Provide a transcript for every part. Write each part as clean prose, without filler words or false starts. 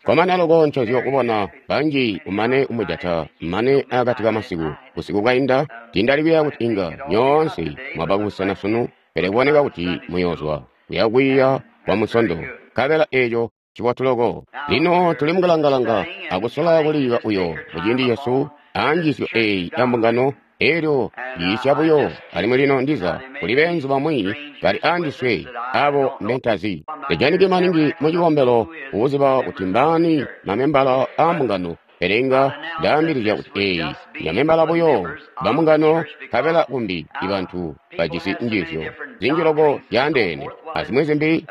Kkomana loko ncozyo kubona banji kumane kumujata mane akati kamasiku. Busiku bwainda, tiindali kuyeeya kuti inga nyoonse mwaba kubusena sunu, pele kuboneka kuti muyoozwa kuya kwiiya kwa Munsondo, nkabela eco ncibotu loko. Lino tuli mukulangalanga akusola kuliiba uyo muciindi cesu a njiisyo eyi ya mbungano, elyo yiisya buyo, alimwi lino ndiza kuli beenzu bamwi bali andiswe abo mbentazi. Tajaniki maningi mu cikombelo kuziba kuti mbaani mamembala aa mbungano, pele inga ndaambilizya kuti eyi nyamembala buyo ba mbungano, nkabela kumbi ibantu bajisi njiisyo zinji loko zyaandeene azimwi zimbi,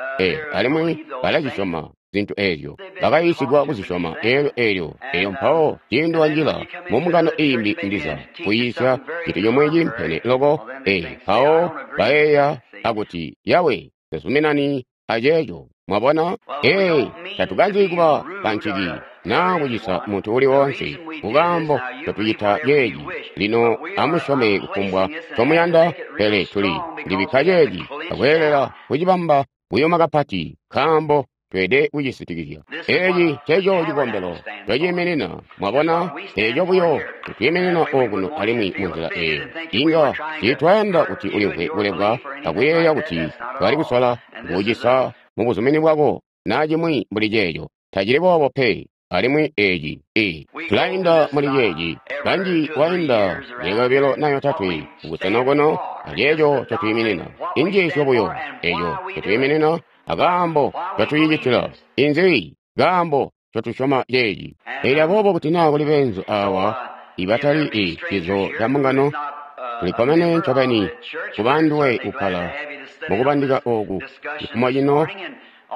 alimwi balazisyoma zintu ezyo, bakayiisigwa kuzisyoma. Elyo elyo elyo mpawo ciindi wanjila mu mbungano iimbi ndiza kuyiisya cintu comwe ciimpene loko, mpawo bayeeya akuti, yawe, tazuminani aceeco. Mwabona? Tatukanzi kuba banciki naa kucisa muntu uli woonse kukaambo totucita ceeci. Lino amusyome kufumbwa ncomuyanda, pele tuli ndibikka ceeci akweelela kucibamba kuyuma kapati, nkaambo tweelede kucisitikizya. Eeci nceco cikombelo ncociiminina. Mwabona, eco buyo ncotwiiminina okuno alimwi munzila eyo. Inga tiitwayanda kuti ulimvwe kulebwa akuyeeya kuti twali kusola kukucisa mubuzumini bwako naa cimwi mbuli ceeco. Tacili boobo pe. Alimwi eeci tulainda muli ceeci. Kanji wainda myaka yobilo na yotatwe kubusena okuno aceeco ncotwiiminina. Injiisyo buyo eco ncotwiiminina akaambo ncotuyicitila. Inzi kaambo ncotusyoma ceeci. Elyo aboobo kuti naa kuli beenzu awa ibatali cizo ca mbungano, tulikkomene ncobeni kuba anduwe kukkala mukubandika ooku cifumo cino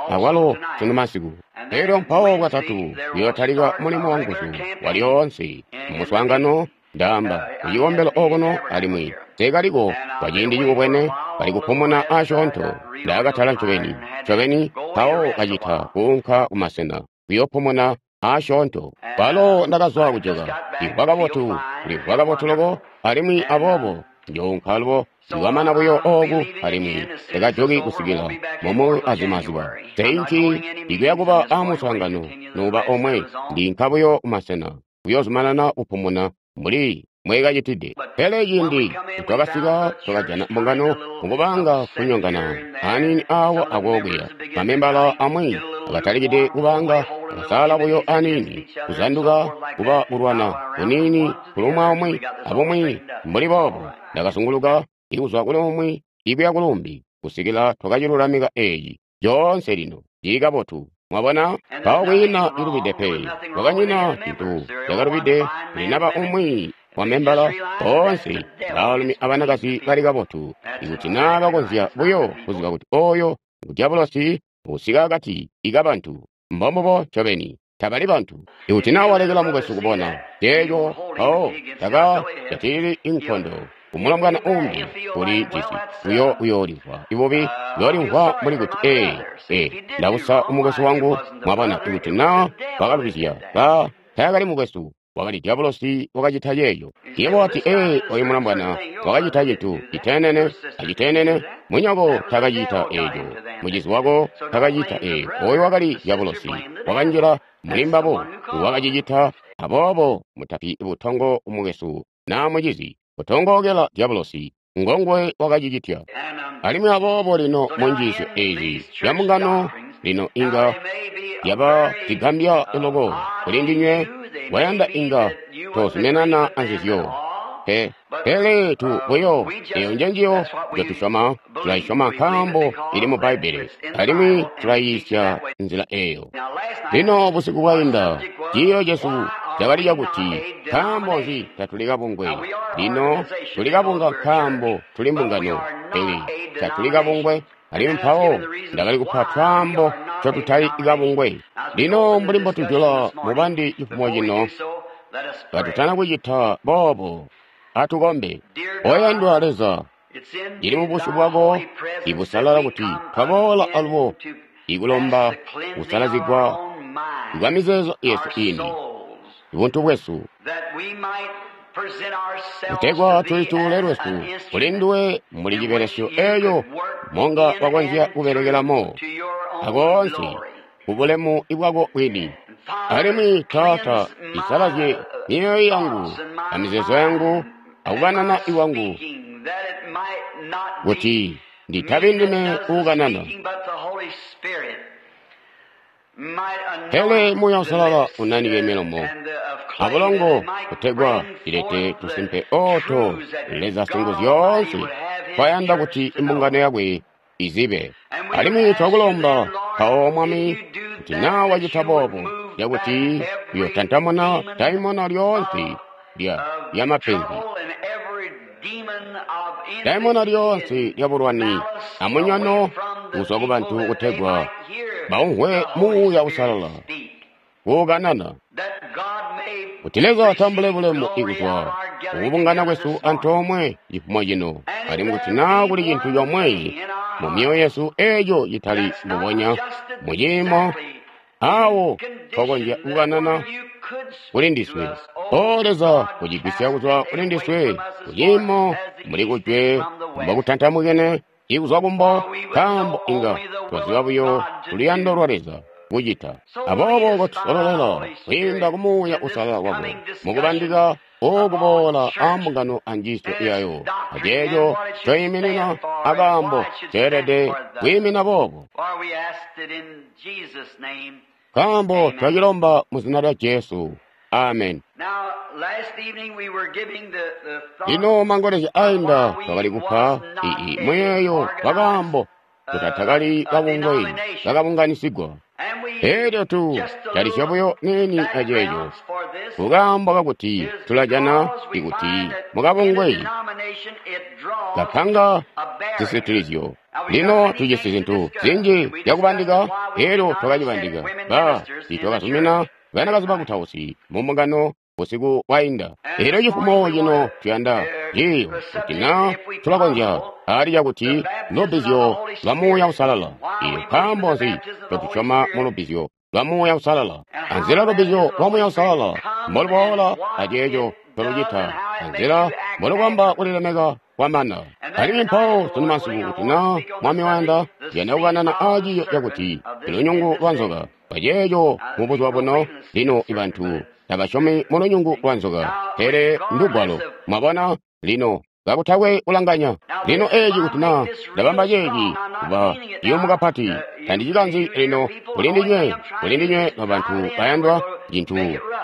akwalo sunu masiku. Elyo mpawo Bwatatu kuyootalika mulimo wanguzu walyoonse mumuswaangano, ndaamba, ku cikombelo okuno, alimwi nseekaliko kwa ciindi cikubwene, bali kupumuna asyoonto. Ndakatala ncobeni, ncobeni, mpawo kacita kuunka kumasena kuyoopumuna asyoonto. Kwalo ndakazwa kujoka, limvwa kabotu, limvwa kabotu loko, alimwi aboobo njounka alubo nikwamana buyo ooku, alimwi takajoki kusikila momu azimazuba. Teinki ikuya kuba amuswaangano nuuba omwe, ndiinka buyo kumasena kuyoozumanana kupumuna mbuli mbweekacitide. Pele ciindi nitwakasika twakajana mbungano mukubaanga kunyongana aniini aawa akookuya. Mamembala amwi akatalikide kubaanga akasaala buyo aniini, kuzanduka kuba kulwana kuniini kulumwa umwi abumwi mbuli boobo. Ndakazunguluka ikuzwa kuli umwi ikuya kuluumbi kusikila twakacilulamika eeci coonse lino cili kabotu. Mwabona? Mpawo kwiina cilubide pe. Kwakanyina cintu cakalubide kuli naba umwi wa membala. Boonse baalumi abanakazi bali kabotu. Ikuti naa bakonzya buyo kuziba kuti oyo ngu dyabulosi usika akati kabantu. Mbombubo ncobeni. Tabali bantu. Ikuti naa walekela mukwesu kubona ceeco, mpawo taka jatilili inkondo kumulombwana uumbi uli jisi uyo uyoolimvwa ibubi, uyoolimvwa mbuli kuti, ndausa umukwesu wangu. Mwabona, ikuti naa wakalubizya, ba taakali mukwesu, wakali dyabulosi wakacita ceeco. Yebo wati, oyu mulombwana wakacita cintu citeenene aciteenene. Munyoko takacita eeco, mucizi wako takacita eeco. Oyo wakali dyabulosi wakanjila muli mbabo, wakacicita. Aboobo mutapi butongo kumukwesu naa mucizi, kutongookela dyabulosi, ngonguwe wakacicitya. Alimwi aboobo lino mu njiisyo ezi zya mbungano lino inga yaba zigambya loko kuli ndinywe, wayanda inga tozuminana anzizyo pe. Pele tu buyo, eyo njenjiyo njotusyoma, tulaisyoma nkaambo ili mu Bbaibbele, alimwi tulayiisya nzila eyo. Lino busiku bwainda, ciiyo cesu cakali cakuti, nkaambo nzi tatuli kabungwe? Lino tuli kabunga nkaambo tuli mbungano, pele tatuli kabungwe. Alimwi mpawo ndakali kupa twaambo ncotutali kabungwe. Lino mbuli mbotujula mubandi cifumo cino, katutana kucita boobo, atukombe. Oyandwa Leza, cili mubusyu bwako ibusalala kuti twaboola alubo ikulomba kusalazigwa kwa mizeezo yesu ini, buntu bwesu, kutegwa tulituule lwesu kuli nduwe mbuli cibelesyo eeco monga wakonzya kubelekelamo akoonse kubulemu bwako bwini. Alimwi Taata, isalazye myoyo yangu amizeezo yangu akukanana kwangu, kuti nditabi ndime uukanana, pele Muuya Uusalala unanike milomo abulongo kutegwa ilete tusimpe ooto Leza Singuzyoonse twayanda kuti imbungano yakwe izibe. Alimwi twakulomba mpawo Mwami kuti naa wacita boobo, cakuti uyotantamuna daimona lyoonse lya mapenzi, daimona lyoonse lyabulwani amunyono kuzwa kubantu kutegwa baumvwe Muuya Uusalala kuukanana, kuti Leza atambule bulemu ikuzwa kukubungana kwesu antoomwe cifumo cino, alimwi kuti naa kuli cintu comwe mu myoyo yesu eeco citali mbubonya muciimo awo twakonzya kukanana kuli ndiswe. O Leza, kucigwisya kuzwa kuli ndiswe kuciimo muli kujwe mbokutantamukene ikuzwa kumbo, nkaambo inga twaziba buyo luyando lwa Leza kucita. Aboobo kotusololela kwiinda ku Muuya Uusalala wako mukubandika okuboola ambungano anjiisyo yayo, aceeco coyiminina akaambo ceelede kwiimina boobo. Nkaambo twacilomba mu zina lya Jesu. Amen. Lino mangolezya ainda twakali kupa muyeeyo wakaambo kutatakali kabungwe kakabunganisigwa. Elyo tu talisya buyo niini aceeco kukaambo kakuti tulajana ikuti mukabungwe kapanga zisitilizyo. Lino tujisi zintu zinji zyakubandika, elyo twakacibandika tiitwakazumina banakazi bakutausi mu mbungano busiku bwainda. Elyo cifumo cino tuyanda ciiyo kuti naa tulakonzya ali cakuti lubbizyo lwa Muuya Uusalala. Iyo nkaambo nzi ncotusyoma mu lubbizyo lwa Muuya Uusalala? Anzila lubbizyo lwa Muuya Uusalala mboluboola aceeco ncolucita, anzila mbolubamba kulilemeka kwamana. Alimwi mpawo sunu masiku kuti naa Mwami wayanda, tuyanda kukanana aaciiyo cakuti lunyungu lwa nzoka. Paceeco mubuzuba buno lino ibantu tabasyomi mu lunyungu lwa nzoka, pele ndugwalo. Mwabona lino kakutakwe kulanganya. Lino eeci kuti naa ndabamba ceeci kuba ciyumu kapati, tandicikanzi lino kulindinywe nobantu bayandwa, cintu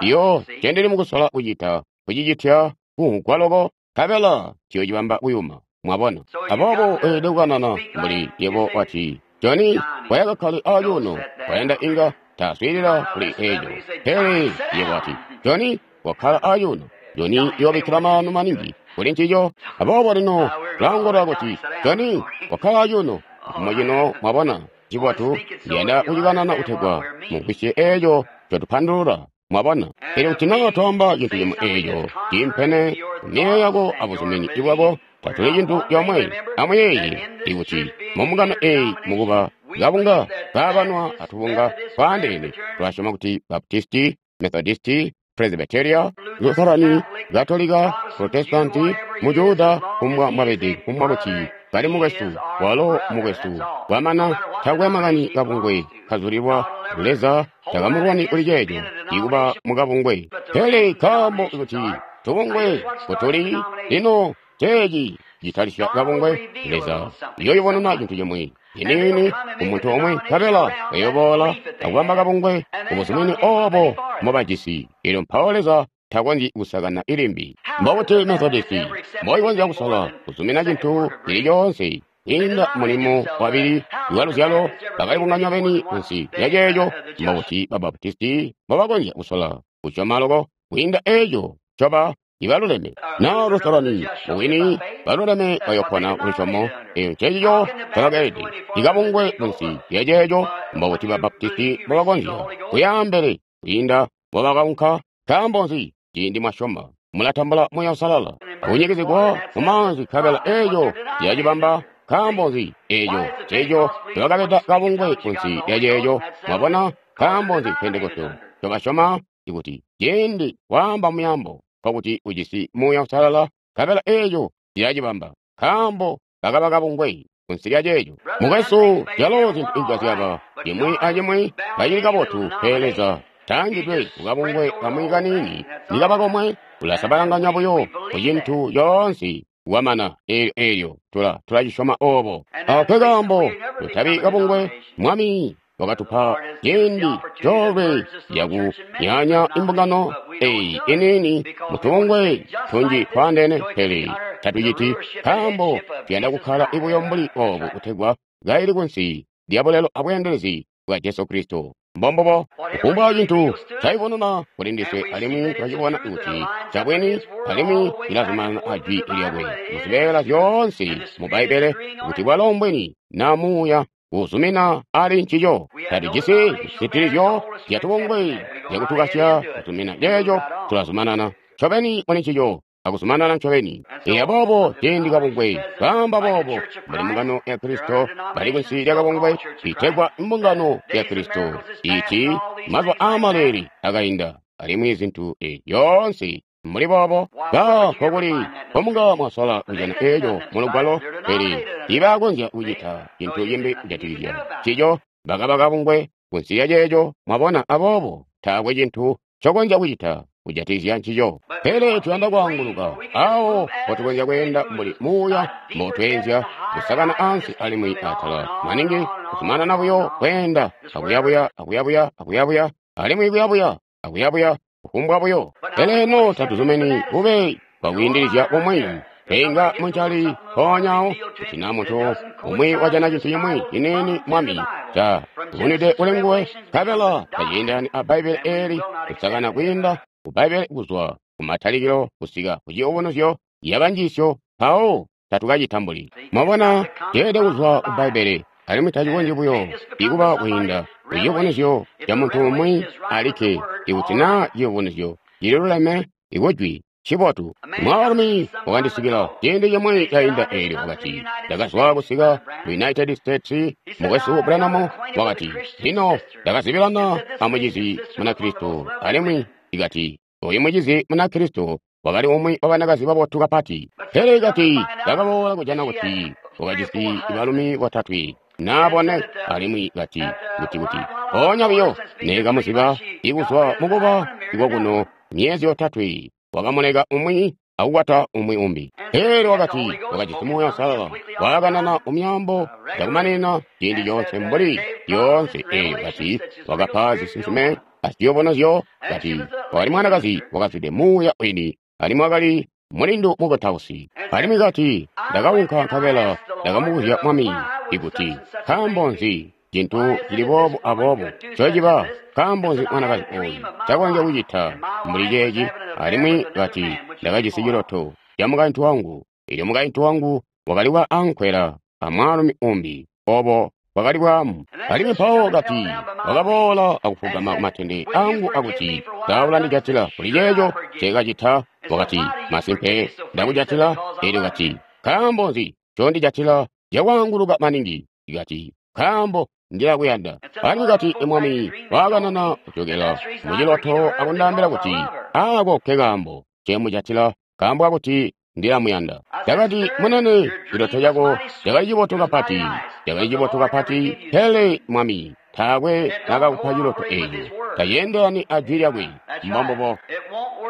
iyo ncendili mukusola kucita kucicitya kumvwa loko, nkabela ciyoocibamba kuyuma. Mwabona? Aboobo weelede kukanana mbuli yebo wati, Johnny, wayakakkale acuuno, wayanda inga taswiilila kuli eeco. Pele yebo wati, Johnny, wakkala acuuno. Johnny yoobikkila maanu maningi kuli ncico. Aboobo lino tulaongolola kuti, Johnny, wakkala acuuno. Cifumo cino mwabona, cibotu, ndiyanda kucikanana kutegwa mumvwisye eeco ncotupandulula. Mwabona? Elyo kuti naa twaamba cintu cimwe eeco ciimpene kumiyeeyo yako abuzumini bwako, tatuli cintu comwe. Amuyeeye ikuti mumbungano eeyi mukuba kabunga kaabanwa atubunga twaandeene, tulasyoma kuti Baptisti, Methodisti, Presbyteria, Lutherani, Katolika, Protestanti, Mujuda, kumbwa mbwabede, kumbwa kuti kali mukwesu, walo mukwesu. Kwamana takwe makani kabungwe kazulilwa Leza takamulwani kuli ceeco ikuba mukabungwe. Pele nkaambo kuti tubungwe kutuli lino ceeci citalisya kabungwe, Leza uyoyubununa cintu cimwe ciniini kumuntu omwe, nkabela bayoboola akubamba kabungwe kubuzumini oobo mbobajisi. Elyo mpawo Leza takonzyi kusakana ilimbi. Mbobuti Methodisti mboikonzya kusola kuzumina cintu cili coonse kwiinda mulimo wabili wa luzyalo bakalibunganya beni kunsi lya ceeco? Mbobuti Babaptisti mbobakonzya kusola kusyoma loko kwiinda eeco ncoba ibaluleme? Naa Lutherani mubwini baluleme bayopona lusyomo, eyo ncecico ncobakeelede ikabungwe kunsi lya ceeco. Mbobuti Babaptisti mbobakonzya kuyaambele kwiinda mbobakaunka? Nkaambo nzi? Ciindi mwasyoma mulatambula Muuya Uusalala akunyikizigwa mumaanzi, nkabela eeco ciyacibamba. Nkaambo nzi? Eeco nceeco ncobakabeda kabungwe kunsi lya ceeco. Mwabona? Nkaambo nzi Pentekoste ncobasyoma ikuti ciindi waamba muyambo nkokuti ujisi Muuya Uusalala, nkabela eeco ciyacibamba. Nkaambo bakaba kabungwe kunsi lya ceeco. Mukwesu, calo zintu inga zyaba cimwi acimwi kacili kabotu, pele Leza Taangidwe kukabungwe kamwi kaniini nikaba komwe, ulasabalanganya buyo ku cintu coonse kwamana. Eelyo tula cisyoma obo. Ako kaambo tutabi kabungwe. Mwami wakatupa ciindi coolwe cakunyanya imbungano eyi iniini mutubungwe tunji twaandeene, pele tatuciti nkaambo tuyanda kukkala buyo mbuli obu kutegwa kaili kunsi lya bulelo abweendelezi bwa Jesu Kristo. Mbombubo, kufumbwa cintu caibonena kuli ndiswe, alimwi twacibona kuti cabwini, alimwi cilazumanana a jwi lyakwe muzibeela zyoonse mu Bbaibbele, kuti bwalo mbwini na muuya kuzumina ali ncico. Tatujisi zisitilizyo zyatubungwe zyakutukasya kuzumina ceeco, tulazumanana ncobeni muli ncico akuzumanana ncobeni. Iya boobo ciindi kabungwe kaamba boobo, mbuli mbungano ya Kristo bali kunsi lya kabungwe itegwa mbungano ya Kristo, iti mazuba aamaleeli akainda, alimwi zintu zyoonse mbuli boobo. Ba nkokuli nkomunga mwasola kujana eeco mu Lugwalo, pele tiibakonzya kucita cintu cimbi kujatikizya ncico. Bakaba kabungwe kunsi lya ceeco, mwabona, aboobo taakwe cintu ncokonzya kucita kujatikizya ncico. Pele tuyanda kwaanguluka awo mpotukonzya kweenda mbuli muuya mbotweenzya, kusakana ansi alimwi atala maningi, kuzumanana buyo kweenda akuyabuya akuyabuya akuyabuya alimwi kuyabuya akuyabuya kufumbwa buyo. Pele eno tatuzumini bube bwakwiindilizya kumwi tweinga muncali mpoonyawo, kuti na muntu umwi wajana cintu cimwi ciniini Mwami ca vunide kuli nguwe, nkabela taciindani a Bbaibbele eeli kusakana kwiinda ku Bbaibbele kuzwa kumatalikilo kusika ku ciyubunuzyo yabanjiisyo, mpawo tatukacitambuli. Mwabona, ceelede kuzwa ku Bbaibbele, alimwi tacikonzyi buyo ikuba kwiinda ku ciyubunuzyo ca muntu umwi alikke. Ikuti naa ciyubunuzyo cililuleme ikujwi, ncibotu. Mwaalumi wakandisikila ciindi cimwi cainda eelyo wakati, ndakazwa kusika ku United States, mukwesu Branham wakati, lino ndakazibilana a mucizi Munakristo, alimwi ikati, oyu mucizi Munakristo wakali umwi wa banakazi babotu kapati. Pele ikati, ndakaboola kujana kuti wakajisi balumi botatwe naa bone, alimwi kati, kuti mpoonya buyo nekamuziba ikuzwa mukuba ikokuno myezi yotatwe, wakamuleka umwi akukwata umwi umbi. Pele wakati wakajisi Muuya Uusalala, waakanana mumyaambo yakumanina ciindi coonse mbuli yoonse. Eelyo kati wakapa zisinsime aziyubunuzyo, kati wakali mwanakazi wakazwide Muuya wini, alimwi wakali mulindu mukutausi. Alimwi kati ndakaunka nkabela ndakamubuzya Mwami ikuti nkaambo nzi cintu cili boobu aboobo ncociba, nkaambo nzi mwanakazi ooyu ncakonzya kucita mbuli ceeci. Alimwi kati ndakajisi ciloto ca mukaintu wangu, eelyo mukaintu wangu wakali wa ankwela a mwaalumi umbi, obo bwakali bwaamu. Alimwi mpawo kati wakaboola akufugama kumatende angu akuti, sa ulandijatila kuli ceeco nceekacita? Wakati, masimpe ndakujatila. Eelyo kati, nkaambo nzi ncondijatila cakwaanguluka maningi? Kati, nkaambo ndilakuyanda. Alimwi kati, Mwami waakanana kujokela muciloto akundaambila kuti, aako nke kaambo ncemujatila, nkaambo kakuti ndilamuyanda. Ndakati, munene, ciloto cako cakali cibotu kapati, cakali cibotu kapati, pele Mwami taakwe nakakupa ciloto eeco. Taceendelani a jwi lyakwe. Mbombubo,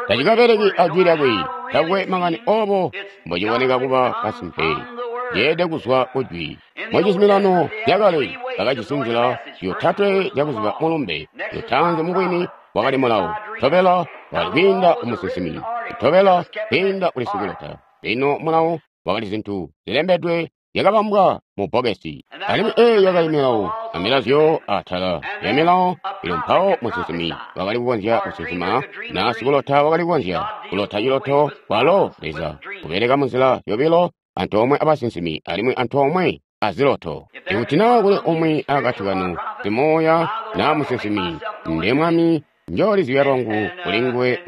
tacikabeleki a jwi lyakwe. Takwe makani obo mbociboneka kuba kasimpe, ceelede kuzwa ku jwi. Mucizuminano cakale bakajisi nzila yotatwe yakuziba mulumbe. Lutaanzi mubwini wakali mulawo, tobela wakali kwiinda ku musinsimi, tobela kwiinda kuli sikulota. Lino mulawo wakali zintu zilembedwe zyakabambwa mu bbokesi, alimwi eeyo yakali milawo amilazyo atala ya milawo. Elyo mpawo musinsimi wakali kukonzya kusinsima, na sikulota wakali kukonzya kulota ciloto. Kwalo Leza kubeleka munzila yobilo, antoomwe abasinsimi alimwi antoomwe aziloto. Ikuti naa kuli umwi akati kanu simuuya naa musinsimi, nde Mwami njoolizibya lwangu kuli nguwe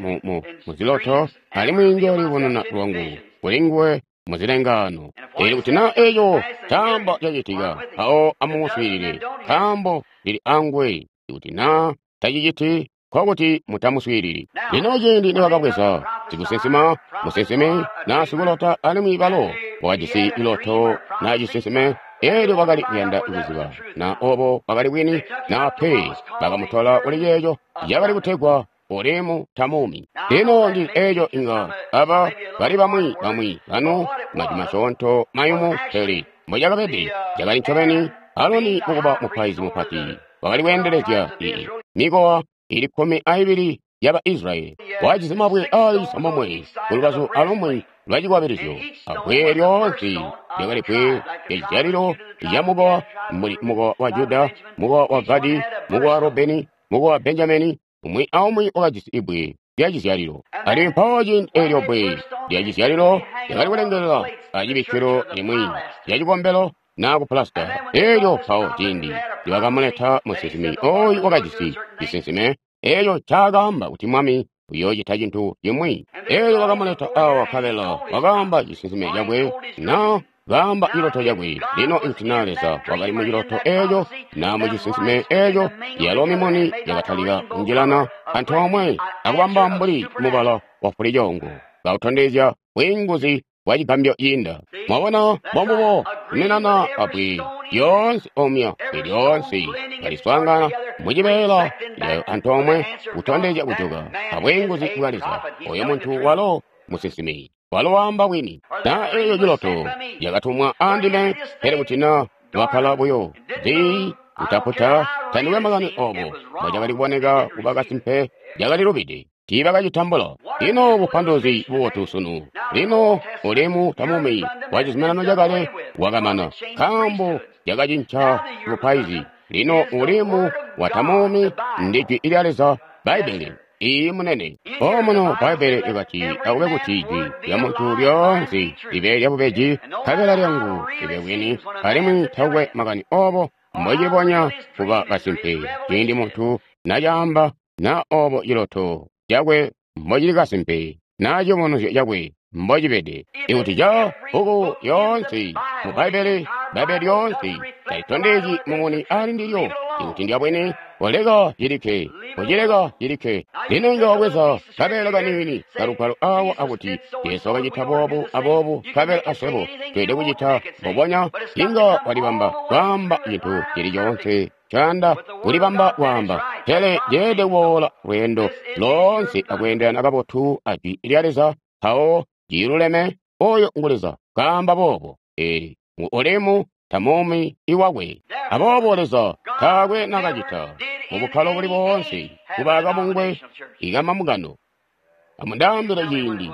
muziloto, alimwi njooliyubununa lwangu kuli nguwe muzilengaano. Eelyo kuti naa eeco caamba cacitika, mpawo amumuswiilile, nkaambo ndili anguwe. Ikuti naa taciciti, nkokuti mutamuswiilili. Lino ciindi nibakabweza sikusinsima, musinsimi naa sikulota, alimwi balo wakajisi ciloto naa cisinsime, Elyo bakali kuyanda kuziba na obo bakali bwini na pe. Bakamutola kuli ceeco cakali kutegwa Urimu Tamumi. Lino ndi eco inga aba bali bamwi bamwi banu majwi masyoonto mayumu, pele mbocakabede cakali ncobeni. Aroni mukuba mupaizi mupati wakali kweendelezya ii mikowa ili 12 yaba Israyeli. Wajisi mabwe aali 9 kulubazu alumwi lwa cikwabilizyo, abbwe lyoonse lyakali bbwe lyacizyalilo lya mukowa, mbuli mukowa wa Juda, mukowa wa Gadi, mukowa wa Rubeni, mukowa wa Benjamini. Umwi aumwi wakajisi ibbwe lya cizyalilo. Alimwi mpawo ciindi eelyo bbwe lya cizyalilo lyakali kulengelela acibikkilo limwi lya cikombelo na kupulasita. Elyo mpawo ciindi nibakamuleta musinsimi oyu wakajisi cisinsime eco ncaakaamba kuti Mwami uyoocita cintu cimwi. Elyo bakamuleta awa nkabela wakaamba cisinsime cakwe na kaamba ciloto cakwe. Lino ikuti na Leza wakali mu ciloto eco na mu cisinsime eco, yalo mimuni yakatalika kunjilana antoomwe akubamba mbuli mubala wa fulicoongo, kautondezya bwiinguzi bwa cigambyo ciinda. Mwabona, mbombubo kuminana abbwe lyoonse omya, bbwe lyoonse kaliswaangana mucibeela lyayo antoomwe kutondezya kujoka abwiinguzi bwa Leza. Oyo muntu walo musinsimi, walo waamba bwini. Na eyo ciloto yakatumwa andime, pele kuti na wakkala buyo zii kutaputa, tandikwe makani obo mbocakali kuboneka kuba kasimpe, cakali lubide. Tiibakacitambula. Lino bupanduluzi bubotu sunu. Lino Urimu Tamumi wa cizuminano cakale wakamana, nkaambo cakacinca bupaizi. Lino Urimu wa Tamumi ndi Jwi lya Leza, Bbaibbele. Iiyi, munene. Omuno Bbaibbele lyakati, akube kuti jwi lya muntu lyoonse libe lyabubeji, nkabela lyangu libe bwini, alimwi takukwe makani obo mbocilibonya kuba kasimpe ciindi muntu nacaamba, na obo ciloto cakwe mbocili kasimpe, na ciyubunuzyo cakwe mbocibede. Ikuti ca bbuku lyoonse mu Bbaibbele, Bbaibbele lyoonse talitondezyi mumuni ali ndilyo. Ikuti ndya bwini, koleka cilikke, kocileka cilikke. Lino inga wabweza kabeela kaniini kalugwalo awa akuti Jesu wakacita boobu aboobu, nkabela aswebo tweelede kucita mbubonya. Inga walibamba kwaamba cintu cili coonse ncoyanda kulibamba kwaamba, pele ceelede kuboola lweendo loonse akweendelana kabotu a Jwi lya Leza, mpawo ciluleme. Oyo ngu Leza kaamba boobo. Eli ngu Urimu Tamumi iwakwe. Aboobo Leza taakwe nakacita mu bukkalo buli boonse kuba kabungwe ikamamukano. Amundaambile ciindi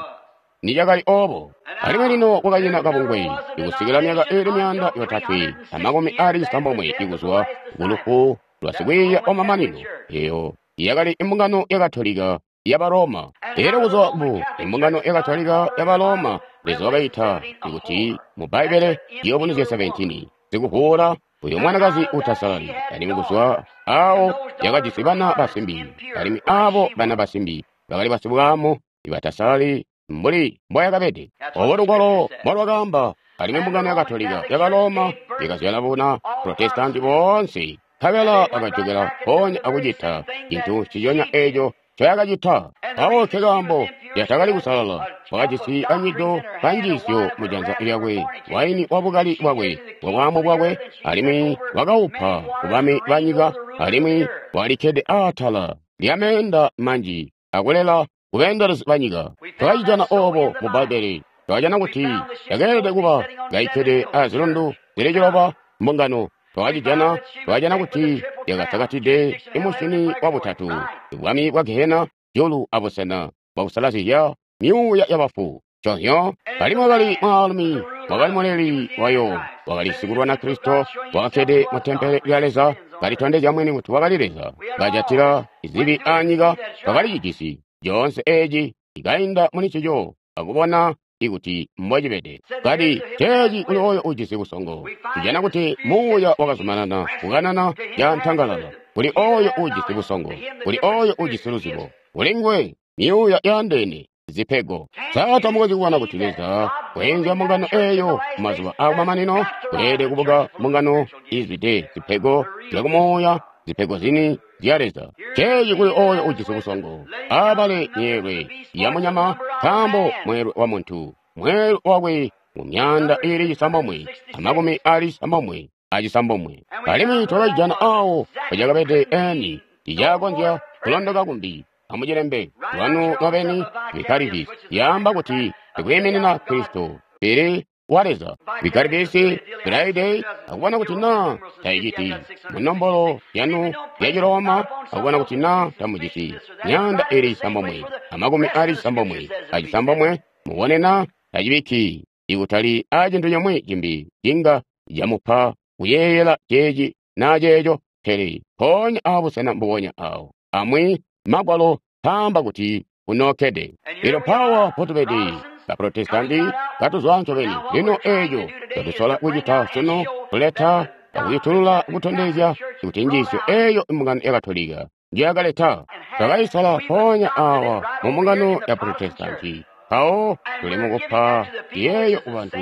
nicakali obo. Alimwi lino kwakanyina kabungwe ikusikila myaka iili 369 ikuzwa kulufu lwa sikwiiya wamamanino, eyo yakali imbungano ya Katolika yaba Roma. Elyo kuzwa mu imbungano ya Katolika yaba Roma, Leza wakaita ikuti mu Bbaibbele Ciyubunuzyo 17, sikuvuula uyo mwanakazi uutasalali, alimwi kuzwa awo yakajisi bana basimbi, alimwi abo bana basimbi bakali basibwaamu ibatasalali mbuli mboyakabede. Obo lugwalo mbolwakaamba. Alimwi mbungano ya Katolika yaba Roma yakazyala buna Protestanti boonse, nkabela bakajokela mpoonya akucita cintu nciconya eco ncoyakacita. Mpawo nkekaambo yatakali kusalala, wakajisi kanywido kanjiisyo mujanza lyakwe, waini wabukali bwakwe, bwabwaamu bwakwe, alimwi wakaupa kubami banyika, alimwi walikkede atala lyameenda manji akulela kubeendelezi banyika. Twakacijana obo mu Bbaibbele. Twakajana kuti yakeelede kuba kaikkede azilundu zili 7 mbungano. Twakacijana, twakajana kuti yakasakatide imusyini wabutatu, bwami bwa Gehena, julu abusena bwakusalazizya myuuya yabafu. Nconzyo, alimwi wakali mwaalumi, wakali muleli wayo, wakali sikulwana Kristo, wakakkede mu tempele lya Leza, kalitondezya mwini kuti wakali Leza, kajatila zibi anyika. Twakalicijisi coonse eci ikainda muli ncico akubona ikuti mbocibede. Kati ceeci kuli oyo ujisi busongo. Tujana kuti muuya wakazumanana kukanana cantangalala kuli oyo ujisi busongo, kuli oyo ujisi luzibo, kuli nguwe myuuya yaandeene zipego. Sa tamukonzyi kubona kuti Leza weenzya mbungano eyo mumazuba aakumamanino? Kweelede kubuka mbungano izwide zipego zyakumuuya, zipego zini zya Leza. Ceeci kuli oyo ujisi busongo, abale myeelwe ya munyama, nkaambo mweelwe wa muntu, mweelwe wakwe mu 969. Alimwi twakajana awo pacakabede eni ticakonzya kulondoka kumbi. Amucilembe lwanu lwabeni Vicarivisi yaamba kuti ikwiiminina Kristo pele wa Leza. Vicarivisi Friday akubona kuti naa tayiciti munombolo yanu ya Chiroma akubona kuti naa tamujisi 969 mubone naa tacibikki ikutali a cintu comwe cimbi cinga camupa kuyeeyela ceeci naa ceeco, pele mpoonya abusena mbubonya awo amwi Magwalo kaamba kuti unookkede. Elyo mpaawa mpotubede ba Protestanti katuzwa ncobeni. Lino eeco catusola kucita sunu kuleta akuyutulula kutondezya kuti njiisyo eeyo imbungano ya Katolika njiyakaleta. Twakayisola mpoonya awa mu mbungano ya Protestanti. Mpawo tuli mukupa yeeyo kubantu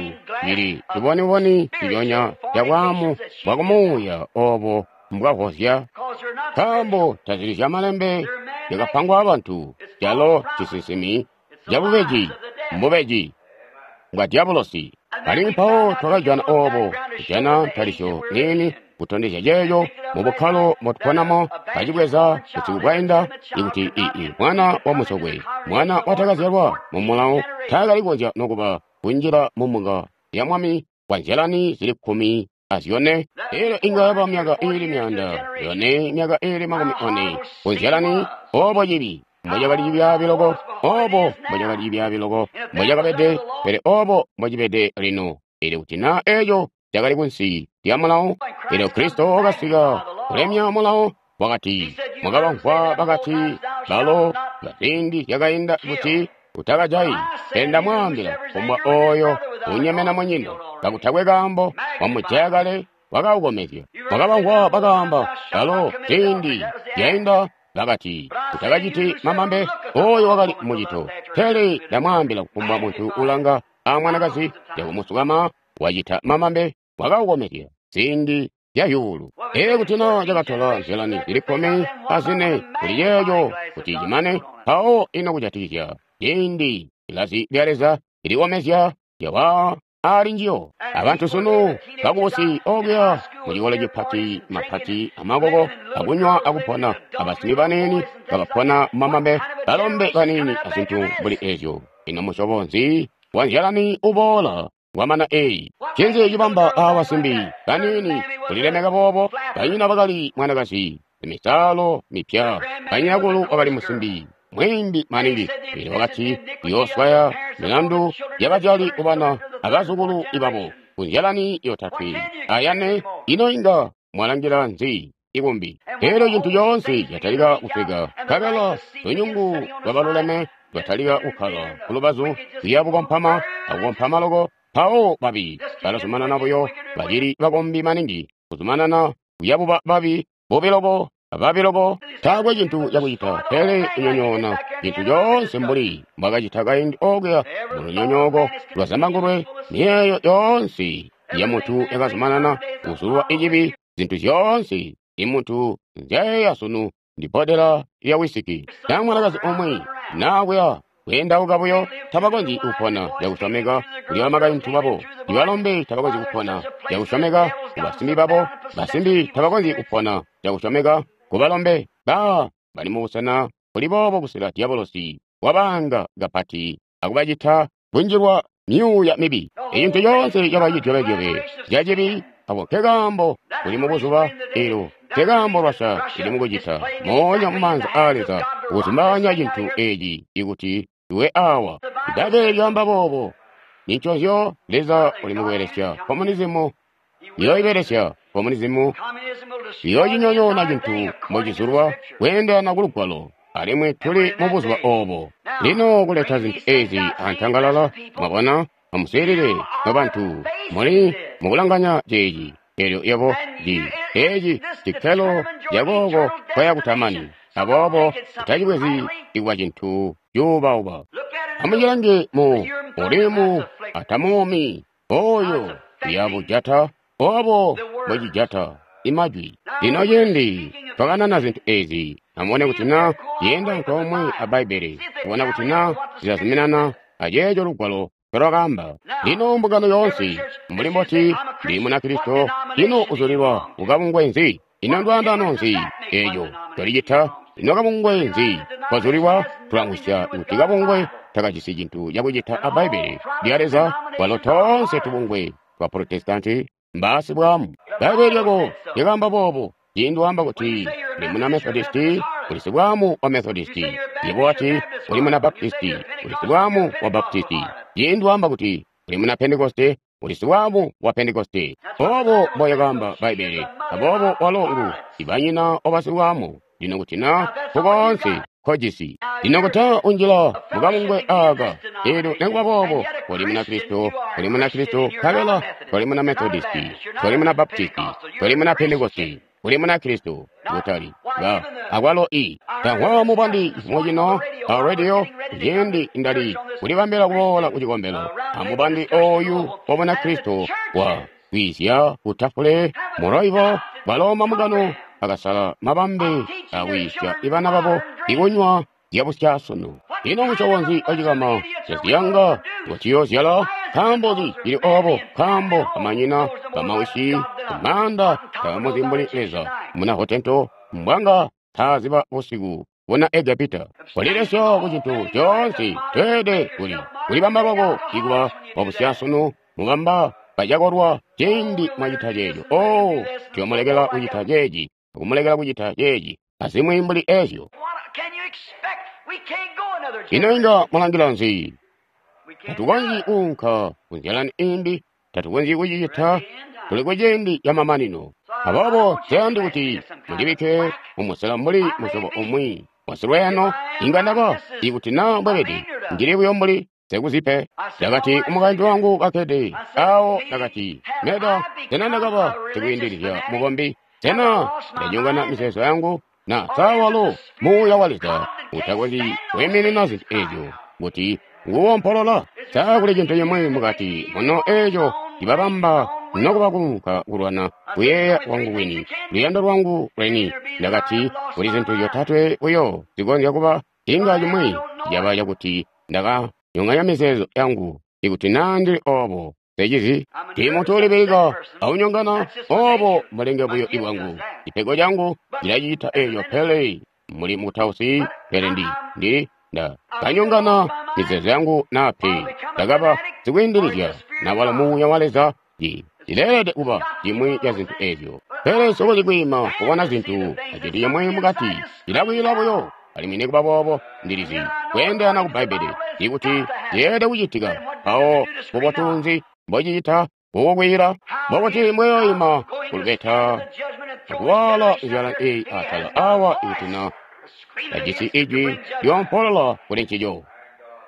ili ciboniboni ciconya ca bwaamu bwa kumuuya oobo mbwavozya, nkaambo tazili zya malembe zyakapangwa abantu, calo cisinsimi cabubeji mbubeji bwa dyabulosi. Alimwi mpawo twakajana oobo kujana ntalisyo niini kutondezya ceeco mu bukkalo mbotuponamo kacibweza busiku bwainda ikuti ii mwana wa musokwe, mwana watakazyalwa mu mulawo taakali kukonzya nokuba kunjila mu mbunga ya mwami kwa nzyalani zili 14. Elyo inga yaba myaka iili 400, myaka iili 40 ku nzyalani. Oobo cibi mbocakali cibyaabi loko, oobo mbocakali cibyaabi loko mbocakabede, pele oobo mbocibede lino. Elyo kuti naa eeco cakali kunsi lya mulawo, elyo Kristo wakasika kulemya mulawo, wakati, mwakabamvwa bakati balo baziindi zyakainda kuti utakajayi, pele ndamwaambila kumbwa ooyo unyemena munyina kakutakwe kaambo wamujaya kale wakaukomezya. Mwakabamvwa bakaamba balo ziindi zyainda bakati utakaciti mamambe, ooyo wakali mucito. Pele ndamwaambila kufumbwa muntu ulanga amwanakazi yakumusukama wacita mamambe wakaukomezya ziindi zya zyuulu. Elyo kuti naa cakatola nzyalani zili 14 kuli ceeco kuti cimane, mpawo ino kujatikizya ciindi ilazi lya Leza ilikomezya lyawa ali njiyo. Abantu sunu bakubusi okuya mucikolo cipati mapati amakoko akunywa akupona, abasimbi baniini kabapona mumamambe, balombe baniini azintu mbuli ezyo. Ino musyobo nzi wa nzyalani uboola wamana eyi? Ncinzi cibamba abasimbi baniini kulilemeka boobo? Banyina bakali mwanakazi misalo mipya, banyinakulu wakali musimbi mwiimbi maningi. Pele wakati uyooswaya milandu yabazyali kubana abazukulu ibabo kunzyalani yotatwe ayane. Ino inga mwalangila nzi ikumbi? Elyo cintu coonse catalika kusweka, nkabela lunyungu lwabaluleme lwatalika kukkala kulubazu kuya bukompama akukompama loko. Mpawo babi balazumanana buyo bacili bakombi maningi, kuzumanana kuya buba babi bubi loko ababi loko. Taakwe cintu cakucita pele kunyonyoona cintu coonse mbuli mbwakacita kaindi okuya mu lunyonyooko lwa zambangulwe. Miyeeyo yoonse ya muntu yakazumanana kuzulwa icibi. Zintu zyoonse imuntu nzyayeeya sunu ndi bbodela lya wisiki na mwanakazi umwi naa kuya kweendauka buyo. Tabakonzyi kupona cakusyomeka kuli bamakaintu babo. Ibalombe tabakonzyi kupona cakusyomeka ku basimbi babo. Basimbi tabakonzyi kupona cakusyomeka ku balombe. Ba bali mubusena buli boobo kusika dyabolosi wabaanga kapati akubacita kunjilwa myuuya mibi. Icintu coonse caba cidyobedyobe cacibi. Ako nkekaambo kuli mubuzuba elo, nkekaambo Russia ili mukucita moonya mumaanza aa Leza kuzumbaanya cintu eci ikuti iwe awa. Ibbaibbele lyaamba boobo. Ninconzyo Leza uli mukubelesya komunizimu, iyooibelesya komunizimu, iyoocinyonyoona cintu mbocizulwa kweendelana ku Lugwalo, alimwi tuli mubuzuba oobo. Lino kuleta zintu ezi antangalala, mwabona, amuswiilile nobantu, muli mukulanganya ceeci. Elyo yebo ndi eci cikkelo cakooko kwaya kutamani. Aboobo utacibwezi ikuba cintu cuubauba. Amucilange mu Urimu atamuumi oyo uyabujata obo mbwecijata imajwi. Lino ciindi twakanana zintu ezi, amubone kuti naa zyeenda antoomwe a Bbaibbele, kubona kuti naa zilazuminana aceeco Lugwalo ncolwakaamba. Lino mbungano yoonse, mbuli mboti ndi Munakristo, ino uzulilwa kukabungwe nzi? Ino ndwaandaano nzi eeco ncolicita? Ino kabungwe nzi kozulilwa? Tulamvwisya kuti kabungwe takajisi cintu cakucita a Bbaibbele lya Leza, kwalo toonse tubungwe twa Protestanti mbaasibwaamu. Bbaibbele lyako lyakaamba boobo. Ciindi waamba kuti uli muna Methodisti, uli sibwaamu wa Methodisti. Yebo wati uli muna Baptisti, uli sibwaamu wa Baptisti. Ciindi waamba kuti uli muna Pentekoste, uli sibwaamu wa Pentekoste. Oobo mboyakaamba Bbaibbele. Aboobo walo ngu ibanyina wa basibwaamu. Lino kuti na nkukoonse nkojisi. Lino kuti unjila mukabungwe aaka, eelyo nikuba boobo uli Munakristo, uli Munakristo nkabela toli muna Methodisti, toli muna Baptisti, toli muna Pentekoste, uli Munakristo, kutali ba akwalo i. Ndamvwa mubandi cifumo cino a radio ciindi ndali kulibambila kuboola ku cikombelo, amubandi ooyu wa Bunakristo wa kwiizya ku tafule mu Louisville, balo mambungano akasala mabambe akwiisya ibana babo ikunywa zyabusyaasunu. Ino musyobo nzi wacikama caziyanga ngociyoozyala? Nkaambo nzi cili oobo? Nkaambo bamanyina, bamawisi, maanda tabamuzi mbuli Leza. Muna Hotento mbwanga taaziba busiku buna Egepita. Kolilesya ku cintu coonse tweelede kuli kulibamba lwako ikuba wabusyaasunu mubamba bacakolwa ciindi mwacita ceeco. Oh, tuyomulekela kucita ceeci, akumulekela kucita ceeci, azimwi mbuli ezyo. Ino inga mwalangila nzi? Tatukonzyi kuunka kunzyalani imbi, tatukonzyi kucicita, tuli kuciindi camamanino. Aboobo nseyandi kuti mundibikke mumusela mbuli musyobo umwi wasilweeno, inga ndaba ikuti naa mbwebede, ndili buyo mbuli sekuzipe. Ndakati kumukaintu wangu kakkede awo, ndakati, Meda, sena ndakaba sikwiindilizya mukombi? Sena ndanyongana mizeezo yangu? Na sa walo Muuya wa Leza utakonzyi kwiiminina zintu ezyo kuti nguwompolola? Sa kuli cintu cimwi mukati muno eeco cibabamba nokuba kuunka kulwana kuyeeya kwangu kwini, luyando lwangu lweni? Ndakati kuli zintu zyotatwe buyo zikonzya kuba, inga cimwi caba cakuti ndakanyonganya mizeezo yangu. Ikuti naa ndili oobo, nsecizi. Ndi muntu ulibilika aunyongana, oobo mbulenge buyo bwangu. Cipego cangu cilacita eeco, pele muli mukutausi, pele ndi ndakanyongana mizeezo yangu naa pe. Ndakaba sikwiindilizya, na walo Muuya wa Leza cileelede kuba cimwi ca zintu ezyo. Pele nsikonzyi kwiima kubona zintu acintu cimwi mukati, cilakwiila buyo. Alimwi nikuba boobo ndilizi kweendelana ku Bbaibbele ikuti cileelede kucitika. Mpawo mbubotu nzi mbocicita kukukwiila? Mbokuti mbweyoima kulubeta akuwaala nzyala eeyi atala awa ikuti na tajisi ijwi lyoompolola kuli ncico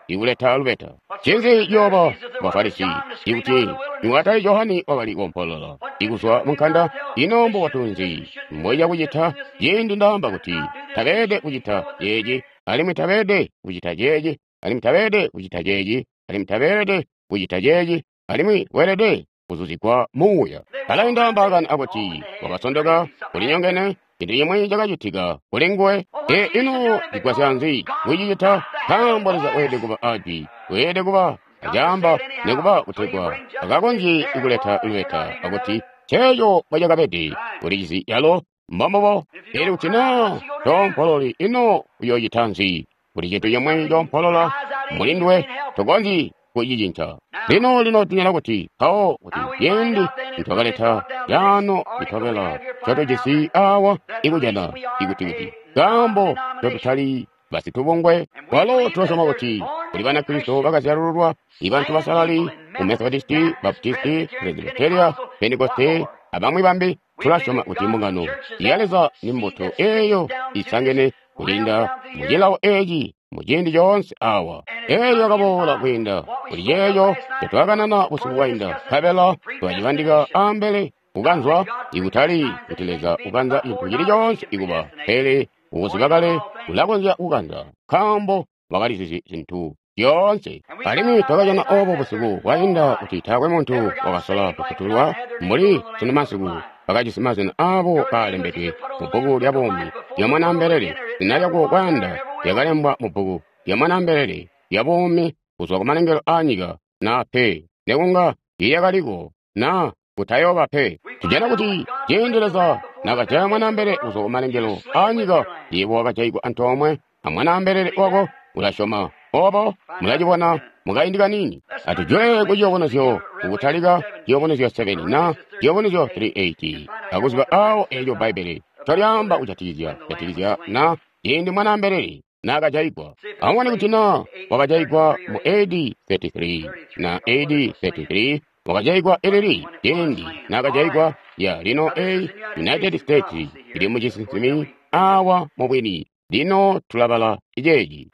ikuleta lubeta. Ncinzi ciyooba ku Bafarisi ikuti niwatali Johane wakali koompolola ikuzwa munkanda? Ino mbubotu nzi mbocakucita ciindi ndaamba kuti tabeelede kucita ceeci, alimwi tabeelede kucita ceeci, alimwi tabeelede kucita ceeci, alimwi tabeelede kucita ceeci, alimwi weelede kuzuzigwa Muuya? Balainda mbaakani akuti wakasondoka, ulinyongene, cintu cimwi cakacitika kuli nguwe. E ino cigwasya nzi kucicita? Nkaambo Leza weelede kuba ajwi, weelede kuba acaamba nikuba kutegwa akakonzye kuleta lubeta akuti ceeco mbocakabede ulicizi yalo mbombubo. Eelyo kuti naa toompololi, ino uyoocita nzi? Kuli cintu cimwi coompolola muli nduwe, tokonzyi kucicinca. Lino lino tunyana kuti mpawo kuti ciindi nitwakaleta yaano litobela ncotujisi awa ikujana ikuti kuti kaambo ncotutali basitubungwe, kwalo tulasyoma kuti kuli Banakristo bakazyalululwa, ibantu basalali mu Methodisti, Baptisti, Presbyteria, Pentekoste abamwi bambi. Tulasyoma kuti mbungano ya Leza ni mbuto eeyo isangene kulinda mucilawo eeci muciindi coonse awa. Eelyo yakaboola kwiinda kuli ceeco ncotwakanana busiku bwainda, nkabela twacibandika ambele kukanzwa, ikutali kuti Leza ukanza cintu cili coonse ikuba, pele ukuziba kale ulakonzya kukanza, nkaambo wakalizizi zintu zyoonse. Alimwi twakajana oobo busiku bwainda kuti taakwe muntu wakasola kufutulwa mbuli sunu masiku bakajisi mazina aabo kaalembedwe mubbuku lya buumi lya Mwanaambelele. Zina lyako kwayanda lyakalembwa mubbuku lya Mwanaambelele lya buumi kuzwa kumalengelo aanyika. na pe, nekunga yakaliko na kutayooba pe. Tujana kuti ciindi Leza nakajaya mwanaambelele kuzwa kumalengelo aanyika, yebo wakajayigwa antoomwe amwanaambelele wako. Ulasyoma obo? Mulacibona mukaindi kaniini. Atujwe ku ciyubunuzyo, kukutalika ciyubunuzyo 7 na ciyubunuzyo 3:8, akuziba awo eeco Bbaibbele ncolyaamba kujatikizya jatikizya na ciindi mwanaambelele naakajayigwa. Amubone kuti na wakajayigwa mu AD 33 na AD 33 wakajayigwa ilili ciindi naakajayigwa ya lino a United States ili mucisinsimi awa mubwini. Lino tulabala iceeci.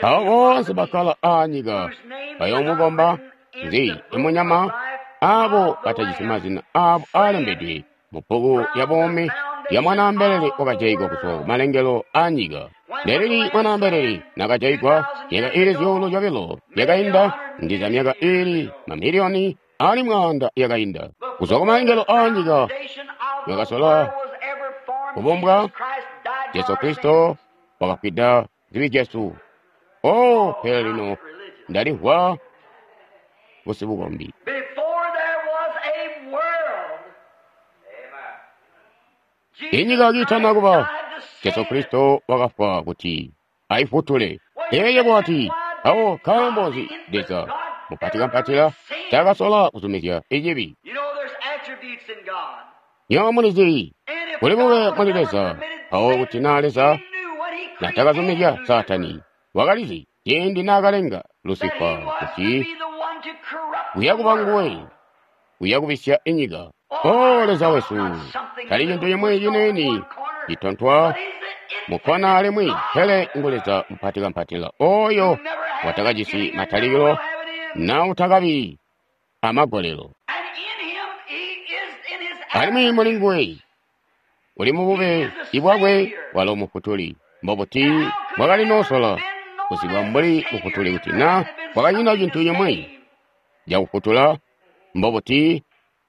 Abo boonse bakkala aanyika bayoomukomba nzi imunyama, abo batajisi mazina abo aalembedwe mu bbuku lya buumi lya mwanaambelele wakajayigwa kuzwa kumalengelo aanyika. Lelili mwanaambelele nakajayigwa myaka iili 2,000 yakainda, ndiza myaka iili mamiliyoni ali 100 yakainda. Kuzwa kumalengelo aanyika wakasola kubumbwa, Jesu Kristo wakafwida zibi zyesu. Oh, pele lino ndalimvwa busibukombi. Inyika kiitana kuba, Jesu Kristo wakafwa kuti ayifutule. Yeye bwati awo nkaambo nzi Leza mupatikampatila taakasola kuzumizya ichibi. Nywebo mulizi kuli bube muli Leza, awo kuti naa Leza natakazumizya Saatani, wakalizi ciindi naakalenga Lusifa kuti uya kuba nguwe uya kubisya inyika. O Leza wesu, tali cintu cimwi ciniini citontwa mukkona alimwi, pele ngu Leza mupatikampatila oyo watakajisi matalikilo na utakabi amagolelo. Alimwi muli nguwe uli mubube ibwakwe walo mufutuli. Mbobuti bwakali noosola kuzibwa mbuli mufutuli kuti na kwakanyina cintu cimwi cakufutula? Mbobuti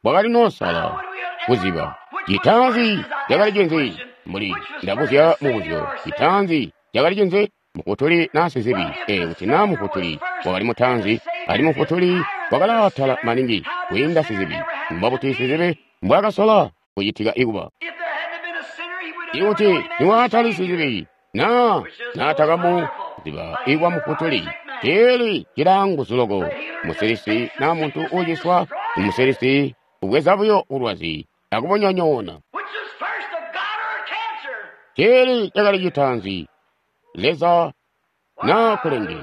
bwakali noosala kuziba citaanzi cakali cinzi? Mbuli ndabuzya mubuzyo, citaanzi cakali cinzi? Mufutuli na sizibi? Kuti na mufutuli wakali mutaanzi, ali mufutuli wakalaatala maningi kwiinda sizibi. Mbobuti sizibi mbwakasola kucitika ikuba? Ikuti niwaatali sizibi na naatakamu ziba ikwa mufutuli, ceeli cilaanguzu loko. Musilisi na muntu uuciswa, umusilisi ubweza buyo bulwazi akubonyonyoona. Ceeli cakali citaanzi, Leza na kulenge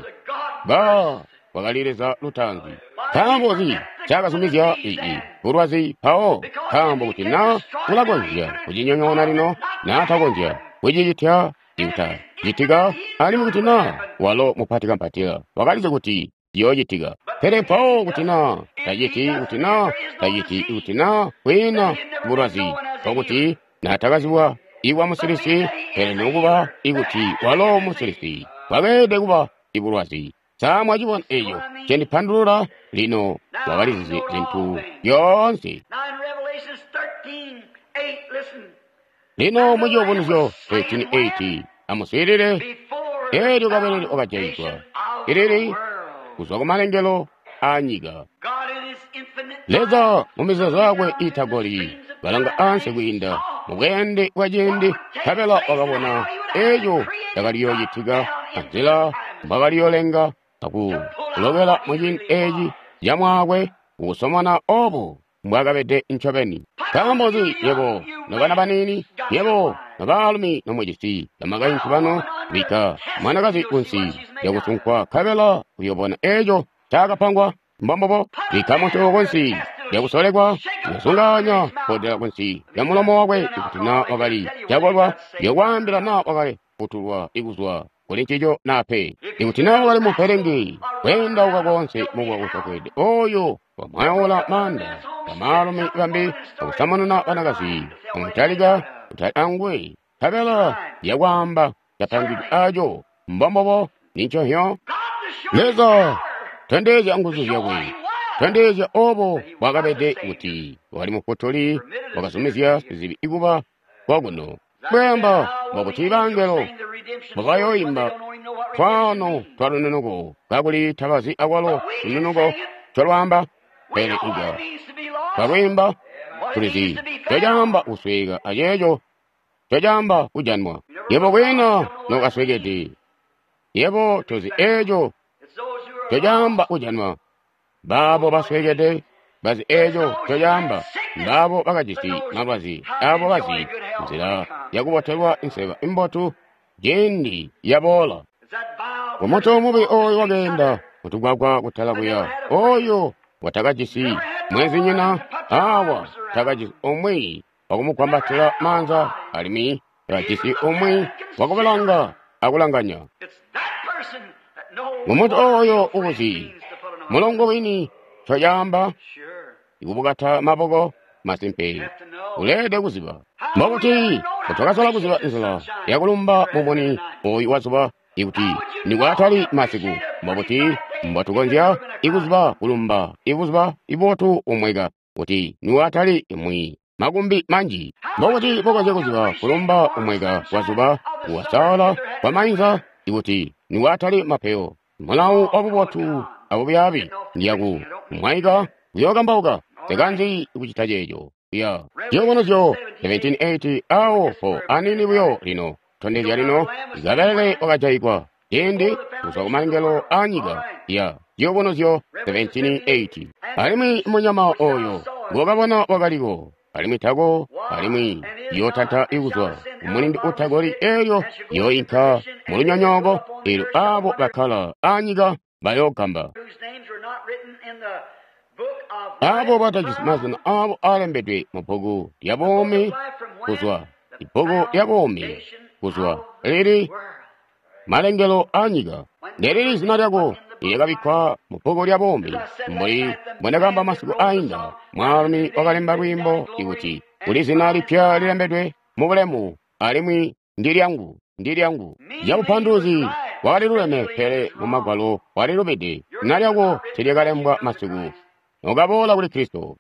ba wakali Leza lutaanzi. Nkaambo nzi ncaakazumizya ii bulwazi mpawo? Nkaambo kuti na ulakonzya kucinyonyoona lino, na takonzya kucicitya ikuta citika, alimwi kuti na walo mupatikampatila wakalizi kuti ciyoocitika. Pele mpawo kuti na taciti, kuti na taciti, kuti na kwiina bulwazi, nkokuti natakazibwa ikwa musilisi, pele nokuba ikuti walo musilisi bwakeelede kuba ibulwazi. Sa mwacibona eco cendipandulula? Lino wakalizizi zintu zyoonse. Lino muciyubunuzyo 13:8, amuswiilile. Eelyo kabelele wakajayigwa ilili kuzwa kumalengelo aanyika. Leza mumizeezo yakwe iitagoli kalanga ansi kwiinda mubweende bwa ciindi, nkabela wakabona eco cakaliyoocitika anzila mbwakaliyoolenga akulobela muciindi eeci camwaakwe ukusomona obo mbwaakabede ncobeni. Nkaambo nzi nywebo nobana baniini, nywebo nobaalumi nomujisi bamakaintu banu, bikka mwanakazi kunsi lyakusunkwa nkabela uyoobona eeco ncaakapangwa? Mbombubo, bikka muntu kunsi lyakusolekwa, uyosunganya kkoodela kunsi lya mulomo wakwe ikuti naa wakali cakolwa, uyokwaambila naa wakali futulwa ikuzwa kuli ncico naa pe. Ikuti naa wakali mupelenge, kweendauka koonse mubwa kusofweede oyo wamwayaula maanda bamaalumi bambi akusamununa banakazi, amutalika kutali anguwe, nkabela yakwaamba capangidwe aco. Mbombubo, ninconhyo. Leza tondezya nguzu zyakwe, tondezya obo bwakabede kuti wakali mufutuli, wakazumizya sizibi ikuba kwakuno. Bweamba mbobuti bangelo mbobayooimba twaano twa lununuko, kakuli tabazi akwalo lununuko ncolwaamba. Pele inga twalwiimba, tulizi ncocaamba kusweeka aceeco ncocaamba kujanwa. Yebo kwiina nokasweekede, yebo tozi eeco ncocaamba kujanwa. Baabo basweekede bazi eeco ncocaamba, mbaabo bakajisi malwazi, aabo bazi nzila yakubotelwa inseba imbotu ciindi yaboola. Umutu mubi ooyu wakeenda mutugwagwa kutala kuya, ooyo watakajisi mwenzinyina, awa takajisi umwi wakumugwambatila maanza, alimwi takajisi umwi wakubalanga akulanganya. Ngumuntu ooyo uuzi mulongo wini ncocaamba ikubukata maboko masimpe, uleelede kuziba. Mbokuti twakasola kuziba nzila yakulumba mumuni ooyu wazuba ikuti nikwatali masiku, mbokuti mbotukonzya ikuziba kulumba ibuzuba ibotu umweka kuti niwatali imwi makumbi manji. Mbokuti bokonzya kuziba kulumba umweka wazuba kuwasaala kwa mainza ikuti niwatali mapeyo. Mulawu wabubotu abubyaabi ndiyaku mwaika kuyookambauka nsekanzi kucita ceeco. Ya Ciyubunuzyo 17:8 awo po anini buyo lino tondezya lino Kabelele wakajayigwa ciindi kuzwa kumalengelo aanyika. Ya Ciyubunuzyo 17:8. Alimwi munyama oyo ngokabona wakaliko, alimwi tako, alimwi yootanta ikuzwa kumulindi utagoli, eelyo yooinka mulunyonyooko, eelyo aabo bakkala aanyika bayoogamba. Aabo batajisi mazina aabo aalembedwe mubbuku lya buumi kuzwa ibbuku lya buumi kuzwa lili malengelo aanyika. Ndilili zina lyako ilyakabikkwa mubbuku lya buumi, mbuli mbwendakaamba masiku aainda. Mwaalumi wakalemba lwiimbo ikuti kuli zina lipya lilembedwe mubulemu, alimwi ndilyangu, ndilyangu. Cabupanduluzi wakaliluleme, pele mumagwalo walilubide. Zina lyako tilyakalembwa masiku nokaboola kuli Kristo.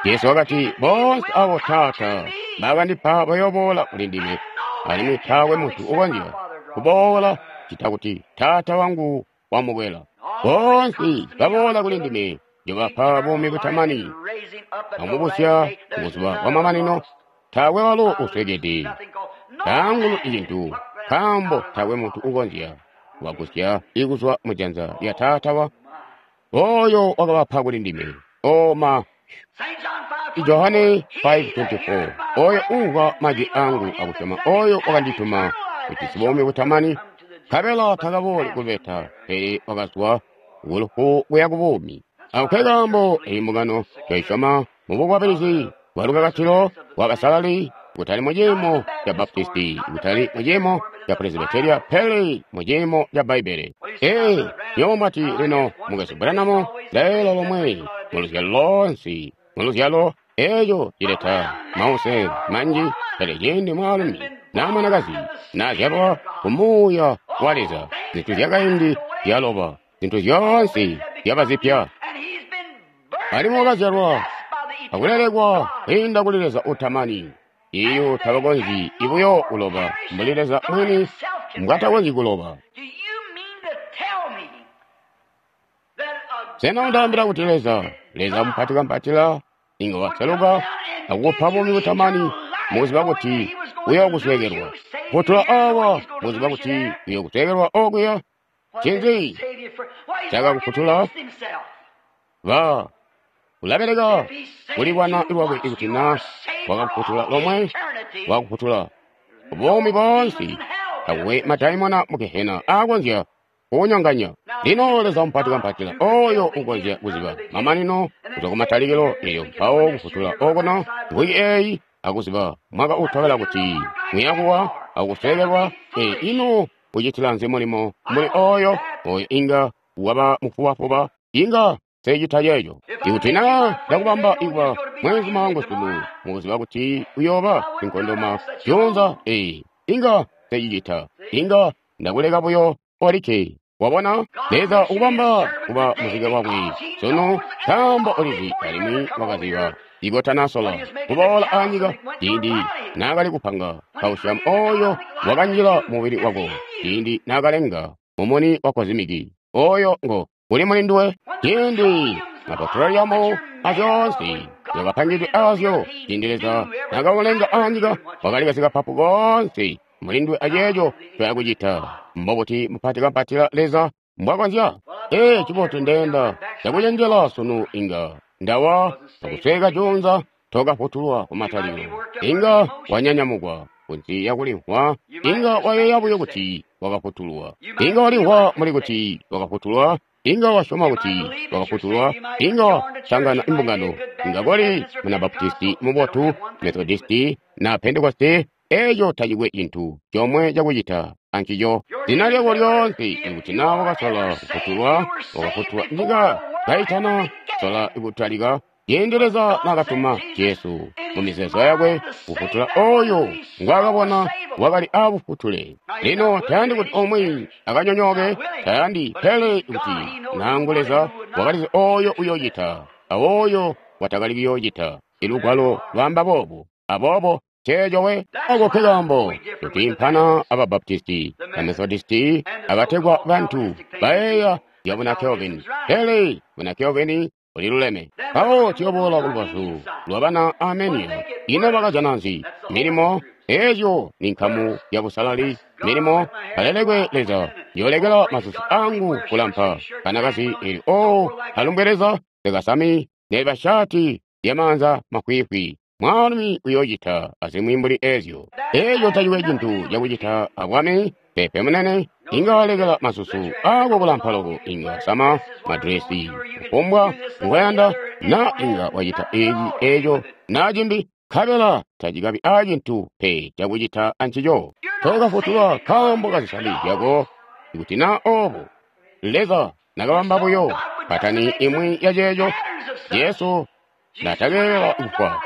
Jesu wakati, boonse abo Taata bakandipa bayooboola kuli ndime, alimwi taakwe muntu ukonzya kuboola ccita kuti Taata wangu wamukwela. Boonse baboola kuli ndime njobapa buumi butamani, amubusya kubuzuba bwamamanino. Taakwe walo uswekede, taangulu icintu, nkaambo taakwe muntu ukonzya kubagusya ikuzwa mujanza lya Taata wa oyo wakabapa kuli ndime. Oma Johane 5:24 oyo umvwa majwi angu akusyoma oyo wakandituma ujisi buumi butamani, nkabela takabooli kubeta, pele wakazwa kulufu kuya kubuumi. Ako nkekaambo eyi mbungano twayisyoma mubukwabilizi bwa lukakatilo bwa basalali, kutali muciimo ca Baptisti, kutali muciimo ca Presbyteria, pele muciimo ca Bbaibbele. Ee, nywebo mwati lino mukwesu Branham, leelo lomwe muluzyalo lonse, muluzyalo eeco cileta mause manji, pele ciindi mwaalumi naa mwanakazi naazyalwa ku Muuya wa Leza, zintu zyakaindi zyaloba, zintu zyoonse zyaba zipya. Alimwi wakazyalwa akulelekwa kwiinda kuli Leza utamani. Iyo tabakonzyi ibuyo kuloba mbuli Leza mwini mbwatakonzyi kuloba. Sena undaambila kuti Leza, Leza mupatikampatila, inga waseluka akukupa buumi butamani mukuziba kuti uyokusweekelwa? Kutula awa mukuziba kuti uyokusweekelwa okuya? Ncinzi cakakufutula? Ba ulabeleka kulibwana lwakwe ikuti na wakakufutula lomwe, wakufutula buumi boonse. Takukwe madaimona mu gehena aakonzya kukunyonganya. Lino Leza mupatikampatila oyo ukonzya kuziba mamanino kuzwa kumatalikilo, eyo mpawo kufutula okuno mvwiki eyi akuziba mwaka utobela kuti muyakuwa akusweekelwa. Ee, ino ucitila nzi mulimo mbuli oyo? Oyo inga waba mufubafuba, inga secita ceeco. Ikuti na ndakubamba ikuba mweenzuma wangu sunu, mukuziba kuti uyooba sinkondoma juunza, ee, inga secicita. Inga ndakuleka buyo olikke. Wabona, Leza ukubamba kuba muzike wakwe sunu, nkaambo ulizi alimwi wakaziba ikotanasola kuboola anyika, ciindi naakali kupanga kausyamu oyo wakanjila mubili wako, ciindi naakalenga mumuni wa kozimiki oyo ngo uli muli nduwe, ciindi mapetroliyamu azyoonse zyakapangidwe azyo, ciindi Leza naakaulenga anyika, wakali kasikapapu koonse muli nduwe aceeco ncoyakucita. Mbobuti mupati kampatila Leza mbwakonzya? Ee, cibotu ndeenda cakucenjela sunu inga ndawa akusweka juunza tokafutulwa kumatalikilo. Inga wanyanyamukwa kunsi yakulimvwa, inga wayeeya buyo kuti wakafutulwa. Inga walimvwa muli kuti wakafutulwa, inga wasyoma kuti wakafutulwa, inga wasangana imbungano, inga koli muna Baptisti mubotu, Methodisti na Pentekoste, eeco tacikwe cintu comwe cakucita ancico. Zina lyako lyoonse, ikuti naa wakasola kufutulwa, wakafutulwa nyika kaitana sola kutalika, ciindi Leza naakatuma Jesu mu mizeezo yakwe kufutula oyo ngwaakabona wakali aabufutule. Lino tayandi kuti omwe akanyonyooke, tayandi, pele kuti nangu Leza wakalizi oyo uyoocita awoyo watakali kuyoocita. Ilugwalo lwaamba boobo. Aboobo ceeco we ako ke kaambo tutiimpana aba Baptisti, ba Methodisti, abategwa bantu bayeeya zya buna Calvin, pele buna Calvin buliluleme. Mpawo tuyoboola kulubazu lwabana Armenia. Ino bakajana nzi? Milimo. Eezyo ni nkamu ya busalali. Milimo. Alelekwe Leza, yoolekela masusu angu kulampa. Kanakazi eli o alumbwe Leza, lekasami neliba shati lyamaanza mafwiifwi. Mwaalumi uyoocita azimwi mbuli eezyo. Eeco tacikwe cintu cakucita abwami, pepe munene. Inga walekela masusu ako kulampa loko, inga sama madresi kufumbwa ngoyanda, na inga wacita eci eeco na cimbi, nkabela tacikabi aacintu pe cakucita ancico. Tokafutulwa nkaambo kazisani zyako. Ikuti naa oobo, Leza nakabamba buyo patani imwi ya ceeco, Jesu natakeelela kufwa.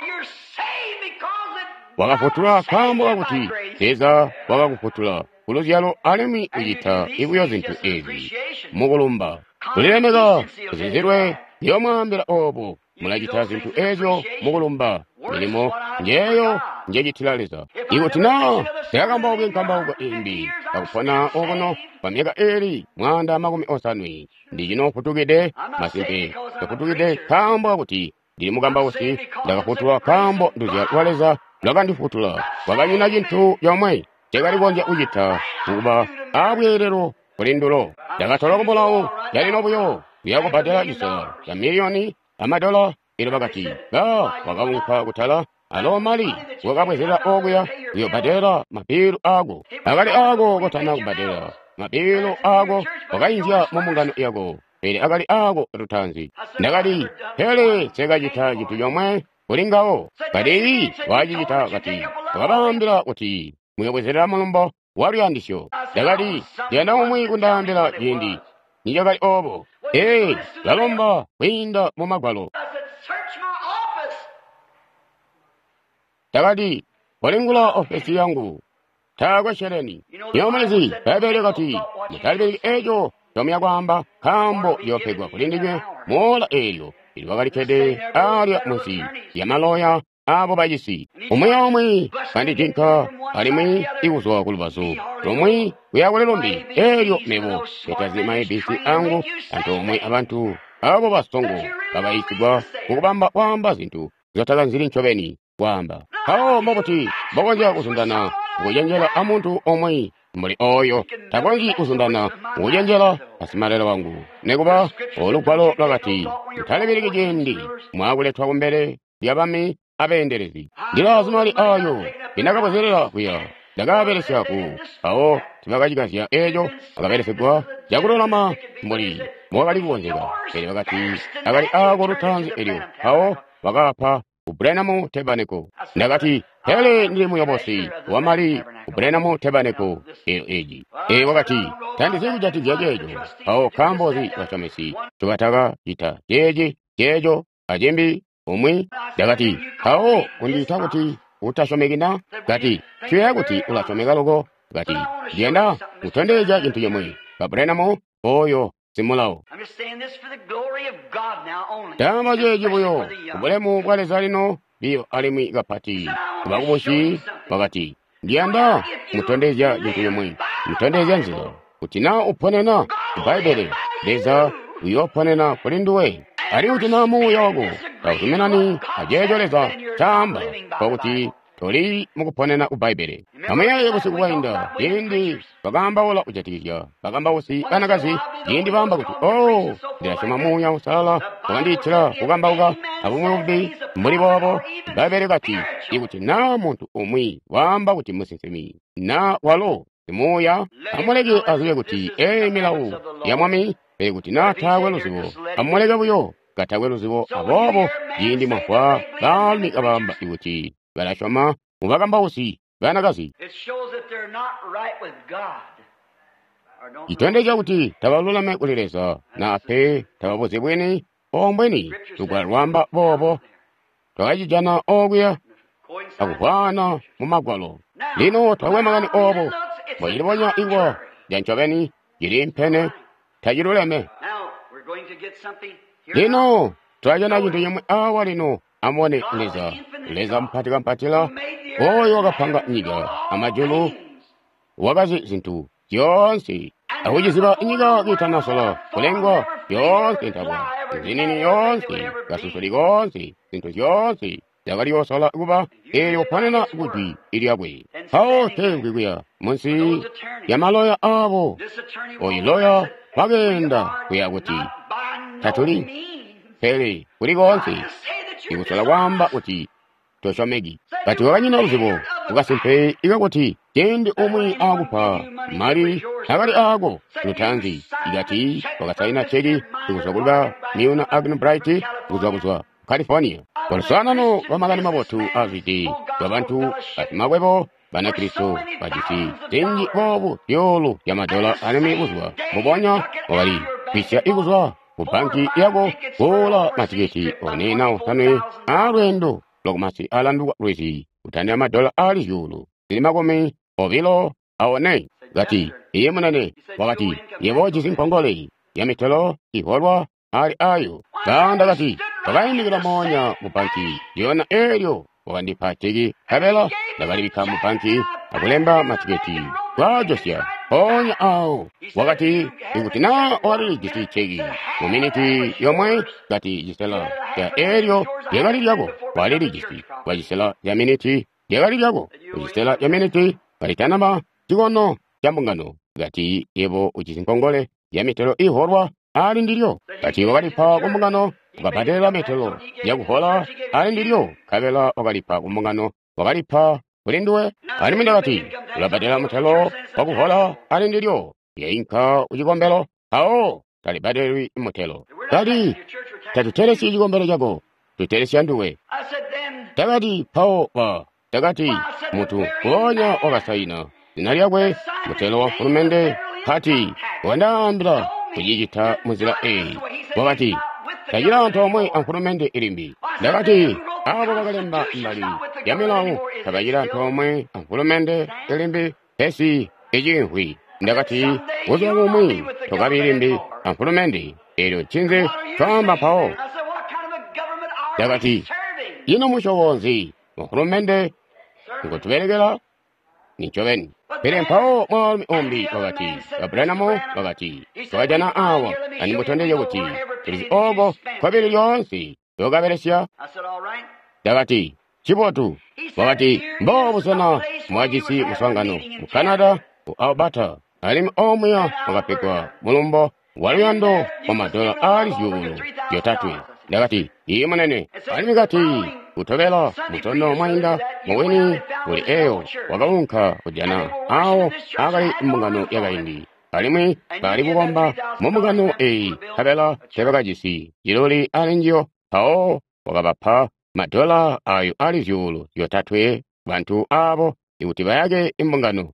Wakafutulwa nkaambo kakuti Leza wakakufutula kuluzyalo alimwi ucita buyo zintu ezi mukulumba. Kulilemeka kuzizilwe ndiyomwaambila oobo, mulacita zintu ezyo mukulumba. Milimo njeeyo njecitila Leza. Ikuti naa ndakakambauka nkambauko imbi akupona okuno kwa myaka iili 150, ndicinofutukide masimpe. Ndafutukide nkaambo kakuti ndili mukambausi, ndakafutulwa nkaambo nduzyalo lwa Leza lwakandifutula. Kwakanyina cintu comwe cakali kukonzya kucita mukuba aabweelelo kuli ndulo. Ndakatolwa kumulawo calino buyo kuya kubbadela cisela ca miliyoni amadola. Elyo bakati, ba wakaunka kutala alo mali wakabwezela okuya kuyobbadela mabilu aako. Akali aako kotana kubbadela mabilu aako, wakainzya mu mbungano yako, pele akali aako lutaanzi. Ndakati, pele nsekacita cintu comwe kuli ngawo. Kati wacicita, kati wakabaambila kuti muyobwezela mulumbo wa luyandisyo. Ndakati, ndiyanda umwi kundaambila ciindi nicakali oobo. Ee, lalomba kwiinda mu magwalo. Ndakati, kolingula ofesi yangu, taakwe sheleni. Nywebo mulizi, Bbaibbele lyakati, mutalibiliki eeco ncomuya kwaamba, nkaambo ciyoopegwa kuli ndinywe moola eelyo. Elyo wakalikkede aalya munsi lyamaloya aabo bacisi. Umwi aumwi kandijinka alimwi ikuzwa kulubazu lumwi kuya kuli lumbi. Eelyo mebo ndetazi ma ABC angu antoomwe abantu abo basongo bakayiisigwa kukubamba kwaamba zintu nzyotakanzili ncobeni kwaamba. Mpawo mbobuti mbokonzya kuzundana mukucenjela amuntu omwe mbuli oyo? Takonzyi kuzundana mukucenjela asimalelo wangu. Nikuba olugwalo lwakati, mutalibiliki ciindi mwaakuletwa kumbele lyabami abeendelezi. Ndilaazi mali ayo ndinakabwezelela kuya, ndakaabelesya ku mpawo tibakacikazya eeco, akabelesegwa cakululama mbuli mbowakali kukonzeka. Pele bakati akali aako lutaanzi elyo mpawo bakaapa ku Branham Tabernacle. Ndakati, pele ndili muyobosi wamali ku Branham Tabernacle eyo eji. Ee, wakati, tandizi kujatikizya ceeco. Mpawo nkaambo nzi basyomesi ncobatakacita ceeci, ceeco, acimbi, umwi? Ndakati, mpawo kundiita kuti utasyomeki na? Kati, tuyeeya kuti ulasyomeka loko. Kati, ndiyanda kutondezya cintu cimwi. Ba Branham, oyo simulao. Ndaamba ceeci buyo kubulemu bwa Leza lino biyo alimwi kapati kubakubusi. Wakati, ndiyanda mutondezya cintu cimwi, mutondezya nzila kuti naa uponena ku Bbaibbele, Leza uyooponena kuli nduwe. Alimwi kuti naa muuya wako tauzuminani aceeco Leza caamba, nkokuti toli mukuponena ku Bbaibbele. Amuyeeye busiku bwainda ciindi twakaambaula kujatikizya bakambausi banakazi, ciindi baamba kuti, oh, ndilasyoma Muuya Uusalala wakandiitila kukambauka abumwi bumbi mbuli boobo. Bbaibbele kati, ikuti naa muntu umwi waamba kuti musinsimi naa walo simuuya, amuleke azibe kuti eeyi milawo ya Mwami. Pele kuti naa taakwe luzibo, amuleke buyo katakwe luzibo. Aboobo ciindi mwamvwa baalumi kabaamba kuti balasyoma mu bakambausi banakazi, citondezya kuti tabaluleme kuli Leza, naa pe tababuzi bwini ombweni. Lugwalo lwaamba boobo. Twakacijana okuya akuvwaana mu Magwalo. Lino twakwe makani oobo mbocilibonya ikuba lya ncobeni cili mpene taciluleme. Lino twajana cintu cimwi awa lino. Amubone Leza, Leza mupati kampatila, oyo wakapanga nyika amajulu, wakazi zintu zyoonse, akuciziba nyika kiitanasola kulengwa, zyoonse ntabwa zinini yoonse, kasusuli koonse, zintu zyoonse zyakali kuba eelyo kuponena kujwi lyakwe. Mpawo teemvwi kuya munsi ya maloya aabo. Oyu loya wakeenda kuya kuti tatuli, pele kuli koonse ikusola kwaamba kuti tosyomeki. Kati wakanyina luzibo kukasimpe ikakuti ciindi umwi aakupa mali akali aako lutaanzi, ikati wakasaina ceki ikuzwa kuli ba Milner Arganbright kuzwa California. Luswaanano lwa makani mabotu azwide lwabantu basimakwebo Banakristo bajisi zinji boobu zyuulu zya madola alimwi buzuba mbubonya wakali kwisya ikuzwa ku banki yako kuula matiketi 4 na 5 aalweendo lwakumasi alanduka lwizi kutandila madola aali zyuulu zili 24. Kati, iye munene. Wakati, yebo ujisi nkongole ya mitelo iholwa ali ayo. Kaanda kati, twakaimikila moonya mu banki lyona eelyo wakandipa ceki, nkabela ndakalibikka mu banki akulemba matiketi kwaajosya mpoonya awo. Wakati, ikuti naa walilijisi ceki mu miniti yomwe, kati cisela ca eelyo lyakali lyako, walilijisi kwa cisela ca miniti lyakali lyako, kucisela ca miniti kalitanaba cikono ca mbungano. Kati yebo ujisi nkongole ya mitelo iholwa ali ndilyo. Kati wakalipa ku mbungano, ukabbadelela mitelo yakuhola ali ndilyo, nkabela wakalipa ku mbungano, wakalipa kuli nduwe. Alimwi ndakati, ulabbadela mutelo wakuhola ali ndilyo, yainka kucikombelo, mpawo talibbadelwi mutelo. Kati, tatutelesyi cikombelo cako, tutelesya nduwe. Ndakati, mpawo ba. Ndakati, muntu mpoonya wakasaina zina lyakwe mutelo wa mfulumende kati wandaambila kucicita munzila eyi. Wakati, tacili antoomwe amfulumende ilimbi. Ndakati, abo bakalemba mbali ya milawo tabacili antoomwe amfulumende ilimbi, pesi icimvwi. Ndakati, buzuba bumwi tokabi limbi amfulumende, eelyo ncinzi twaamba mpawo? Ndakati, ino musyobo nzi mfulumende ngotubelekela? Nincobeni. Pele mpawo mwaalumi umbi wakati, Abrahamu wakati, twakajana awa andimutondezye kuti tulizi ooko kobili lyoonse lyokabelesya. Ndakati, cibotu. Wakati, mboo busena mwajisi muswaangano mu Canada, ku Alberta, alimwi omuya wakapegwa mulumbo waluyando wa madola aali 3,000. Ndakati, iye munene. Alimwi kati, kutobela mutondo mwainda mubwini kuli eyo wakaunka kujana awo akali mbungano yakaindi, alimwi bali kukomba mu mbungano eyi, nkabela tebakajisi ciluli ali njiyo. Mpawo wakabapa madola ayo aali 3,000 bantu abo ikuti bayake imbungano.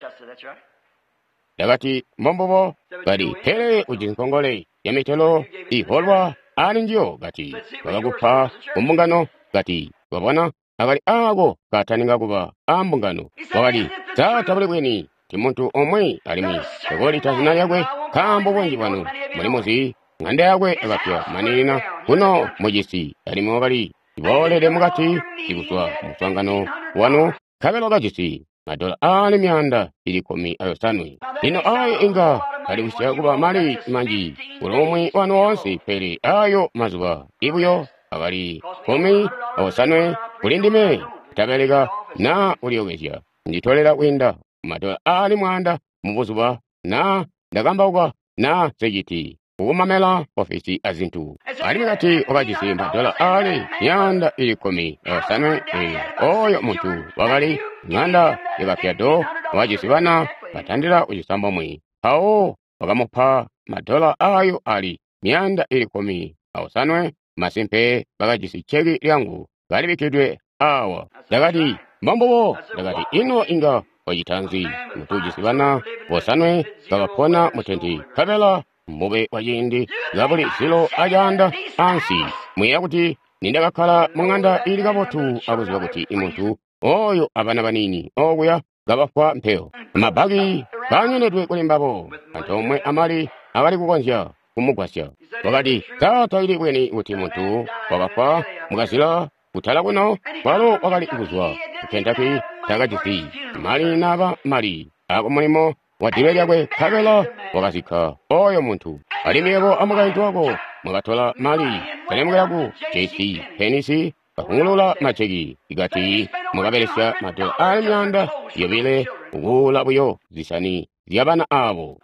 Ndakati, mbombubo. Kati, pele ujisi nkongole ya mitelo iholwa ali njiyo. Kati, bakakupa kumbungano. Kati, wabona akali ako kataninga kuba a mbungano. Wakati, sa tabuli bwini ti muntu omwe alimwi takolita zina lyakwe. Nkaambo bunji bwanu muli muzi ng'anda yakwe yakapya maninina kuno mucisi, alimwi wakali boolede mukati kuzwa muswaangano wanu, nkabela wakajisi madola aali 115. Lino ayo inga alikusya kuba mali manji kuli umwi wanu woonse, pele ayo mazuba ibuyo akali 15 kuli ndime kutabeleka naa kulyokezya. Nditolela kwiinda madola aali 1,000 mubuzuba naa ndakambauka naa nseciti kukumamela ofisi azintu. Alimwi kati wakajisi madola aali 115. Oyo muntu wakali ng'anda yakapyado, wakajisi bana batandila ku 9. Mpawo wakamupa madola ayo ali 115. Masimpe bakajisi ceki lyangu kalibikkidwe awa. Ndakati, mbombubo. Ndakati, ino inga wacita nzi muntu ujisi bana 5 kabapona mutenti, nkabela mbube wa ciindi kabuli zilo acaanda ansi? Mwiiya kuti nindakakkala mu ng'anda iili kabotu akuziba kuti imuntu oyo abana baniini okuya kabafwa mpeyo, mabaki kaanyonedwe kuli mbabo, antoomwe amali akali kukonzya kumugwasya. Wakati, sa taili bwini kuti muntu wakafwa mukazila kutala kuno? Kwalo wakali kuzwa ku Kentucky, takajisi mali naba mali akumulimo wa dilwe lyakwe, nkabela wakazikka oyo muntu. Alimwi yebo amukaintu wako mwakatola mali kalemukela ku JC Penney, kavungulula maceki, ikati mwakabelesya madola aali 200 kukuula buyo zisani zyabana abo.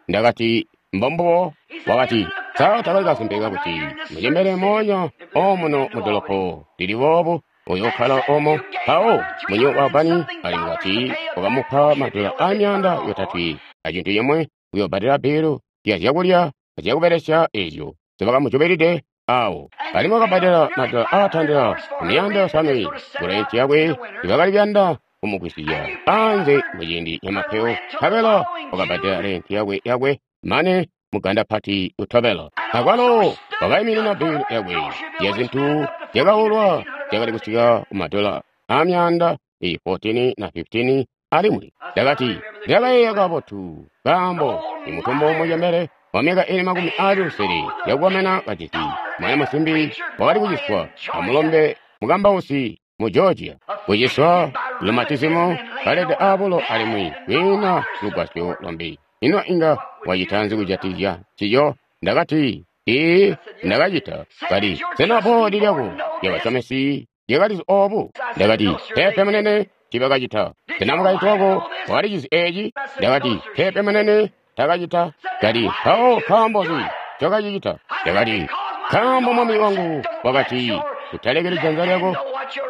Ndakati, mbombubo. Wakati, sa takali kasimpe kakuti mucembele moonya omuno mudolopo lili boobu uyokkala omo? Mpawo munyo wa bani alimwi kati wakamupa madola aali 300 acintu cimwe kuyobbadela bilu ya zyakulya azyakubelesya ezyo nzibakamujubelide awo. Alimwi wakabbadela madola aatandila ku 700 kurenti yakwe ibakali kuyanda kumugwisya anze muciindi camapeyo, nkabela wakabbadela renti yakwe mane muganda pati utobela. Akwalo wakaiminina bilu yakwe ya zintu zyakaulwa zyakali kusika ku madola aa 114 na 15. Alimwi ndakati, ndakayeeya kabotu, nkaambo imutumbu mucembele wa myaka ili 60 yakukomena kajisi mwana musimbi wakali kuciswa amulombe mukambausi mu Georgia, kuciswa lumatizimo, kalede abulo alimwi kwiina lugwasyo lombi. Ino inga wacita nzi kujatikizya ncico? Ndakati, ii, ndakacita. Kati, sena boodi lyako lyabasomesi lyakalizi obu? Ndakati, peepe munene, tiibakacita. Sena mukaintu wako wakalicizi eeci? Ndakati, peepe munene, takacita. Kati, mpawo nkaambo nzi ncokacicita? Ndakati, nkaambo mwami wangu wakati, utalekeli janza lyako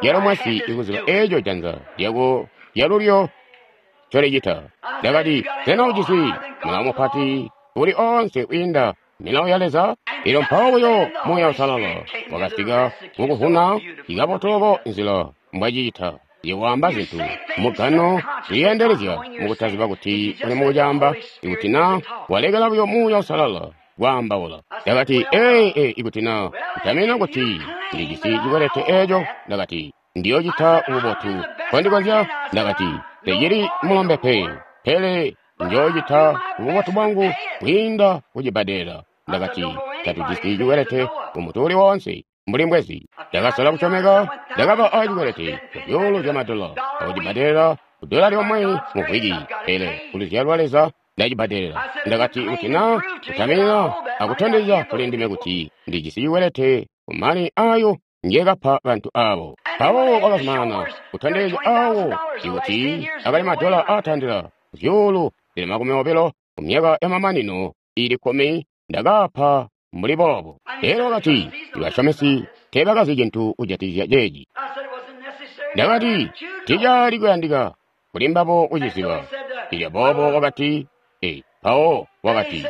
lyalumwesi ikuziba eeco janza lyako lyalulyo ncolicita. Ndakati, sena ujisi mulawo mupati uli oonse kwiinda milawo ya Leza? Elyo mpawo buyo Muuya Uusalala wakasika kukuvuna ikabotoloko nzila mbwacicita. Yewaamba zintu mugano liyeendelezya mukutaziba kuti uli mukucaamba, ikuti na walekela buyo Muuya Uusalala kwaambaula. Ndakati, ee, ikuti na utamina kuti ndijisi cikwelete eeco, ndakati, ndiyocita bubotu kondikonzya. Ndakati, tecili mulombe pe, pele njoocita bubotu bwangu kwiinda kucibbadela. Ndakati, tatujisi cikwelete kumuntu uli woonse mbuli mbwezi. Ndakasola kusyomeka, ndakaba acikwelete kuzyuulu zya madola akucibbadela kudola lyomwe mu vwiki, pele kuluzyalo lwa Leza ndacibbadelela. Ndakati, kuti na kutaminina akutondezya kuli ndime kuti ndijisi cikwelete kumali ayo ngekapa bantu abo. Mpawo wakazumanana kutondezya awo ikuti akali madola aatandila zyuulu zili 20 mu myaka yamamanino ili 10 ndakapa mbuli boobo. Elyo wakati, ibasyomesi teebakazi cintu kujatikizya ceeci. Ndakati, ticaali kuyandika kuli mbabo kuciziba. Elyo boobo wakati, mpawo wakati,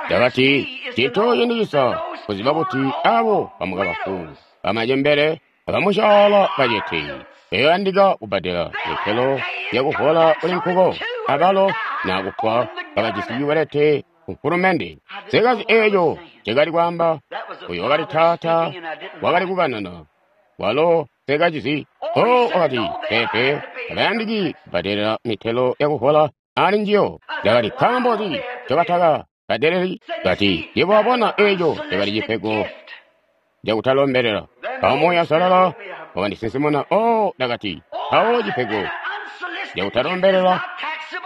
ndakati, cintu cindicisa kuziba kuti abo bamukabafu, bamacembele, abamusyaala bacete beyoyandika kubbadela mitelo yakuvola kuli nkuko, abalo nakufwa bakajisi cikwelete ku mfulumende. Sekazi eeco ncekali kwaamba, uyo wakali taata wakali kukanana, walo sekacizi. O wakati, peepe, tabayandiki kubbadela mitelo yakuvola ali njiyo. Ndakati, nkaambo nzi ncobataka bbadeleli. Kati, yebo wabona eco cakali cipego cakutalombelela. Mpawo Muuya Uusalala wakandisinsimuna. Oh, ndakati, mpawo cipego cakutalombelela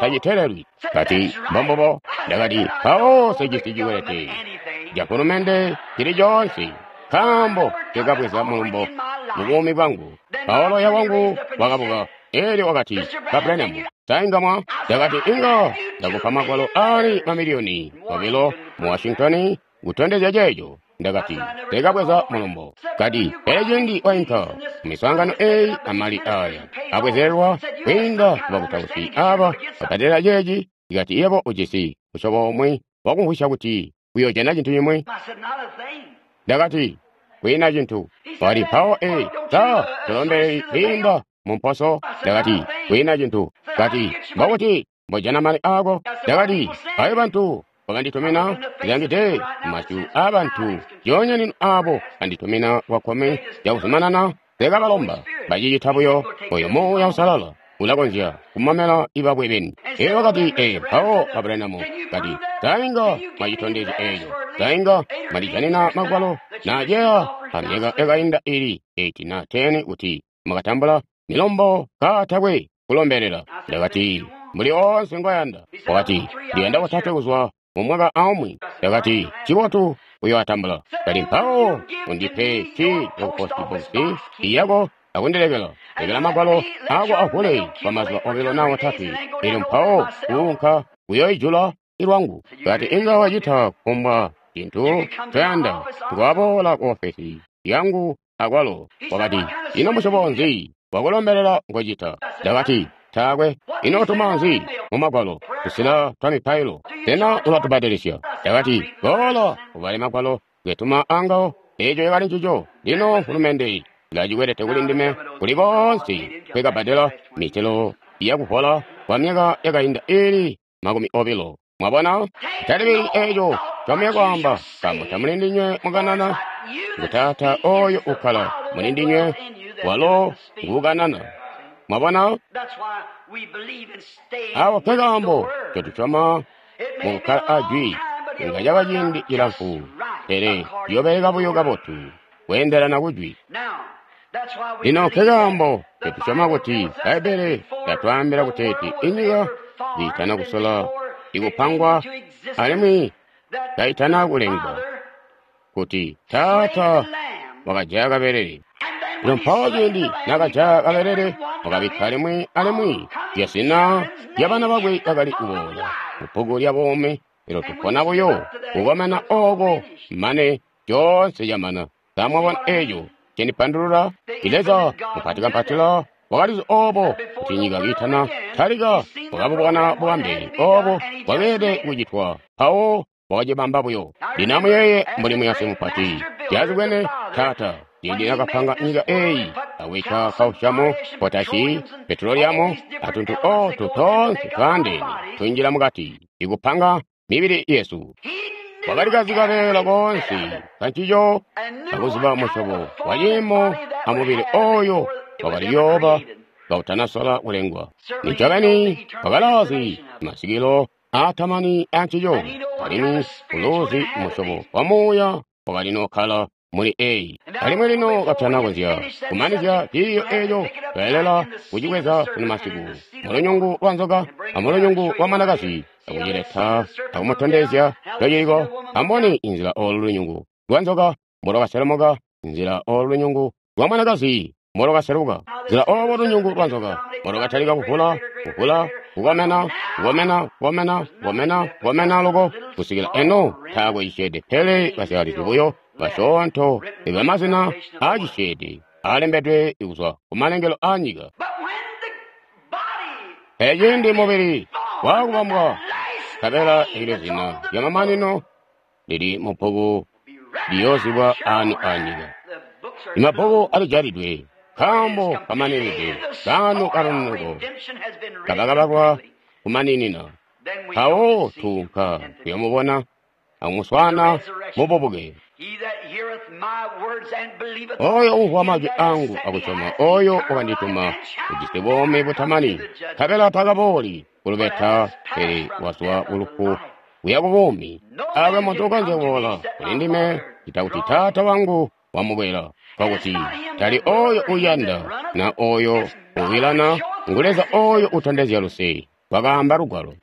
tacitelelwi. Kati, mbombubo. Ndakati, mpawo nsejisi cikwelete cafulumende cili coonse, nkaambo nkekabweza mulumbo mu buumi bwangu. Mpawo loya wangu wakabuka, elyo wakati, Ba Branham, sa inga mwa? Ndakati, inga ndakupa magwalo aali mamiliyoni obilo mu Washington kutondezya ceeco. Ndakati, nsekabweza mulumbo. Kati, pele cindi wainka mu miswaangano eyi amali aya abwezelelwa kwiinda ku bakutausi aba babbadela ceeci, ikati yebo ujisi musyobo umwi wakumvwisya kuti uyojana cintu cimwi. Ndakati, kwiina cintu. Wakati, mpawo ee, sa tolombeleli kwiinda mu mposo? Ndakati, kwiina cintu. Kati, mbokuti mbojana mali aako? Ndakati, ayo bantu bakanditumina ndilangide masyu aabantu ndyoonya lino aabo banditumina kwakkumi cakuzumanana nseekabalomba. Bacicita buyo. Oyo Muuya Uusalala ulakonzya kumamela ibakwe beni. Elyo wakati, ee, mpawo ba Branham kati, sa inga mwacitondezya eco? Sa inga mwalijanina magwalo naaceya amyaka yakainda ili 8 na 10 kuti mwakatambula milumbo kaatakwe kulombelela? Ndakati, mbuli oonse ngoyanda. Wakati, ndiyanda kotatwe kuzwa mu mwaka aumwi. Ndakati, ncibotu, uyoatambula. Kati, mpawo undipe kii yaku post box iyako akundilekela lekela magwalo ako avule kwa mazuba obilo na otatwe, elyo mpawo kuunka kuyoijula ilwangu. Kati, inga wacita kufumbwa cintu ncoyanda, ngwaboola ku ofesi yangu akwalo. Wakati, ino musyobo nzi wakulombelela ngocita? Ndakati, taakwe. Ino utuma nzi mu magwalo tusila twa mipailo? Sena ulatubbadelisya? Ndakati, boola ubale magwalo ngetuma angawo. Eco cakali ncico. Lino mfulumende ilacikwelete kuli ndime kuli koonse nkwekabbadela mitelo yakuvola kwa myaka yakainda iili 20. Mwabona? Talibili eco ncomuya kwaamba, nkaambo tamuli ndinywe mukanana, ngu Taata oyo ukkala muli ndinywe, walo nguukanana. Mwabona? Awo nke kaambo ncotusyoma mukukkala a Jwi. Inga caba ciindi cilamfu, pele ciyoobeleka buyo kabotu kweendelana ku Jwi. Lino nke kaambo ncotusyoma kuti Bbaibbele lyatwaambila kuteeti inyika kiitana kusola ikupangwa alimwi kaitana kulengwa, kuti Taata wakajaya kabelele. Lino mpawo ciindi nakajaya kabelele, wakabikka limwi alimwi lyazina lya bana bakwe bakali kuboola mu bbuku lya buumi. Elyo tupona buyo kukomena ooko mane coonse camana. Sa mwabona eco cendipandulula? I Leza mupatikampatila wakalizi obo kuti nyika kiitana talika, wakabubona bubambe obo bwakeelede kucitwa, mpawo wakacibamba buyo. Lino amuyeeye mbuli muyasi mupati syazibwene Taata, ciindi nakapanga nyika eyi akubikka kausyamu, potashi, petroliamu, atuntu otu toonse twaandeene tunjila mukati ikupanga mibili yesu. Wakali kazi kabeela koonse kancico akuziba musyobo wa ciimo amubili oyo wakali kuyooba kautanasola kulengwa. Nincobeni wakalaazi masikilo aatamani ancico, alimwi uluuzi musyobo wa muuya wakali nokkala muli eyi. Alimwi lino katana konzya kumanizya ciiyo eco, tweelela kucibweza sunu masiku mulunyungu lwa nzoka amulunyungu lwa mwanakazi, akucileta akumutondezya ncociliko. Amboni inzila olu lunyungu lwa nzoka mbolwakaselemuka, nzila olu lunyungu lwa mwanakazi mbolwakaseluka, nzila obo lunyungu lwa nzoka mbolwakatalika kuvula, kuvula, kukomena, kukomena, kukomena, kukomena, kukomena loko kusikila eno taakwe cisyeede pele basyalizi buyo basyoonto ibamazina aacisyeede aalembedwe kuzwa kumalengelo aanyika. Pele ciindi mubili waakubambwa, nkabela elyo zina lya mamanino lili mubbuku liyoozibwa aano aanyika. Imabbuku alijalidwe nkaambo kamaninide kaano kaloneko kabakabalwa kumaninina. Mpawo tuunka kuyomubona akumuswaana mububuke. Oyo uumvwa majwi angu akusyoma oyo wakandituma ujisi buumi butamani, nkabela takabooli kulubeta, pele wazwa kulufu kuya ku buumi. Awe muntu ukonzya kuboola kuli ndime cita kuti Taata wangu wamukwela. Nkokuti tali oyo uyanda na oyo uwilana, ngu Leza oyo utondezya luse, wakaamba Lugwalo.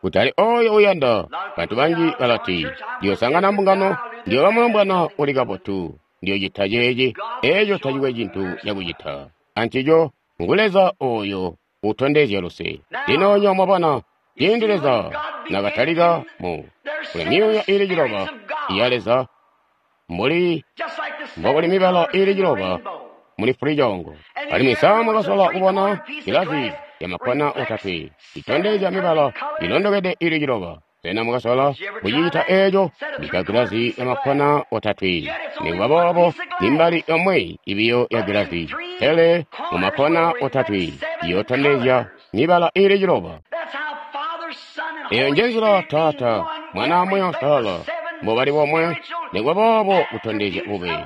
Kutali oyo uyanda. Bantu banji balati, ndiyosangana mbungano, ndiyoba mulombwana uli kabotu, ndiyocita ceeci. Eeco tacikwe cintu cakucita ancico. Ngu Leza oyo utondezya luse. Lino nyo mwabona, ciindi Leza nakatalika mu kuli myuuya iili ciloba ya Leza, mbuli mbokuli mibala iili ciloba muli fulicoongo. Alimwi sa mwakasola kubona gilazi ya makkona otatwe itondezya mibala ilondokede iili ciloba? Sena mwakasola kucita eeco? Bikka gilazi ya makkona otatwe. Nikuba boobo, nimbali yomwe ibiyo ya gilazi, pele mu makkona otatwe iyotondezya mibala iili ciloba. Eyo njenzila Taata, Mwana, Muuya Uusalala mbobali bomwe, nikuba boobo kutondezya bube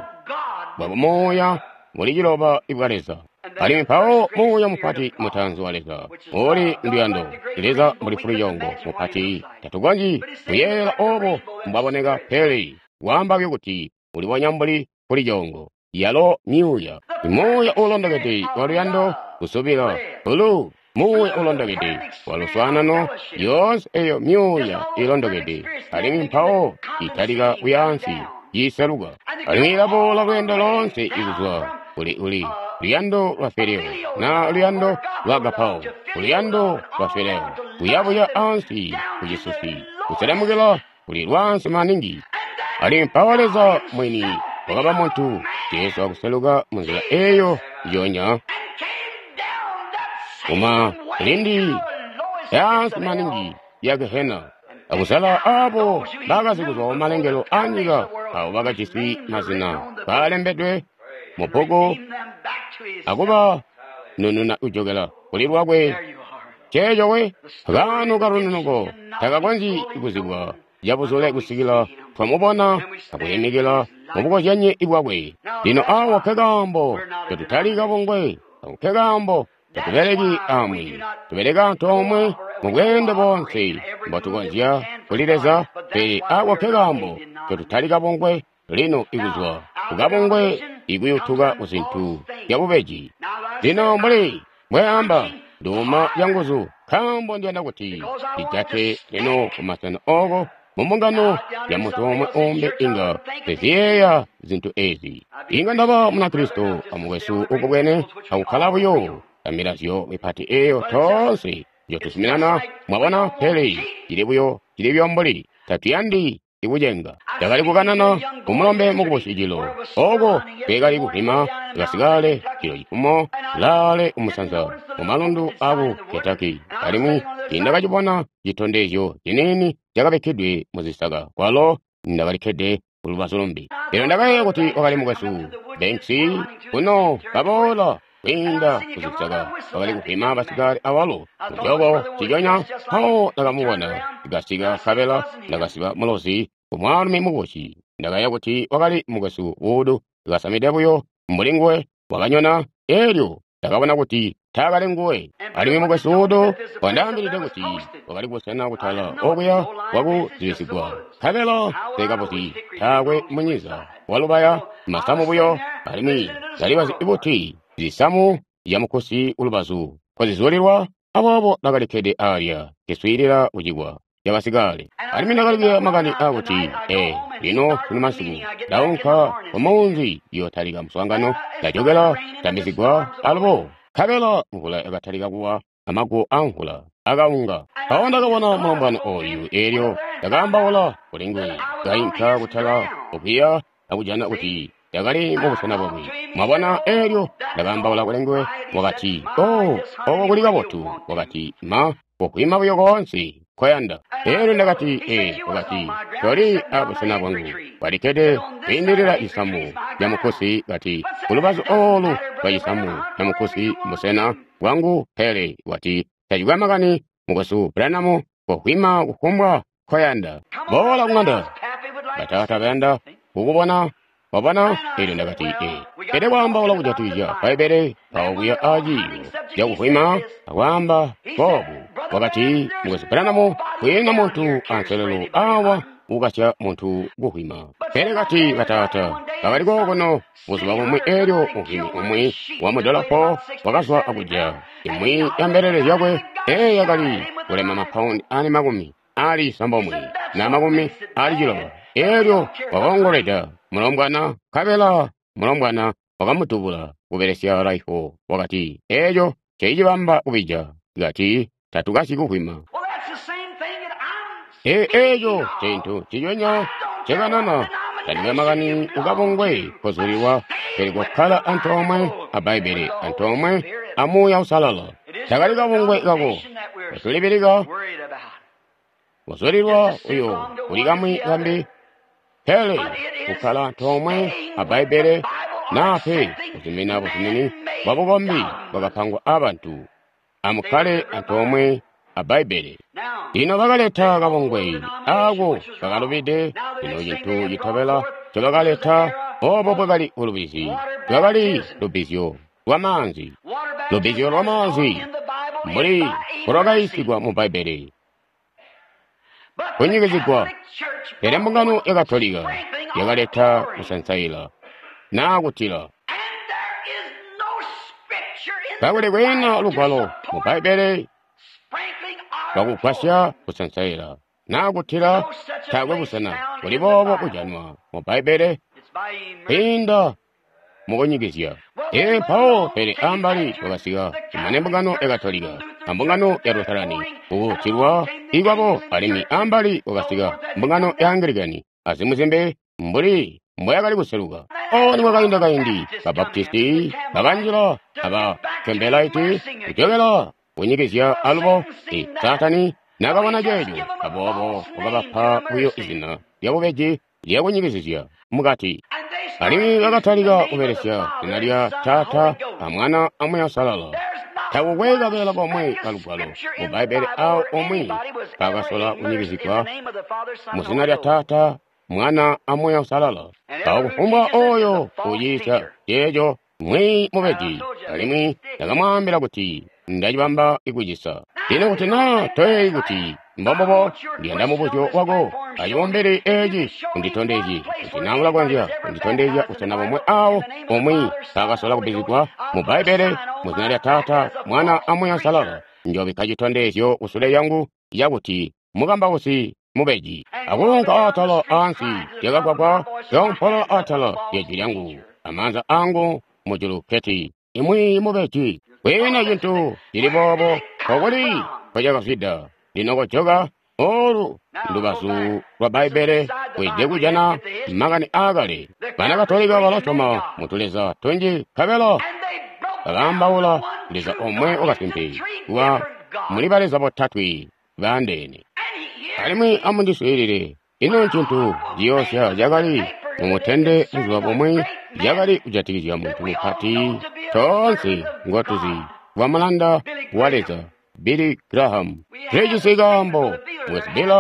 bwa muuya muli ciloba ibwa Leza. Alimwi mpawo muuya mupati mutaanzi wa Leza uli nduyando. Leza mbuli fulicoongo mupati, tatukonzyi kuyeeyela obo mbwaboneka, pele waamba buyo kuti ulibonya mbuli fulicoongo. Yalo myuuya, muuya uulondokede wa luyando, kusubila, bulu, muuya uulondokede wa luswaanano, yoonse eyo myuuya ilondokede. Alimwi mpawo italika kuyaansi iseluka, alimwi ilaboola lweendo loonse ikuzwa kuli uli luyando lwa Fileo na luyando lwa Agapao, luyando lwa Fileo, kuyabuya ansi kucisusi, kuselemukila kuli lwaansi maningi. Alimwi mpawo Leza mwini wakaba muntu, Jesu akuseluka munzila eyo njonya kuma lindi yaansi maningi ya Gehena, akusala abo bakazi kuzwa kumalengelo a nyika, abo bakajisi mazina balembedwe mu bbuku akuba nununa kujokela kuli lwakwe. Ceeco we kaano kalununuko takakonzyi kuzibwa cabuzule kusikila twamubona akuyimikila mubukozyanyi bwakwe. Lino awa nkekaambo tetutali kabungwe, nkekaambo tetubeleki amwi, tubeleka antoomwe mu bweende boonse mbotukonzya kuli Leza, pele awa nkekaambo tetutali kabungwe. Lino ikuzwa kukabungwe ikuyutuka kuzintu zyabubeji. Lino mbuli mbweamba, nduuma canguzu nkaambo ndiyanda kuti ndijate lino kumasena oko mumbungano ya muntu omwe umbi inga teziyeeya zintu ezi. Inga ndaba Munakristo amukwesu ukubwene akukkala buyo amilazyo mipati eyo toonse njotuzuminana, mwabona, pele cili buyo cili buyo mbuli tatuyandi ikucenga. Ndakali kukanana kumulombe mukubusi cilo oko nkekali kuvwima kasikale cilo cifumo laale kumusanza mumalundu aku Kentucky, alimwi tiindakacibona citondezyo ciniini cakabikkidwe muzisaka kwalo ndakalikkede kulubazu lumbi. Lino ndakayeeya kuti wakali mukwesu Banks kuno kaboola kwiinda kuzisaka, wakali kuvwima basikale awalo mucooko ciconya. Mpawo ndakamubona kasika nkabela ndakasiba mulozi kumwaalumi mukubusi. Ndakayeeya kuti wakali mukwesu Wood kasamide buyo mbuli nguwe, wakanyona, elyo ndakabona kuti taakali nguwe. Alimwi mukwesu Wood wandaambilide kuti wakali kubusena kutala okuya kwakuzibisigwa, nkabela nkabuzi taakwe munyiza walubaya masamu buyo, alimwi ndalibazi buti zisamu zyamukusi kulubazu nkozizulilwa. Aboobo ndakalikkede alya nkeswiilila kucikwa cabasikale. Alimwi ndakali kuyeeya makani aakuti, lino sunu masiku ndaunka kumuunzi yootalika muswaangano, ndajokela ndambizigwa alubo. Nkabela mvula yakatalika kuwa, amaguwo amvula akaunga. Mpawo ndakabona mulombwana oyu, elyo ndakaambaula kuli nguwe. Kainka kutala okuya akujana kuti ndakali mubusena bwakwe. Mwabona, elyo ndakaambaula kuli nguwe. Wakati, "Oh, oko kuli kabotu." Wakati, "Ma, kuvwima buyo koonse nkoyanda." Elyo ndakati, "Ee." Wakati, "Toli abusena bwangu." Walikkede kwiindilila cisamu camukusi, kati, "Kulubazu olu lwa cisamu camukusi mbusena bwangu." Pele wati, "Tacikwe makani, mukwesu Branham, kuvwima kufumbwa nkoyanda. Boola kuŋanda. Bataata bayanda kukubona." Wabona? Elyo ndakati, "Ee." Pele kwaambaula kujatikizya Bbaibbele, mpawo kuya aciiyo cakuvwima akwaamba boobu. Wakati, Mukwesu Branham, kwiina muntu anselelo awa ukasya muntu kuhwima. Pele kati bataata bakali kokuno buzuba bumwi elyo muhwimi umwi wa mudolopo wakazwa akujaya imwi ya mbelele zyakwe eyo yakali kulema mapaundi ali 96 na 90. Elyo wakoongolweda mulombwana, nkabela mulombwana wakamudubula kubelesya raifo. Wakati, eeco ncecibamba kubija. Kati, tatukasyi kuhwima. Eeco cintu nciconya ncekanana. Tandikwe makani ukabungwe kozulilwa, pele kokkala antoomwe a Bbaibbele, antoomwe a Muuya Uusalala. Takali kabungwe kako kotulibilika, kozulilwa uyo kuli kamwi kambi, pele kukkala antoomwe a Bbaibbele naa pe kuzumina buzumini bwa bukombi bwakapangwa abantu. Amukkale antoomwe a Bbaibbele. Lino bakaleta kabungwe ako kakalubide. Lino cintu citobela ncobakaleta obo bwakali bulubizi, lwakali lubbizyo lwamaanzi. Lubbizyo lwamaanzi mbuli mbolwakayiisigwa mu Bbaibbele, kunyikizigwa. Pele mbungano ya Katolika yakaleta kusansaila naa kutila. Kakuli kwiina lugwalo mu Bbaibbele lwakugwasya kusansaila naa kutila, taakwe busena buli boobo bujanwa mu Bbaibbele kwiinda mukunyikizya. Ee, mpawo pele ambali kwakasika kumane mbungano ya Katolika ambungano ya Lutherani kukutilwa ikwabo, alimwi ambali kwakasika mbungano ya Anglikani azimwi zimbi mbuli mboyakali kuseluka. O nikwakainda kaindi, ba Baptisti bakanjila aba Campbellite kujokela kunyikizya alubo. Saatani nakabona ceeco, aboobo wakabapa buyo izina lyabubeji lyakunyikizizya mukati. Alimwi bakatalika kubelesya zina lya Taata a Mwana a Muuya Uusalala. Takukwe kabeela komwe kalugwalo mu Bbaibbele awo omwe kakasola kunyikizigwa mu zina lya Taata, Mwana a Muuya Uusalala. Mpawo kufumbwa oyo uyiisya ceeco mwiiyi mubeji, alimwi ndakamwaambila kuti ndacibamba ikucisa. Lino kuti naa toyeeyi kuti mbombubo, ndiyanda mubuzyo wako acibumbili eeci unditondezye kuti naa ulakonzya kunditondezya busena bomwe awo umwi mpaakasola kubbizigwa mu Bbaibbele mu zina lya Taata, Mwana a Muuya Uusalala. Njoobikka citondezyo kusule lyangu cakuti mukambausi mubeji. Akuunka atala ansi lyakagwagwa, kaompolola atala lyejwi lyangu amaanza angu mujulu keti imwi mubeji. Kwiina cintu cili boobo kokuli nkocakazwida. Lino kojoka olu ndubazu lwa Bbaibbele weelede kujana makani aakale. Bana Katolika balasyoma mu tuleza tunji nkabela bakaambaula Leza omwe wakasimpe wa muli baleza botatwe baandeene. Alimwi amundiswiilile, ino ncintu ciyoosya cakali mumutende buzuba bumwi cakali kujatikizya muntu mupati toonse ngotuzi wa mulanda wa Leza, Billy Graham. Tulijisi kaambo Mukwesu Bill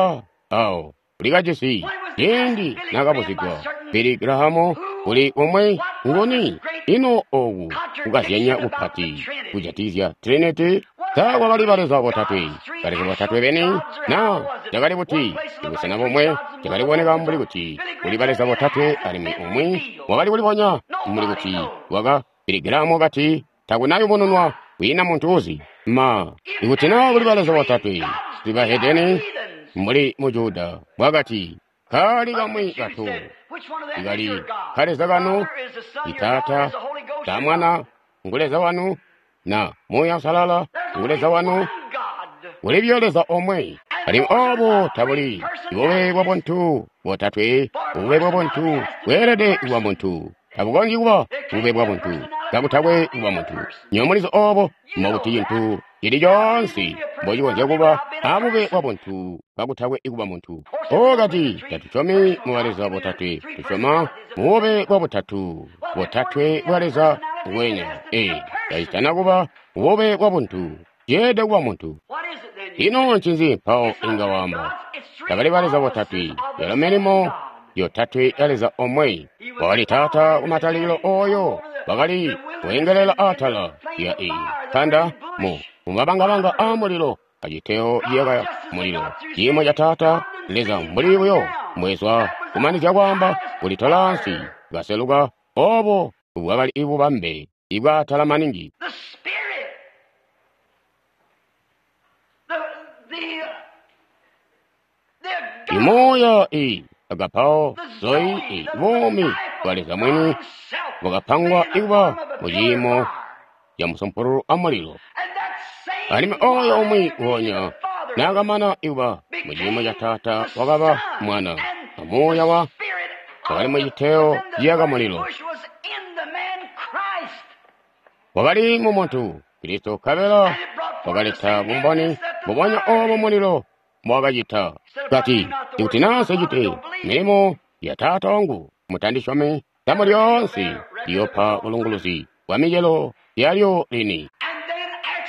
awo ulikajisi ciindi naakabuzigwa Billy Graham uli umwi nguni. Ino oku kukazyanya kupati kujatikizya Trinity? Sa kwakali baleza botatwe, baleza botatwe beni? Na cakali buti ibusena bomwe cakali kuboneka mbuli kuti kuli baleza botatwe, alimwi umwi wakali kulibonya mbuli kuti waka Billy Graham wakati takunayubununwa, kwiina muntu uzi. Ma ikuti naa kuli baleza botatwe zibahedeni mbuli mu Juda bwakati kali kamwi katu ikali kaleza kanu itaata ta Mwana ngu Leza wanu na Muuya Uusalala ngu Leza wanu, kuli buyo Leza omwe. Alimwi obo tabuli bube bwa buntu botatwe. Bube bwa buntu bweelede kuba muntu, tabukonzyi kuba bube bwa buntu kakutakwe kuba muntu. Nywebo mulizi obo mbokuti cintu cili coonse mbocikonzya kuba abube bwa buntu kakutakwe kuba muntu. O kati tatusyomi mu baleza botatwe, tusyoma mu bube bwa butatu, botatwe bwa Leza ngwenya. Ee, tacitana kuba bube bwa buntu, ceelede kuba muntu. Ino ncinzi mpawo inga waamba? Tabali baleza botatwe, yalo milimo yotatwe ya Leza omwe. Wakali Taata kumatalikilo oyo wakali kuengelela atala lya iyi nkanda mu mumabangabanga a mulilo. aciteo ciyaka mulilo. Ciimo ca Taata Leza mbuli buyo mbwezwa kumanizya kwaamba kulitola ansi kaseluka. Obo bwakali ibubambe ibwaatala maningi. The Spirit, the Imuuya i agapao zoi i buumi bwa Leza mwini bwakapangwa ikuba mu ciimo ca musumpululu a mulilo. Alimwi oyo umwi wonya naakamana ikuba mu ciimo ca Taata wakaba Mwana, a Muuya wa wakali mu citeo ciyaka mulilo. Wakali mu muntu Kristo nkabela wakaleta bumboni mbubonya obo mulilo mbowakacita. Kati, ikuti naa nsecite milimo ya Taata wangu, mutandisyomi, damu lyoonse liyoopa bulunguluzi bwa micelo yalyo lini.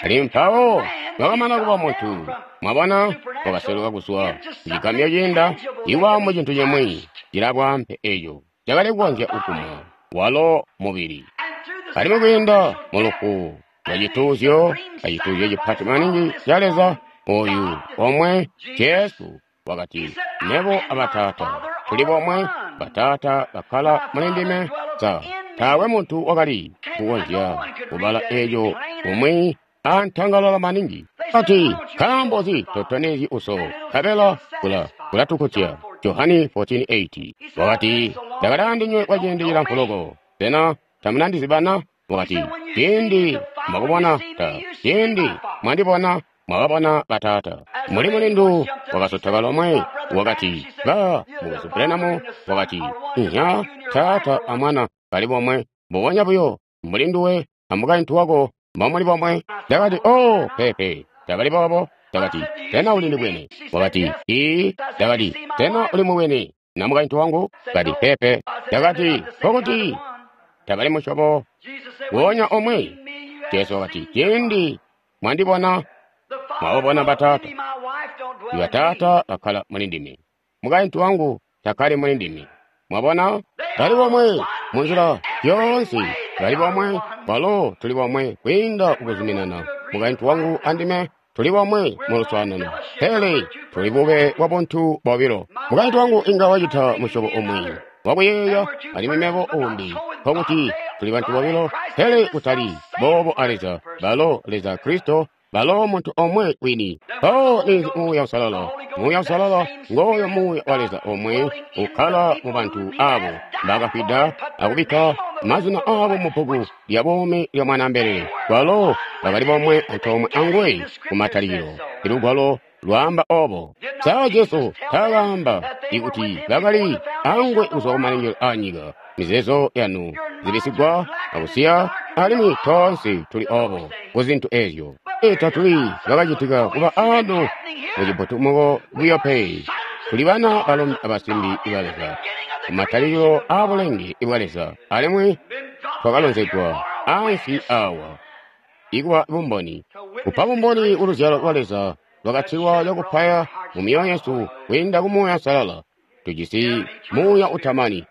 Alimwi mpawo wakamana kuba muntu, mwabona, wakaseluka kuzwa kucigamyo ciinda iwa mu cintu cimwi cilabwaampe eco cakali kukonzya kugumwa walo mubili. Alimwi kwiinda mu lufu lwa cituuzyo, acituuzyo cipati maningi ca Leza, oyu omwe Jesu wakati, Mebo a Bataata tuli bomwe, Bataata bakkala muli ndime. Sa taakwe muntu wakali kukonzya kubala eco umwi antangalala maningi. Ati, nkaambo nzi totonezyi uso, nkabela kulatukutya. Johani 14:8. Wakati, ndakali andinywe kwa ciindi cilamfu loko, sena tamunandizibana? Wakati, ciindi mwakubona ta, ciindi mwandibona mwababona Bataata. Muli mulindu wakasotoka lomwe, wakati, ba mukwesu Branham, wakati, inya Taata a Mwana bali bomwe, mbubonya buyo mbuli nduwe a mukaintu wako mbomuli bomwe. Ndakati, oh, peepe, tabali boobo. Ndakati, sena uli ndibwene? Wakati, ii. Ndakati, sena uli mubwene na mukaintu wangu? Kati, peepe. Ndakati, nkokuti tabali musyobo wonya omwe. Jesu wakati, ciindi mwandibona mwababona Bataata. Bataata bakkala muli ndime, mukaintu wangu takkali muli ndime. Mwabona, bali bomwe munzila yoonse, bali bomwe. Balo tuli bomwe kwiinda kukuzuminana. Mukaintu wangu andime tuli bomwe mu luswaanano, pele tuli bube bwa buntu bobilo. Mukaintu wangu inga wacita musyobo umwi wakuyeeya, alimwi mebo uumbi. Nkokuti tuli bantu bobilo, pele kutali boobo a Leza. Balo Leza Kristo, balo muntu omwe wini. Mpawo ninzi Muuya Uusalala? Muuya Uusalala ngooyo Muuya wa Leza omwe ukkala mu bantu abo bakafwida akubikka mazina abo mu bbuku lya buumi lya Mwanaambelele. Balo bakali bomwe antoomwe anguwe ku matalikilo. Ilugwalo lwaamba obo. Sa Jesu taakaamba ikuti bakali anguwe kuzwa kumalengelo a nyika? Mizeezo yanu zibisigwa akusiya, alimwi toonse tuli obo ku zintu ezyo. Tatuli bakacitika kuba ano mucibutumuko buyo pe. Tuli bana balombe abasimbi iba Leza, ku matalikilo a bulenge bwa Leza, alimwi twakalonzegwa ansi awa ikuba bumboni, kupa bumboni ku luzyalo lwa Leza lwakatilwa cakupaya mu myoyo yesu kwiinda ku Muuya Uusalala. Tujisi Muuya utamani,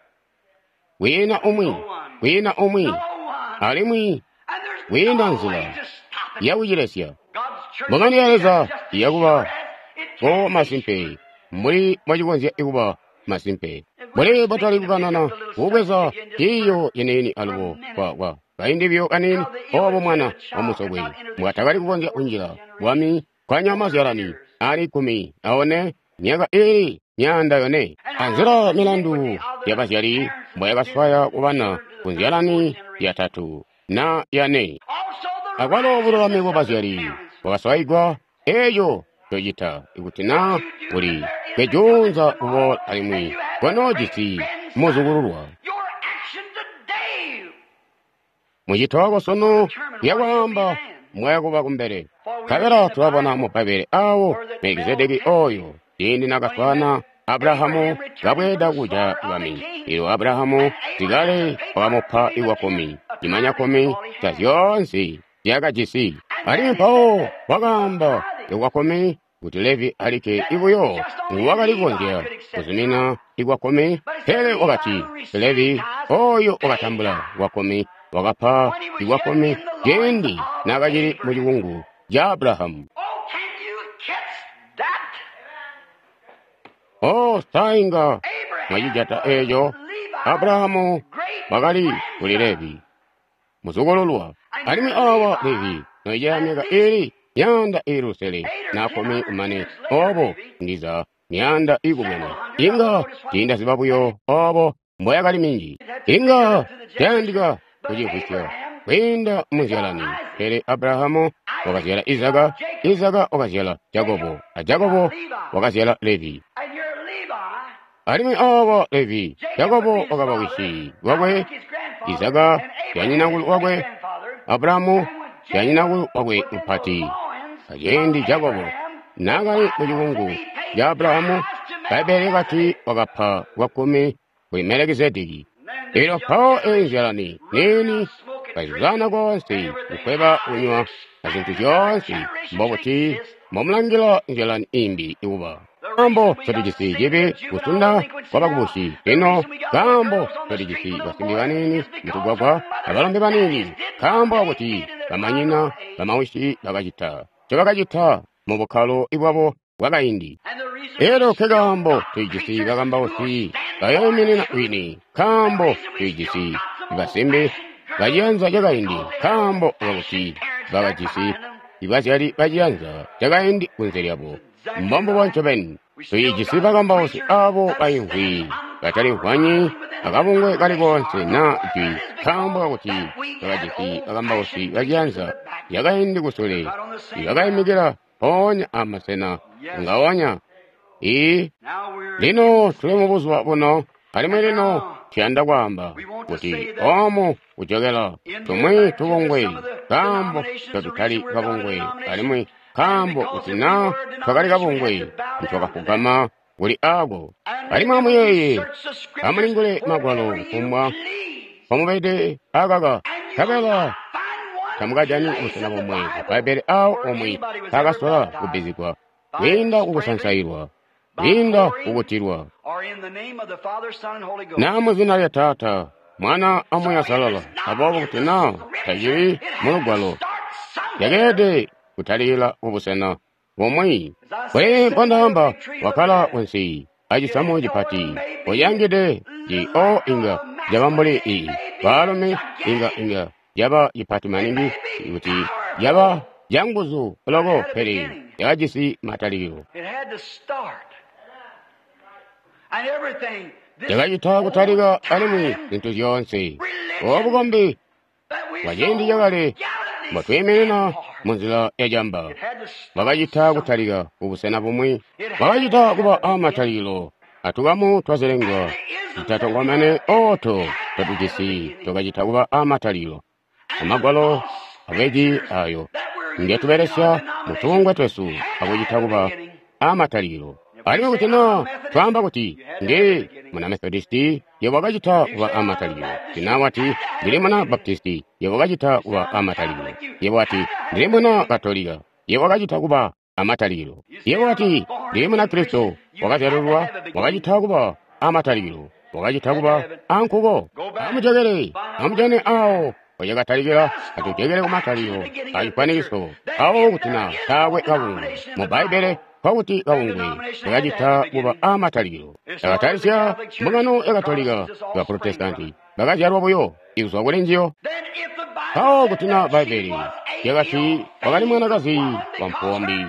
kwiina umwi, kwiina umwi, alimwi kwiina nzila yakucilesya. Mbungano ya Leza iyakuba ko masimpe mbuli mwacikonzya ikuba masimpe, mbuli bwatali kukanana kubweza ciiyo ciniini alubo kwa kaindi buyo kaniini obo mwana wa musokwe mbwatakali kukonzya kunjila bwami kwa nyama zyalani ali 14 myaka ili 400. Anzila milandu ya bazyali mbwayakaswaya kubana ku nzyalani ya 3 na ya 4. Akwalo bululami bwa bazyali bwakaswaigwa. Eeco cocita ikuti naa uli kejuunza kuboola alimwi kwanoojisi muzukululwa. Mucito wako sunu yakwaamba mwayakuba kumbele. Nkabela tulabona mu Bbaibbele awo Melkisedeki oyo ciindi nakaswaana Abulahamu kabweeda kuja bwami. Elyo Abulahamu sikale wakamupa iwakumi, cimanya kumi ca zyoonse zyakajisi. Alimwi mpawo wakaamba iwakumi kuti Levi alikke ibuyo nguwakali kukonzya kuzumina iwakumi, pele wakati Levi oyo wakatambula wakumi wakapa iwakumi ciindi naakacili mu cikungu ca Abulahamu. Oh, sainga mwacijata eeco. Abrahamu wakali kuli Levi, muzukululwa. Alimwi awa Levi noija myaka ili 614 kumane obo ndiza myaanda ikubwene. Inga tiindaziba buyo obo mboyakali minji. Inga tayandika kucimvwisya kwiinda muzyalani. Pele Abrahamu wakazyala Izaka, Izaka wakazyala Jakobo, a Jakobo wakazyala Levi. Alimwi awa Levi, Jakobo wakaba wisi wakwe, Izaka yanyinakulu wakwe, Abrahamu yanyinakulu wakwe mupati. Aciindi Jakobo naakali mucikungu ca Abrahamu, Bbaibbele lyakati wakapa lwakkumi kuli Melekizedeki. Elyo mpawo eyi nzyalani niini kazuzana koonse kukweba kunywa azintu zyoonse, mbobuti mbomulangila nzyalani imbi ikuba? Kaambo ncotujisi cibi kusunda kwabakubusi lino, kaambo ncotujisi basimbi baniini mutugwagwa abalombe baniini, kaambo kakuti bamanyina bamawisi bakacita ncobakacita mu bukkalo bwabo bwakaindi. Elyo nkekaambo tulijisi bakambausi bayoominina wini, nkaambo tulijisi basimbi baciyanza cakaindi, nkaambo kakuti bakajisi bazyali baciyanza cakaindi kunze lyabo. Mbombubo ncobeni. Tulijisi bakambausi aabo baimvwi batalimvwanyi akabungwe kali koonse naa jwi, nkaambo kakuti bakajisi bakambausi baciyanza cakaindi kusule ibakaimikila mpoonya amasena ngaonya. Lino tuli mubuzuba buno, alimwi lino tuyanda kwaamba kuti oomu kujokela tumwi tubungwe, nkaambo totutali kabungwe, alimwi nkaambo kuti naa twakali kabungwe ntwakafugama kuli aako. Alimwi amuyeeye, amulingule Magwalo kufumbwa mpomubede akaka, nkabela tamukajani busena bomwe mu Bbaibbele aawo omwe mpaakasola kubbizigwa kwiinda kukusansailwa, kwiinda kukutilwa, naa muzina lya Taata, Mwana a Muuya Uusalala. Aboobo kuti naa tacili mulugwalo, yakeelede kutalikila kubusena bumwi. Kuli mbondaamba, wakkala kunsi acisamu cipati, ulyangide ci o inga caba mbuli ii baalumi inga inga caba cipati maningi kuti caba canguzu loko, pele yakajisi matalikilo. Cakacita kutalika alimwi zintu zyoonse. Obu bukombi bwaciindi cakale mbotwiiminina munzila yacamba bwakacita kutalika kubusena bumwi, bwakacita kuba aamatalikilo atukamu twazilengwa zitatongomene ooto totujisi twakacita kuba aamatalikilo. Amagwalo abeji aayo ngetubelesya mutubungwe twesu akucita kuba aamatalikilo. Alimwi kuti naa twaamba kuti ndi muna Methodisti, yebo wakacita kuba aamatalikilo. Kuti naa wati ndili muna Baptisti, yebo wakacita kuba aamatalikilo. Yebo wati ndili muna Katolika, yebo wakacita kuba aamatalikilo. Yebo wati ndili muna Kristo, wakazyalululwa, wakacita kuba aamatalikilo, wakacita kuba aankuko. Amujokele, amujane aawo mpocakatalikila, atujokele kumatalikilo acifwanikiso. Awo kuti naa taakwe kabungwe mu Bbaibbele, nkokuti kabungwe kakacita kuba aamatalikilo. Yakatalisya mbungano ya Katolika, ba Protestanti bakazyalwa buyo ikuzwa kuli njiyo. Mpawo kuti naa Bbaibbele lyakati wakali mwanakazi wa mpuwo mbi,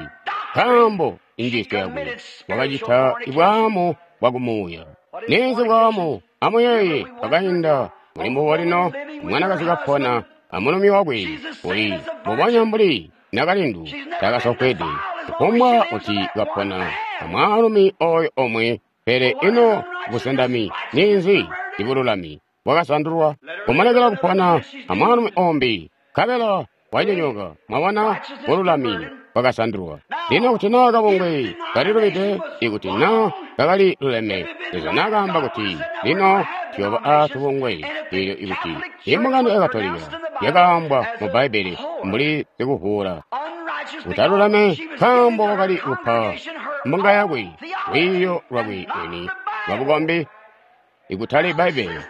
nkaambo injiisyo yakwe wakacita bwaamu bwakumuuya. Ninzi bwaamu? Amuyeeye twakainda muli mbubo lino, mwanakazi kapona amulumi wakwe uli mbubonya mbuli nakalindu takasofweede, kufumbwa kuti kapona amwaalumi oyo omwe. Pele ino busendami ninzi? Ibululami bwakasandulwa kumulekela kupona amwaalumi ombi, nkabela wanyonyooka. Mwabona, bululami bwakasandulwa. Lino kuti naa kabungwe kalilubide, ikuti naa kakali luleme, Leza naakaamba kuti lino tuyooba aatubungwe. Eelyo ikuti imbungano ya Katolika yakaambwa mu Bbaibbele mbuli sikuvuula utalulame, nkaambo wakali kupa mbunga yakwe lwiiyo lwakwe lwini lwabukombi ikutali Bbaibbele.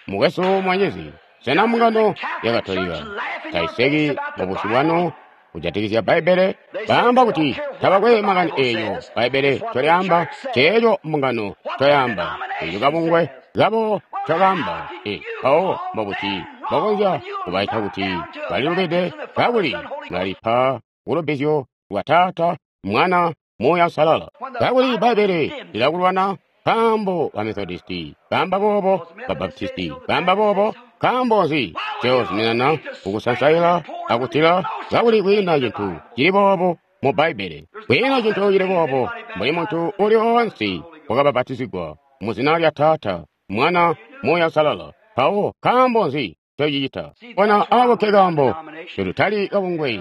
Mukwesu mwanyizi, sena mbungano ya Katolika taiseki mubusyu bwanu kujatikizya Bbaibbele? Baamba kuti tabakwe makani eeyo Bbaibbele ncolyaamba, ceeco mbungano ncoyaamba, eeco kabungwe kabo ncokaamba. Mpawo mbobuti mbokonzya kubaita kuti balilubide kakuli mulalipa kulubbizyo lwa Taata, Mwana, Muuya Uusalala? Kakuli Bbaibbele lilakulwana, nkaambo ba Methodisti baamba boobo, ba Baptisti baamba boobo. Nkaambo nzi ncozuminana kukusansaila akutila kakuli kwiina cintu cili boobo mu Bbaibbele? Kwiina cintu cili boobo mbuli muntu uli oonse wakabapatizigwa mu zina lya Taata, Mwana, Muuya Uusalala. Mpawo nkaambo nzi ncocicita? Bona aako nke kaambo ncotutali kabungwe,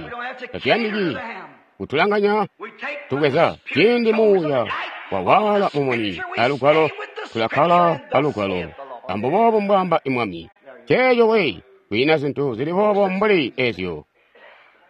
tatuyandiki kutulanganya tubweza ciindi Muuya wawaala mumuni alugwalo, tulakkala alugwalo. Ambuboobo mbwaamba Mwami. Ceeco we, kwiina zintu zili boobo mbuli ezyo.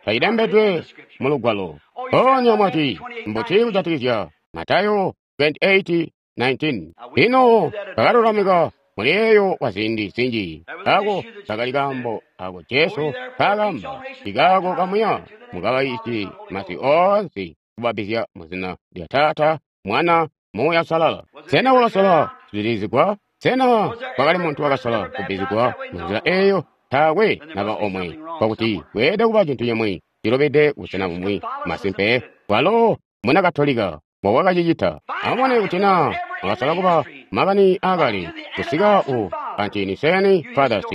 Tayilembedwe mu lugwalo. Mpoonya mwati, mbuti kujatikizya Matayo 28:19? Ino bakalulamika muli eeyo kwa ziindi zinji. Ako kakali kaambo ako Jesu kaakamba, ikaako kamuya mukabayiisye masi oonse kubabbizya mu zina lya Taata, Mwana, Muuya Uusalala. Sena wakasola kuzibilizigwa? Sena kwakali muntu wakasola kubbizigwa munzila eeyo? Taakwe naba omwe. Kwakuti kweelede kuba cintu cimwi cilubide kubusena bumwi. Masimpe, walo muna Katolika mbowakacicita. Amubone kuti naa wakasola kuba makani aakale kusika ku Ante-Nicene Fathers.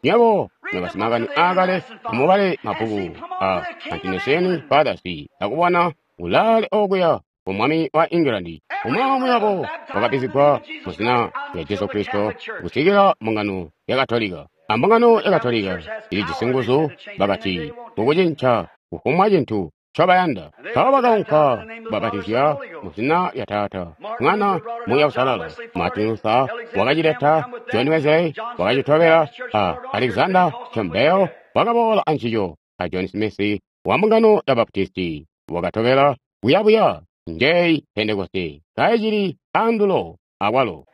Nywebo nobasimakani aakale amubale mabbuku a Ante-Nicene Fathers akubona kulaale okuya ku mwami wa England. Umwi aumwi wabo wakabbizigwa mu zina lya Jesu Kristo kusikila mbungano ya Katolika. Ambungano ya Katolika ilijisi nguzu bakati kukucinca kufumbwa cintu ncobayanda. Mpawo bakaunka kubabatizya mu zina lya Taata, Mwana, Muuya Uusalala. Martin Luther wakacileta, John Wesley wakacitobela, a Alexander Campbell wakaboola ancico, a John Smith wa mbungano ya Baptisti wakatobela kuyabuya. Njeyi Pentekoste kaicili andulo akwalo.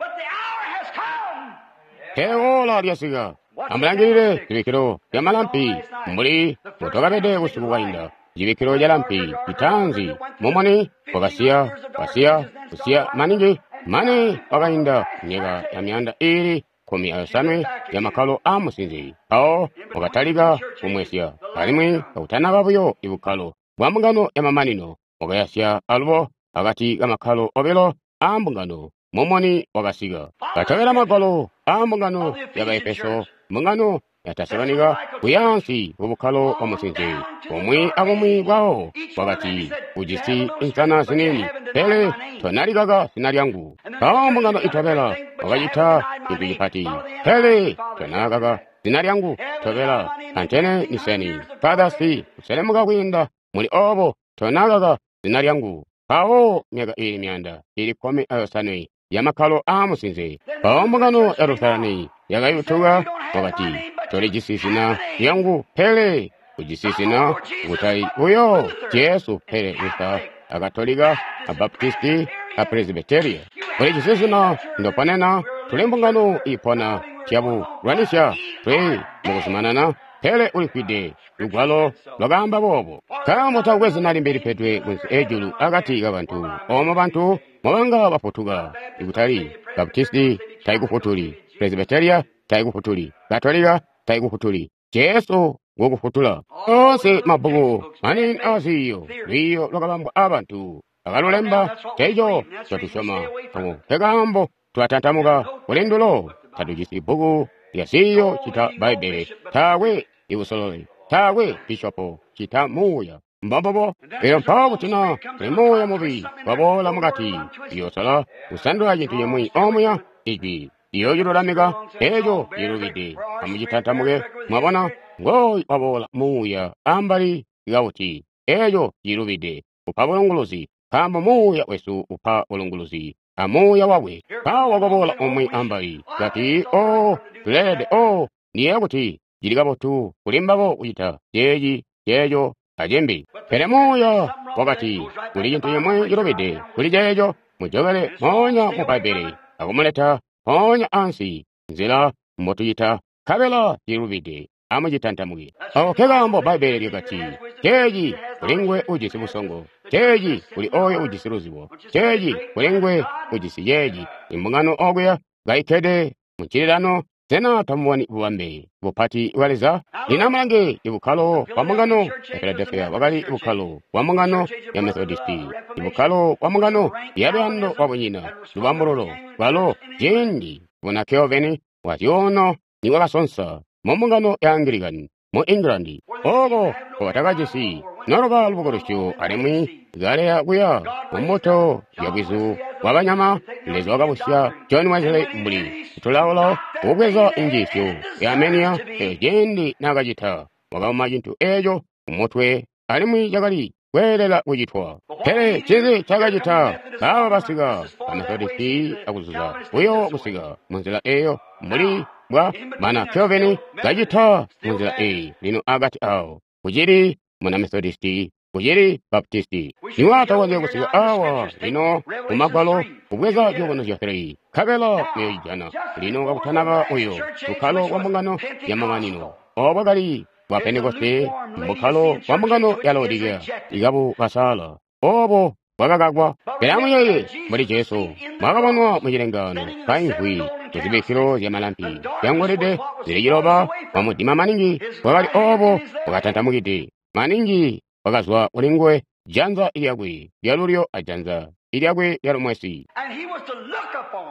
Pele oora lyasika. Amulangilile zibikkilo zyamalampi mbuli mbotwakabede busiku bwainda. Cibikkilo calampi citaanzi mumuni wakasiya, wasiya, kusiya maningi mane wakainda myaka ya myaanda iili 17 ya makkalo aamusinze. Mpawo wakatalika kumwesya, alimwi kakutanaba buyo ibukkalo bwa mbungano yamamanino, wakayasya alubo akati kamakkalo obilo aambungano. Mumuni wakasika. Katobela magwalo aambungano ya Baefeso, mbungano ya Tesalonika, kuyaansi kubukkalo bwa musinze. Bumwi abumwi bwawo bwakati, ujisi insana ziniini, pele tonalikaka zina lyangu. Mpawo mbungano itobela wakacita cintu cipati, pele tonakaka zina lyangu. Tobela Ante-Nicene Fathers, kuselemuka kwiinda muli oobo tonakaka zina lyangu. Mpawo myaka iili myaanda iili 17 ya makkalo aamusinze. Mpawo mbungano ya Lutherani yakayutuka, wakati, tolijisi zina lyangu, pele ujisi zina kutali buyo Jesu, pele Luther, a Katolika, a Baptisti, a Presbyteria. Ulijisi zina ndoponena, tuli mbungano iipona, tyabu lwanisya, tuli mukuzumanana, pele ulifwide. Lugwalo lwakaamba boobo. Nkaambo taakwe zina limbi lipedwe kunsi ejulu akati kabantu, oomo bantu mobanga bafutuka. Ikutali Baptisti taikufutuli, Presbyteria taikufutuli, Katolika taikufutuli, Jesu ngukufutula. Oonse mabbuku maniini aaziiyo, lwiiyo lwakabambwa aabantu bakalulemba, nceeco ncotusyoma. Ako nkekaambo tulatantamuka kuli ndulo. Tatujisi bbuku lya ziiyo cita Bbaibbele, taakwe ibusololi, taakwe bishopo cita Muuya. Mbombubo. Elyo mpawo kuti naa kuli muuya mubi waboola mukati, uyoosala kusandula cintu cimwi omuya, ijwi liyoocilulamika eeco cilubide. Amucitantamuke. Mwabona, ngooyu waboola muuya ambali kauti eeco cilubide, upa bulunguluzi, nkaambo muuya wesu upa bulunguluzi a muuya wakwe. Mpawo wakaboola umwi ambali kati, oh, tuleelede, oh, ndiyeeya kuti cili kabotu kuli mbabo kucita ceeci, ceeco, acimbi. Pele muuya wakati, kuli cintu cimwi cilubide kuli ceeco, mujokele moonya mu Bbaibbele akumuleta mpoonya ansi nzila mbotucita, nkabela cilubide. Amucitantamuke. Ako nkekaambo Bbaibbele lyakati, Ceeci kuli nguwe ujisi busongo, ceeci kuli oyo ujisi luzibo, ceeci kuli nguwe ujisi ceeci. Imbungano okuya kaikkede mu ncililano, sena tamuboni bubambe bupati bwa Leza? Lino amulange ibukkalo bwa mbungano ya Philadelphia bwakali bukkalo bwa mbungano ya Methodisti, ibukkalo bwa mbungano ya luyando lwabunyina, lubambululo, bwalo ciindi buna Calvin bwa zyuuno nibwakasonsa mu mbungano ya Anglican mu England, oko nkobatakajisi noluba lubukulusyo alimwi kaleya kuya mu mbuto ya bwizu bwa banyama. Leza wakabusya John Wesley mbuli situlaolao kubweza injiisyo ya Armenia, pele ciindi naakacita, wakauma cintu eco kumutwe alimwi cakali kweelela kucitwa. Pele ncinzi ncaakacita? Baaba basika ba Methodisti akuzuza buyo kusika munzila eyo mbuli bwa bana Calvin kacita munzila eyi. Lino akati awo kucili muna Methodisti, kucili Baptisti. Niwatakonzya kusika awa lino mu Magwalo kubweza Ciyubunuzyo 3, nkabela muyocijana. Lino kakutanaba uyo bukkalo bwa mbungano ya mamanino, obo bwakali bwa Pentekoste, bukkalo bwa mbungano ya Laodikeya ikabukasaala, obo bwakakakwa. Pele amuyeeye mbuli Jesu mwakabonwa mu cilengaano kaimvwi muzibikkilo zya malampi zyangolide zili ciloba, mumudima maningi bwakali obo bwakatantamukide maningi bwakazwa kuli nguwe, janza lyakwe lyalulyo ajanza lyakwe lyalumwesi.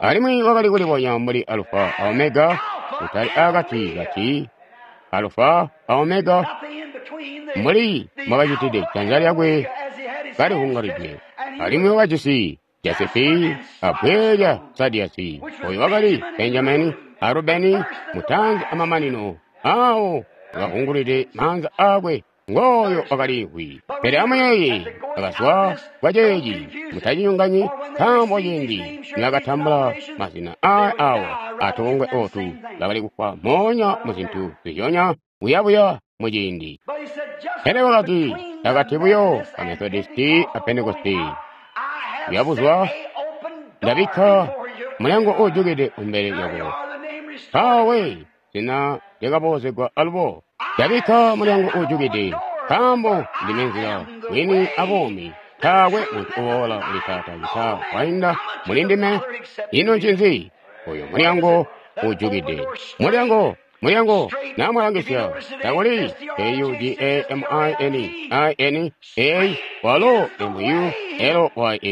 Alimwi wakali kulibonya mbuli Alufa a Omega, kutali akati kati Alufa a Omega, mbuli mwakacitide janza lyakwe kalivungalidwe. Alimwi wakajisi Jasefi abbwe lya Sadiasi, oyo wakali Benjamini a Rubeni, mutaanzi amamanino, awo wakavungulide maanza akwe ngooyo wakaliimvwi. Pele amuyeeye, akazwa kwa ceeci, mutacinyonganyi, nkaambo ciindi nibakatambula mazina aya awa atubungwe otu, bakali kufwa moonya mu zintu zizyonya buyabuya mu ciindi. Pele wakati, akati buyo a Methodisti a Pentekoste, kuyabuzwa, ndabikka mulyango uujukide kumbele lyako. Mpawe zina lyakaboozegwa alubo. Ndabikka mulyango uujukide, nkaambo ndime nzila, bwini abuumi. Taakwe muntu uboola kuli Taata cita wainda muli ndime. Ino ncinzi? Oyo mulyango uujukide. Mulyango, mulyango, namwalangisya, takuli K-U-G-A-M-I-N-I-N-A, walo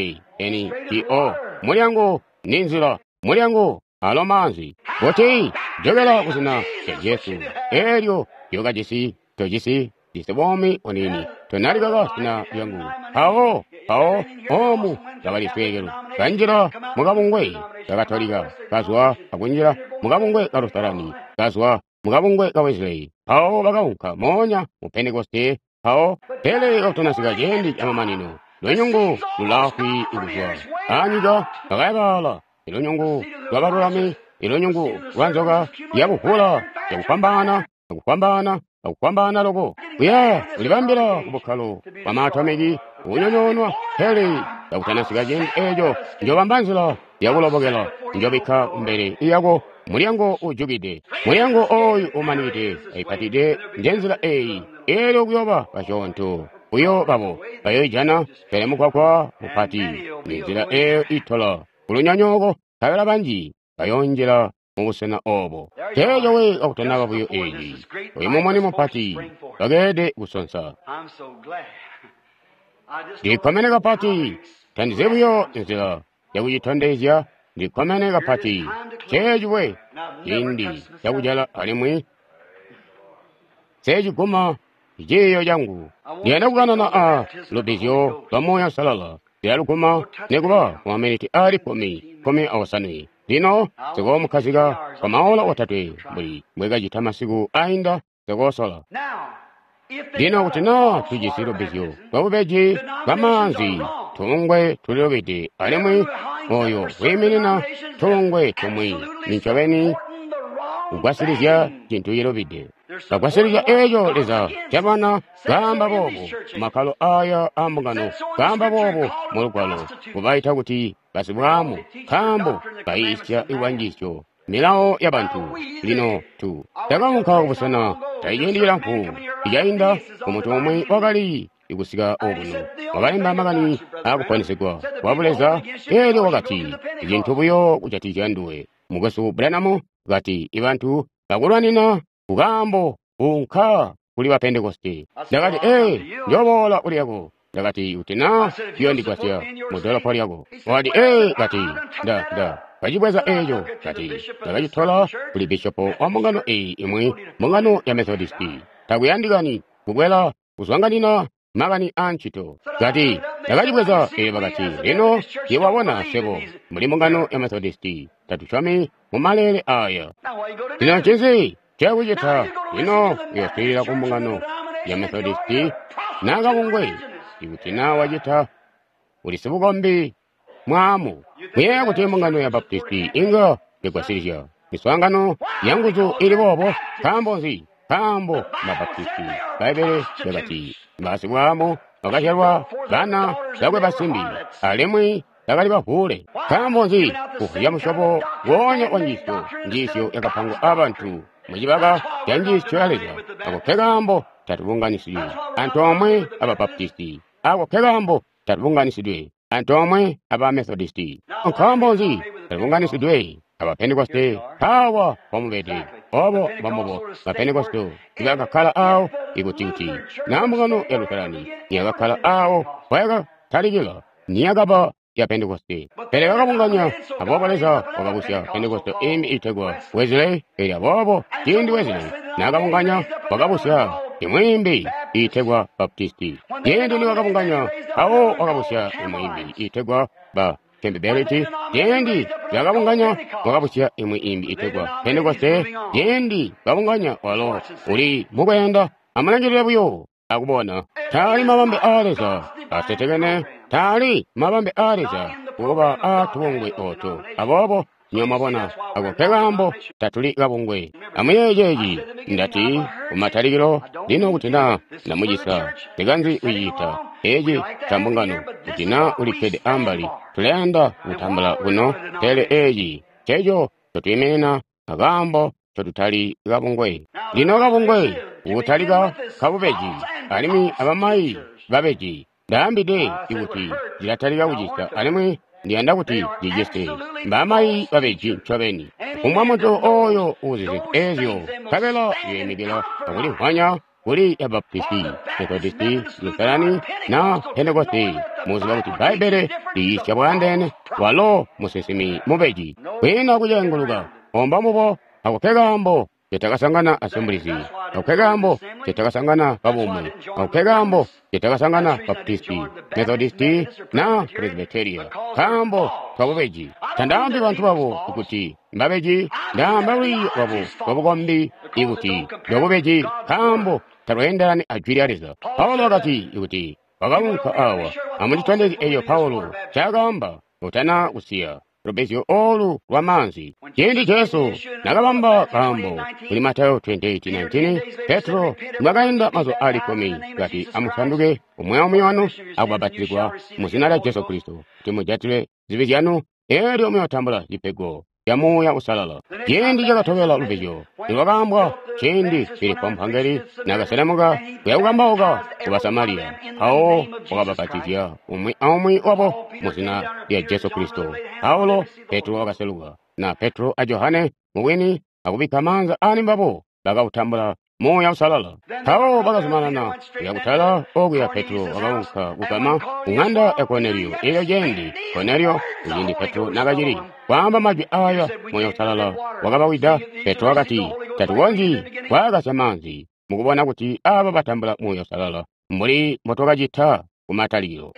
M-U-L-Y-A-N-G-O. Mulyango ni nzila, mulyango alo maanzi. Kuti jokela kuzina lya Jesu, elyo lyokajisi tojisi jisi buumi buniini, tonalikaka zina lyangu. Mpawo, mpawo, omu lyakali sweekelo. Kanjila mukabungwe ka Katolika, kazwa akunjila mukabungwe ka Lutherani, kazwa mukabungwe ka Wesley. Mpawo bakaunka moonya mu Pentekoste, mpawo pele kakutanasika ciindi camamanino, lunyungu lulaafwi kuzwa anyika bakayabala, ilunyungu lwabalulami, ilunyungu lwa nzoka yabuvula yakufwambaana, akufwambaana, akufwambaana loko kuya kulibambila kubukkalo bwa maatomiki kunyonyoonwa. Pele kakutanasika ciindi eco, njobamba nzila yakulobokela, njobikka kumbele yako mulyango uujukide. Mulyango oyu umanikide aipatide njenzila eyi, elyo kuyoba basyoonto buyo babo bayoijana, pele mugwagwa mupati ninzila eyo itola kulunyonyooko, nkabela banji bayoonjila mubusena obo. Teeco we kakutanaba buyo eeci, oyu mumuni mupati bakeelede kusonsa. Ndikkomene kapati, tandizi buyo nzila yakucitondezya. Ndikkomene kapati, ceeci we ciindi cakujala alimwi seeciguma ciiyo cangu. Ndiyanda kukanana a lubbizyo lwa Muuya Uusalala, ndilaluguma nikuba ku maminiti aali 15. Lino nsikoomukkazika kwa maola otatwe mbuli mbwekacita masiku ainda, nsikoosola. Lino kuti naa tujisi lubbizyo lwabubeji bwa maanzi, tubungwe tulilubide, alimwi oyo wiiminina tubungwe tumwi nincobeni kugwasilizya cintu cilubide. Bagwasilizya eeco Leza cabana kaamba boobo mumakkalo aya aambungano, kaamba boobo mu Lugwalo, kubaita kuti basibwaamu, nkaambo bayiisya lwanjiisyo Milao ya bantu. Lino tu takaunka kubusena taiciindi cilamfu icainda kumuntu umwi wakali ikusika okuno wakalemba makani akuponesegwa kwa Buleza. Elyo wakati icintu buyo kujatikizya nduwe, Mukwesu Branham, kati ibantu bakulwanina kukaambo unka kuli ba Pentekoste. Ndakati, ee, njoboola kuli yako. Ndakati, kuti na ciyondigwasya mu dolopo lyako. Wakati, ee, kati, nda kacibweza eco. Kati, ndakacitola kuli bishopo wa mbungano eyi imwi, mbungano ya Methodisti. Takuyandikani kukwela kuzwanganina makani a ncito. Kati, ndakacibweza. Elyo bakati, lino yewabona swebo muli mbungano ya Methodisti tatusyomi mu maleele aya. Lino ncinzi cakucita? Lino uyoswiilila ku mbungano ya Methodisti na kabungwe. Ikuti na wacita, uli sibukombi mwaamu. Muyeeya kuti mbungano ya Baptisti inga yagwasilizya miswaangano ya nguzu ili boobo? Nkaambo nzi? Nkaambo Mabaptisti, Bbaibbele lyakati, basibwaamu bakazyalwa bana bakwe basimbi, alimwi bakali bavuule. Nkaambo nzi? Kuvwiya musyobo woonya wa njiisyo, njiisyo yakapangwa abantu mucibaka ca njiisyo ya Leza. Ako ke kaambo tatubunganisidwe antoomwe aba Baptisti. Ako ke kaambo tatubunganisidwe antoomwe aba Methodisti. Nkaambo nzi tatubunganisidwe aba Pentekoste? Awa bamubede obo bamubo ba Pentekoste ibakakkala awo ikuti kuti na mbungano ya Luterani niyakakkala awo mpayakatalikila niyakaba ya Pentekoste. Pele bakabunganya, aboobo Leza wakabusya Pentekoste imbi itegwa Wesley. Elyo aboobo ciindi Wesley nakabunganya, wakabusya imwi imbi itegwa Baptisti. Ciindi niwakabunganya, awo wakabusya imwi imbi itegwa ba Campbelliti. Ciindi bakabunganya, wakabusya imwi imbi itegwa Pentekoste. Ciindi babunganya, walo uli mukweenda. Amulangilile buyo akubona. Taali mabambe a Leza asetekene, taali mabambe a Leza kuba a tubungwe oto. Aboobo nyo mwabona, ako ke kaambo tatuli kabungwe. Amuyeeye ceeci, ndati kumatalikilo. Lino kuti na ndamucisa, ndikanzi kucita eci ca mbungano, kuti na ulikkede ambali, tulayanda kutambula kuno, pele eci nceco ncotwiiminina, akaambo ncotutali kabungwe. Lino kabungwe kutalika kabubeji, alimwi abamayi babeji. Ndaambide ikuti cilatalika kucisa, alimwi ndiyanda kuti cicise. Mbamayi babeji ncobeni. Kufumbwa muntu oyo uzi zintu ezyo, nkabela uyoimikila akulimvwanya kuli ya Baptisti, Methodisti, Lutherani na Pentekoste, muziba kuti Bbaibbele liyiisya bwaandeene, walo musinsimi mubeji. Kwiina kucenguluka, omba mubo. Ako ke kaambo cetakasangana Assemblies, ako ke kaambo cetakasangana kabumwe, ako ke kaambo cetakasangana Baptisti, Methodisti na Presbyteria, kaambo kabubeji. Tandaambi bantu babo kuti mbabeji, ndaamba lwiiyo lwabo lwabukombi ikuti lwabubeji, kaambo talweendelani a jwi lya Leza. Paulo wakati ikuti wakaunka awa, amunditondezye eyo Paulo ncaakaamba utana kusiya lubizyo olu lwa maanzi. Ciindi Jesu nakabamba kaambo kuli Matayo 28:19, Petro mbwakainda mazuba ali 10, kati amusanduke umwi aumwi wanu akubapatizigwa mu zina lya Jesu Kristo kuti mujatile zibi zyanu, elyo muyotambula cipego ca Muuya Uusalala. Ciindi cakatobela lubizyo nilwakaambwa, ciindi Filipo mphangeli nakaselemuka kuya kukambauka ku Basamariya, mpawo wakabapatizya umwi aumwi wabo mu zina lya Jesu Kristo. Paulo, Petro wakaseluka, na Petro a Johane mubwini akubikka maanza ali mbabo, bakautambula Muuya Uusalala. Mpawo bakazumanana kuya kutala okuya. Petro wakaunka kugama kung'anda ya Korneliyo. Elyo ciindi Korneliyo, kuciindi Petro nakacili kwaamba majwi aya, Muuya Uusalala wakabawida. Petro wakati, tatukonzyi kwaakasya maanzi mukubona kuti aba batambula Muuya Uusalala mbuli mbotwakacita kumatalikilo.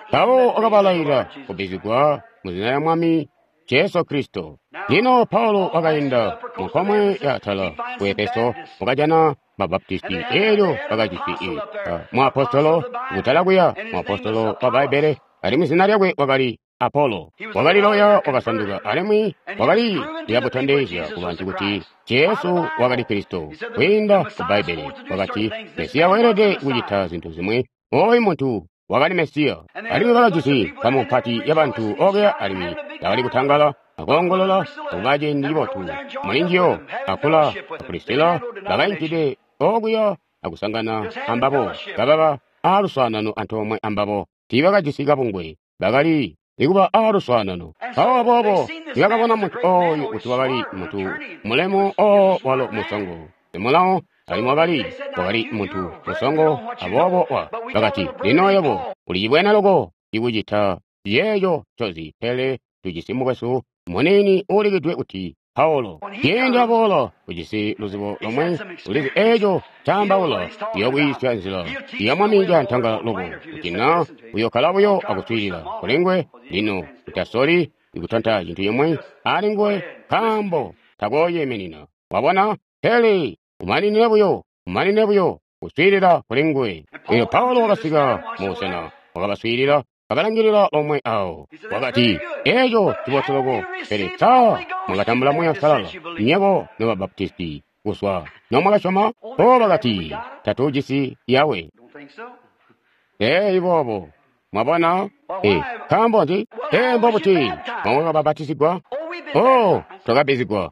Mpawo wakabalayila kubbizigwa mu zina lya Mwami Jesu Kristo. Lino Paulo wakainda munkomwe ya atala ku Efeso, wakajana Mabaptisti, elyo bakajisi muapostolo kutala kuya, muapostolo wa Bbaibbele, alimwi zina lyakwe wakali Apolo. Wakali loya wakasanduka, alimwi wakali liyabutondezya kubantu kuti Jesu wakali Kristo kwiinda ku Bbaibbele. Wakati Mesiya weelede kucita zintu zimwi. Oyu muntu wakali Mesiya. Alimwi bakajisi nkamu mpati yabantu okuya, alimwi bakali kutangala. akoongolola akuba ciindi cibotu mulinjiyo. Akula a Prisila bakainkide okuya akusangana ambabo, kababa aaluswaanano antoomwe ambabo. Tiibakajisi kabungwe, bakali ikuba aaluswaanano. Mpawo aboobo nibakabona muntu ooyu kuti wakali muntu mulemu oo walo musongo, simulawo, alimwi wakali muntu musongo, aboobo bakati, lino yebo ulicibwene loko ikucita yeeyo ncozi, pele tujisi mukwesu muniini uulikidwe kuti Paulo. Ciindi aboola ujisi luzibo lomwe, ulizi eeco ncaambaula, uyokwiisya nzila ya Mwami cantangala loko, kuti na uyokkala buyo akuswiilila kulinguwe. Lino utasoli kutanta cintu cimwi alinguwe, nkaambo takooyiminina. Wabona? Pele umaninine buyo kuswiilila kulinguwe. Elyo Paulo wakasika mubusena, wakabaswiilila, kabalangilila lomwe awo. Wakati, eeco cibotu loko, pele sa mwakatambula Muuya Uusalala nywebo nobabapatisti kuzwa nomwakasyoma? O bakati, tatujisi yawe. Ee boobo, mwabona? Nkaambo nzi? Ee mbobuti mwakabapatizigwa? O twakabbizigwa.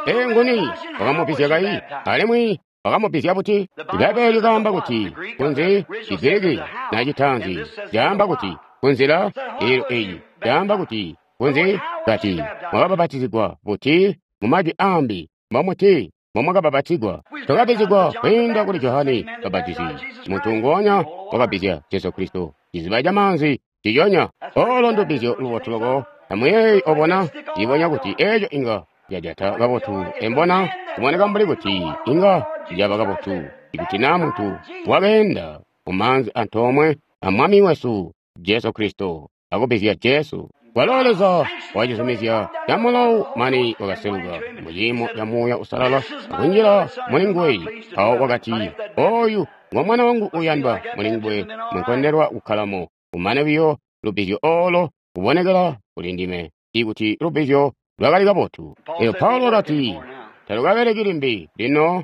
Ee nguni wakamubbizya kayi? Alimwi wakamubizya buti? Ibbaibbele likaamba kuti kunzi Chigiriki na citaanzi caamba kuti kunzila, eelyo eyi caamba kuti kunzi. Kati mwakabapatizigwa buti? Mumajwi aambi mbomuti mbomwakabapatizigwa? Twakabbizigwa kwiinda kuli Johane Mubapatizi, muntu nguonya wakabbizya Jesu Kristo ciziba camaanzi ciconya. Olo ndubbizyo lubotu loko. Amuyeeyi obona, cibonya kuti eeco inga cajata kabotu embona, kuboneka mbuli kuti inga caba kabotu ikuti na muntu wakeenda mumaanzi antoomwe a Mwami wesu Jesu Kristo akubbizya Jesu. Kwalo Leza wacizumizya camulawo mane wakaseluka muciimo ca Muuya Uusalala akunjila mulinguwe. Mpawo wakati, oyu ngo mwana wangu uuyandwa, mulinguwe mwenkondelwa kukkalamo. Kumane buyo lubbizyo olo kubonekela kuli ndime ikuti lubbizyo lwakali kabotu. Elyo Paulo wakati, talukabeleki limbi lino,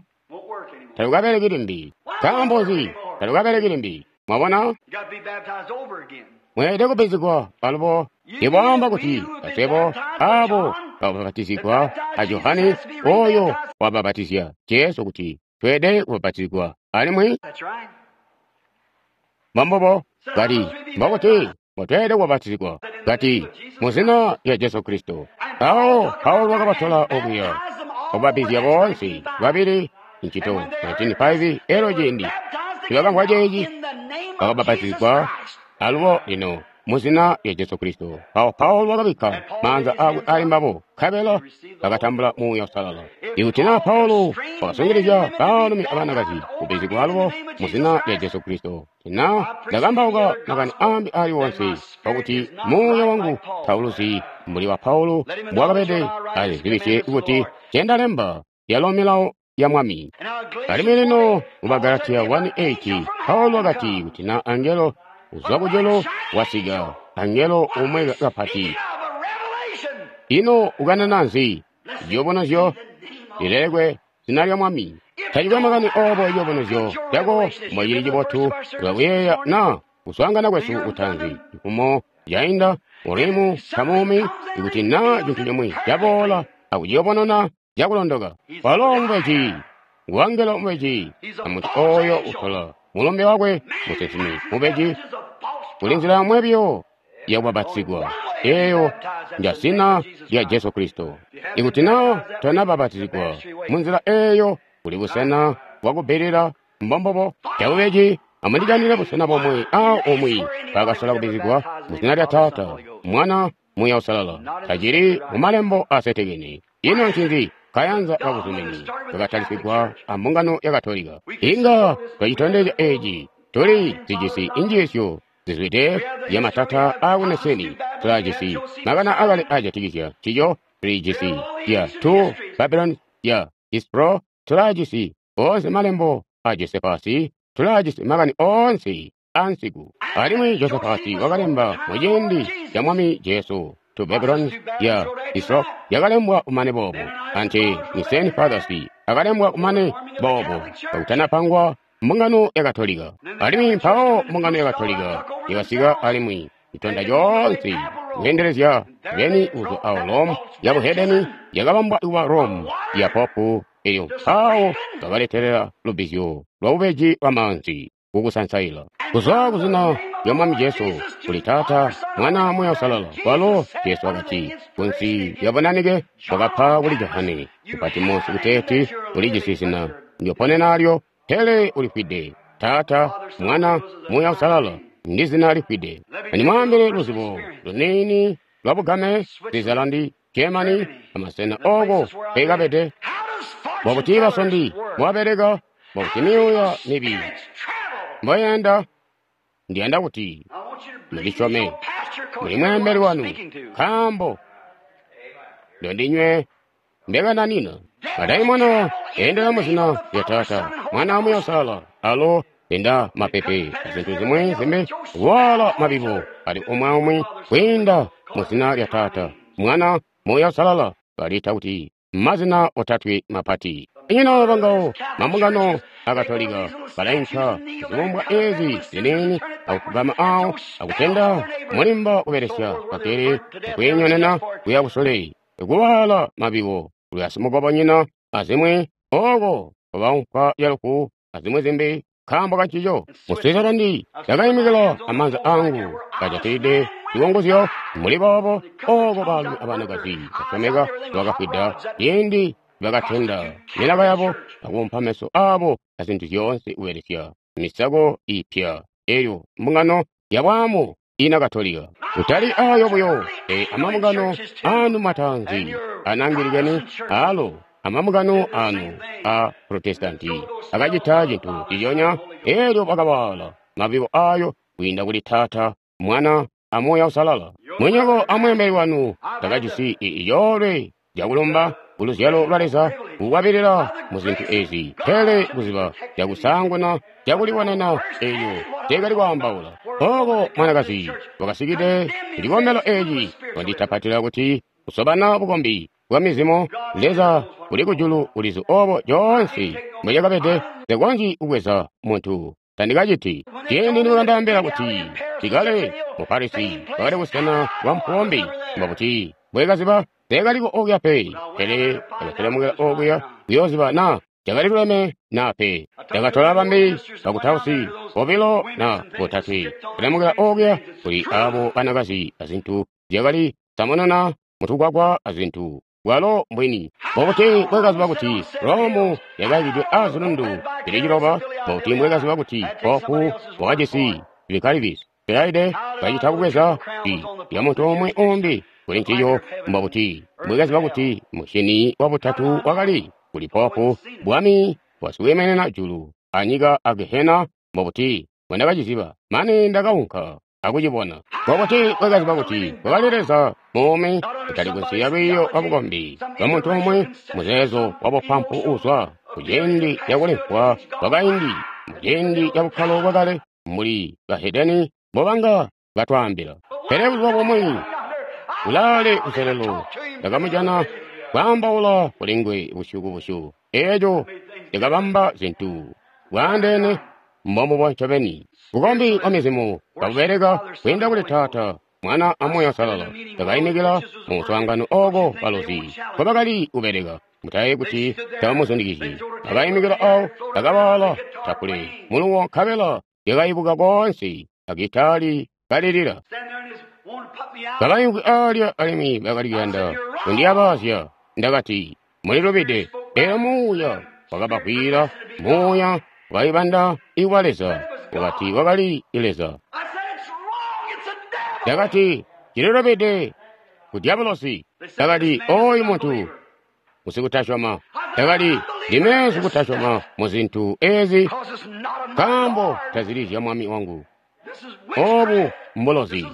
talukabeleki limbi. Nkaambo nzi talukabeleki limbi? Mwabona? Mweelede kubbizigwa alubo. Ibwaamba kuti baswebo abo bakabapatizigwa a Johane oyo wabapatizya Jesu kuti tweelede kubapatizigwa alimwi. Mbombubo. Kati mbokuti mbotweelede kubapatizigwa? Kati muzina lya Jesu Kristo. Mpawo Paulo wakabatola okuya okubabbizya boonse babili Incito 19:5. Elyo ciindi nibakamvwa ceeci bakabapatizigwa alubo lino muzina lya Jesu Kristo. Mpawo Paulo wakabikka maanza aakwe ali mbabo, nkabela bakatambula Muuya Uusalala. Ikuti na Paulo wakasungilizya baalumi abanakazi kubbizigwa alubo muzina lya Jesu Kristo, na ndakambauka makani ambi ali wonse kwakuti muuya wangu tauluzi mbuli wa Paulo mbwakabede, azibisye kuti ncendalemba yalo milawo ya Mwami. Alimwi lino mu Bagalatiya 1:8 Paulo wakati kuti na angelo uzwa kujulu wasika, angelo umwe kapati. Ino ukanana nzi? Ciyubunuzyo lilelekwe zina lya Mwami. Tacikwe makani obo ciyubunuzyo cako mbocili cibotu, ulakuyeeya na kuswaangana kwesu kutaanzi cifumo cainda Urimu Tamumi, ikuti na cintu cimwi caboola akuciyubununa cakulondoka. Walo mubeji, nguangelo mubeji, amuntu oyo utola mulumbe wakwe musinsimi mubeji. Kuli nzila yomwe biyo yakubapatizigwa, eeyo njazina lya Jesu Kristo. Ikuti na tonabapatizigwa munzila eeyo, kuli busena bwakubbilila mbombobo cabubeji. Amundijanire busena bomwe a umwi bakasola kubbizigwa muzina lya Taata, Mwana, Muuya Uusalala. Tacili mu malembo asetekene. Ino ncinzi kayanza kabuzumini kakatalisigwa a mbungano ya Katolika? Inga twacitondezya eeci. Tuli zijisi injiisyo zizwide zya matata aakuneseni. Tulajisi makana akale ajatikizya ncico. Tulijisi ya 2 Babylon ya Ispro. Tulajisi oonse malembo a Josephus. Tulajisi makani oonse ansiku. Alimwi Josephus wakalemba muciindi ca Mwami Jesu. 2 Babylon ya Ispro yakalembwa kumane boobo. Ante Nicene Fathers akalembwa kumane boobo kakutanapangwa mbungano ya Katolika. Alimwi mpawo mbungano ya Katolika yakasika alimwi itonda coonse. kweendelezya beni kuzwa awo Rome ya buhedeni yakabambwa kuba Rome ya popu, elyo mpawo bakaletelela lubbizyo lwa bubeji lwa maanzi kukusansaila kuzwa kuzina lya Mwami Jesu kuli Taata, Mwana, Muuya Uusalala. Kwalo Jesu wakati kunsi lya bunanike wakapa kuli Johane ku Patimosi kuteeti ulijisi zina ndyoponenalyo, pele ulifwide. Taata, Mwana, Muuya Uusalala ndi zina lifwide. Andimwaambile luzibo luniini lwa bugame, Switzerland, Germany, amasena oko nkekabede, bwakuti basondi mbobabeleka, bwakuti myuuya mibi mboyenda. Ndiyanda kuti mundisyome muli mweembeli wanu, nkaambo ndondinywe mbekananina. Madaimona endela muzina lya Taata, Mwana, Muuya Uusalala, alo enda mapepe azintu zimwi zimbi kuwaala mabibo ali umwi aumwi kwiinda muzina lya Taata, Mwana, Muuya Uusalala, baliita kuti mazina otatwe mapati. Inyina bangawo mambungano akatolika balainka zibumbwa ezi ziniini akufugama awo akutenda mulimba kubelesya kakele akwiinyonena kuya kusule kuwaala mabibo kuli asimukobonyina azimwi oko baunka lyalufu azimwi zimbi nkaambo kancico. Mu Switzerland ndakaimikila amaanza angu kajatilide zikongozyo muli boobo oko baalumi abanakazi basyomeka bakafwida ciindi bakatenda milaka yabo akuumpa meso abo azintu zyoonse kubelesya misako ipya elyo mbungano yabwaamu ina Katolika. Kutali ayo buyo, pele amambungano anu mataanzi anangilikene alo amambungano anu a Protestanti akacita cintu nciconya, elyo bakawaala mabibo ayo kwiinda kuli Taata, Mwana, a Muuya Uusalala. Munyoko amweembeli wanu takajisi icoolwe cakulumba kuluzyalo lwa Leza kukwabilila muzintu ezi, pele kuziba cakusaanguna cakulibonena eyo teekali kwaambaula. Oko mwanakazi wakasikide kucikombelo eci wanditapatila kuti kusobana bukombi bwa mizimo, Leza uli kujulu ulizi obo coonse mbocakabede. Nsekonzyi kubweza muntu, tandikaciti. Ciindi nibakandaambila kuti ndikale mu Parisi bakali busena bwa mpombi, mbakuti mbwekaziba teekaliko okuya pe, pele ndakaselemukila okuya kuyooziba naa cakali luleme naa pe. Ndakatola bambi bakutausi bobilo na botatwe selemukila okuya kuli abo banakazi azintu zyakali samununa mutugwagwa azintu. Bwalo mbwini. Mbobuti mbwekaziba kuti Rome yakayakidwe azilundu zili ciloba? Mbobuti mbwekaziba kuti popu wakajisi Vicarius Pilaide kacita kubweza i lya muntu umwi umbi kuli ncico? Mbobuti mbwekaziba kuti musyini wabutatu wakali kuli popu, bwami bwasikwiiminina julu anyika a Gehena? Mbobuti mbwendakaciziba? Mane ndakaunka akucibona. Mbobuti mbwekaziba kuti kwakali Leza muumi, kutali kunsi ya lwiiyo lwa bukombi lwa muntu umwi, muzeezo wa bupampu uuzwa kuciindi cakulimvwa kwakaindi, muciindi cabukkalo bwakale, mbuli bahedeni mbobanga batwaambila. Pele buzuba bumwi kulaale kuselelo ndakamujana kwaambaula kuli nguwe busyu kubusyu. Eeco cakabamba zintu bwaandeene mbombubo ncobeni. Bukombi bwa mizimu kabubeleka kwiinda kuli Taata, Mwana a Muuya Uusalala. Ndakaimikila mu muswaangano oko balozi nkobakali kubeleka. Mutayeeyi kuti tabamuzundikizyi. Bakaimikila awo, bakawaala tapule muluwo nkabela lyakaibuka koonse agitaali kalilila. Kabaimvwi aalya alimwi bakali kuyanda kundiyabaazya. Ndakati, mulilubide. Elyo Muuya wakabavwiila. Muuya wakaibanda iwa Leza, wakati wakali Leza. Ndakati, cililubide ku dyabulosi. Ndakati, oyu muntu ngusikutasyoma. Ndakati, ndime sikutasyoma muzintu ezi, nkaambo tazili zya Mwami wangu. Obu mbulozi.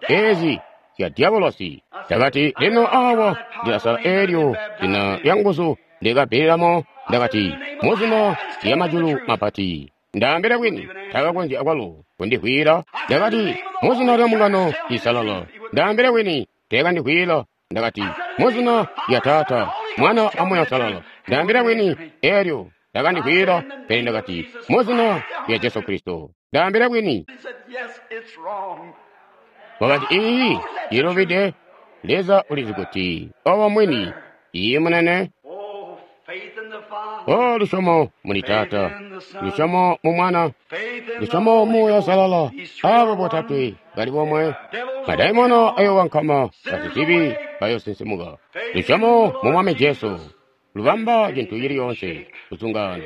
Ezi zya dyabulosi. Ndakati, lino awa ndilasala elyo zina lya nguzu ndikabbililamo. Ndakati, muzina lya majulu mapati, ndaambile bwini, takakonzya akwalo kundivwiila. Ndakati, muzina lya mbungano iisalala, ndaambile bwini, teekandivwiila. Ndakati, muzina lya Taata, Mwana a Muuya Uusalala, ndaambile bwini, elyo takandivwiila. Pele ndakati, muzina lya Jesu Kristo, ndaambile bwini. Wakati, iiyi, cilubide. Leza ulizi kuti obo mwini. Iiyi, munene. O, lusyomo muli Taata, lusyomo mu Mwana, lusyomo mu Muuya Uusalala, abo botatwe bali bomwe. Madaimono ayokankama, basizibi bayosinsimuka. Lusyomo mu Mwami Jesu lubamba cintu cili yoonse kuzungaana.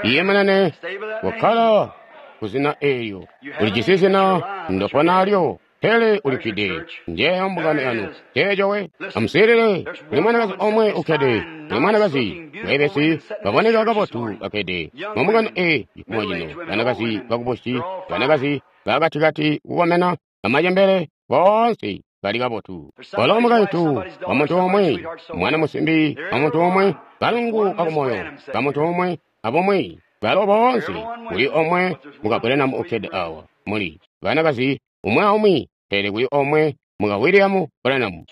Iye munene, kukkala ku zina eelyo. Ulijisi zina ndopona alyo, pele ulifwide. Njeeyo mbungano yanu. Nceeco we. Amuswiilile, kuli mwanakazi omwe ukkede, kuli mwanakazi weebesi baboneka kabotu bakkede mu mbungano eyi cifumo cino, banakazi bakubusyi, banakazi bakatikati kukomena, bamacembele, boonse bali kabotu. Walo mukaintu wa muntu omwe, mwana musimbi wa muntu omwe, kalungu kakumoyo ka muntu omwe, abomwe balo boonse kuli omwe muka Branham ukkede awa. Muli banakazi umwi aumwi, pele kuli omwe muka William Branham.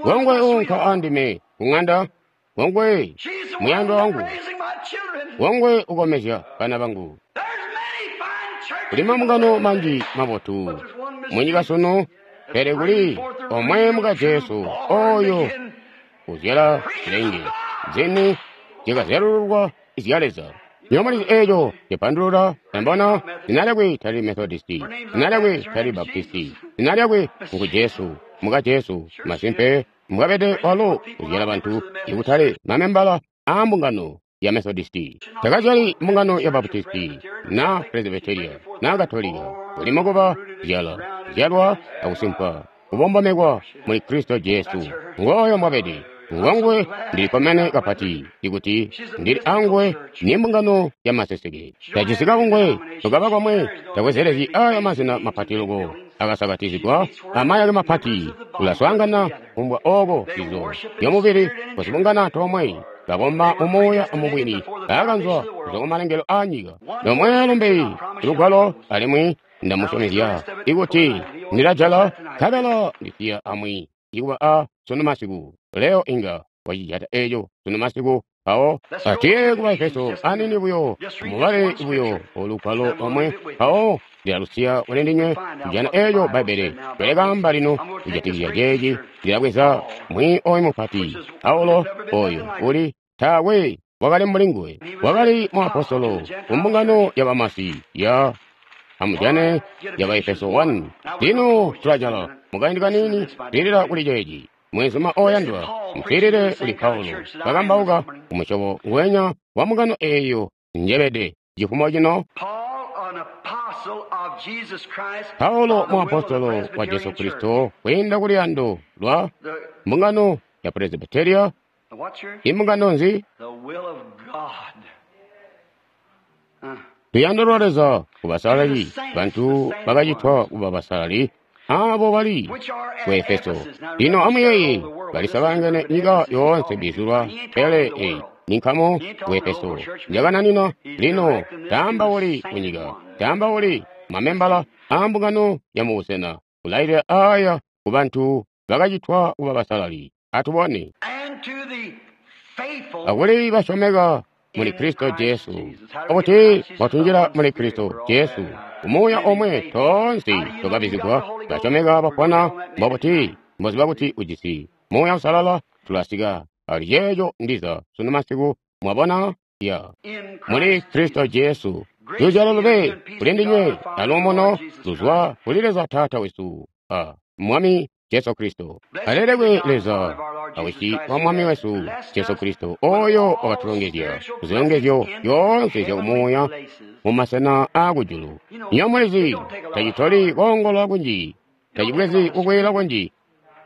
Ngongwe uunka andime kung'anda, ngongwe muyandwa wangu, ngongwe ukomezya bana bangu. Kuli mambungano manji mabotu munyika sunu, pele kuli omwe muka Jesu oyo uzyala zilenge zini zyakazyalululwa izya Leza. Nywebo mulizi eeco cipandulula, mwabona, zina lyakwe tali Methodisti, zina lyakwe tali Baptisti, zina lyakwe ngu Jesu, muka Jesu. Masimpe, mbwabede walo uzyala bantu ikutali mamembala aa mbungano ya Methodisti. Takazyali mbungano ya Baptisti, na Presbyteria, na Katolika. Uli mukuba zyala, zyalwa akusimpwa, kubombomekwa muli Kristo Jesu. Ngooyo mbwabede. Ngongwe ndili kkomene kapati ikuti ndili anguwe ni mbungano ya maseseke. Tajisi kabungwe tukaba komwe, tabwezelezyi aya mazina mapati loko akasakatizigwa amayake mapati. Ulaswaangana kumbwa oko zizo zyomubili kuzibungana antoomwe, bakomba mumuuya amubwini, baakanzwa kuzwa kumalengelo aa nyika. Lomwe lumbi lugwalo, alimwi ndamusyomezya ikuti ndilajala nkabela ndisiya amwi ikuba a sunu masiku. Leo inga wacijata eco sunu masiku. Mpawo atiye ku Baefeso anini buyo, mubale buyo olugwalo lomwe, mpawo ndilalusiya kuli ndinywe kujana eco Bbaibbele ncolikaamba lino kujatikizya ceeci. Ndilabweza mwi oyu mupati Paulo, oyo uli taakwe wakali mbuli nguwe, wakali muapostolo ku mbungano ya bamasi ya amujane ya Baefeso 1. Lino tulajala mukaindi kaniini lilila kuli ceeci. Mwenzuma oyandwa, muswiilile kuli Paulo kakambauka kumusyobo ngwenya wa mbungano eeyo njebede cifumo cino. Paulo muapostolo wa Jesu Kristo kwiinda ku luyando lwa mbungano ya Presbyteria. Imbungano nzi? Luyando lwa Leza ku basalali, bantu bakacitwa kuba basalali, abo bali ku Efeso. Lino amuyeeye, balisabangene nyika yoonse bizulwa, pele eyi ni nkamu ku Efeso njakananina. Lino taambauli kunyika, taambauli mamembala aa mbungano ya mubusena, kulailila aya ku bantu bakacitwa kuba basalali. Atubone. Akuli basyomeka muli Kristo Jesu, okuti mwatunjila muli Kristo Jesu, umuuya omwe toonse twakabizigwa, basyomeka bapona mbobuti mboziba kuti ujisi Muuya Uusalala. Tulasika ali ceeco ndiza sunu masiku, mwabona, ya muli Kristo Jesu. Luzyalo lube kuli ndinywe aluumuno luzwa kuli Leza Taata wesu a Mwami Jesu Kristo. Alelekwe Leza awisi wa Mwami wesu Jesu Kristo, oyo wakatulongezya kuzilongezyo zyoonse zyakumuuya mu masena aakujulu. Nywebo mulizi, tacitoli koongolola kunji, tacibwezi kukwiila kunji.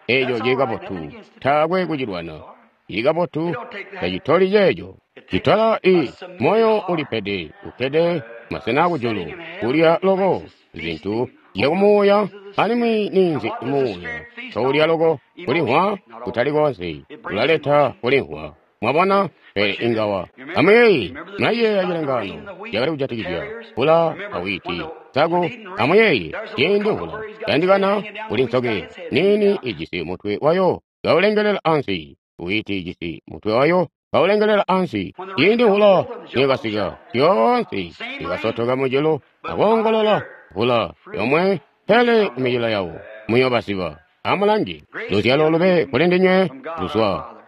Eco cili kabotu, taakwe kucilwana. Cili kabotu, tacitoli ceeco. Citola i moyo ulipede, ukkede masena akujulu, kulya loko zintu zyakumuuya, alimwi ninzi muuya toulya loko kulimvwa kutali koonse, ulaleta kulimvwa. Mwabona? Pele inga wa. Amuyeeye, mulayeeya cilengaano cakali kujatikizya mvula awiti nsaku. Amuyeeye, ciindi mvula yandikana kuli nsoke niini ijisi mutwe wayo kaulengelela ansi, witi ijisi mutwe wayo kaulengelela ansi. Ciindi mvula niyakasika, zyoonse zikasotoka mujulu akoongolola mvula yomwe, pele kumicelo yawo muyobaziba. Amulange, luzyalo lube kuli ndinywe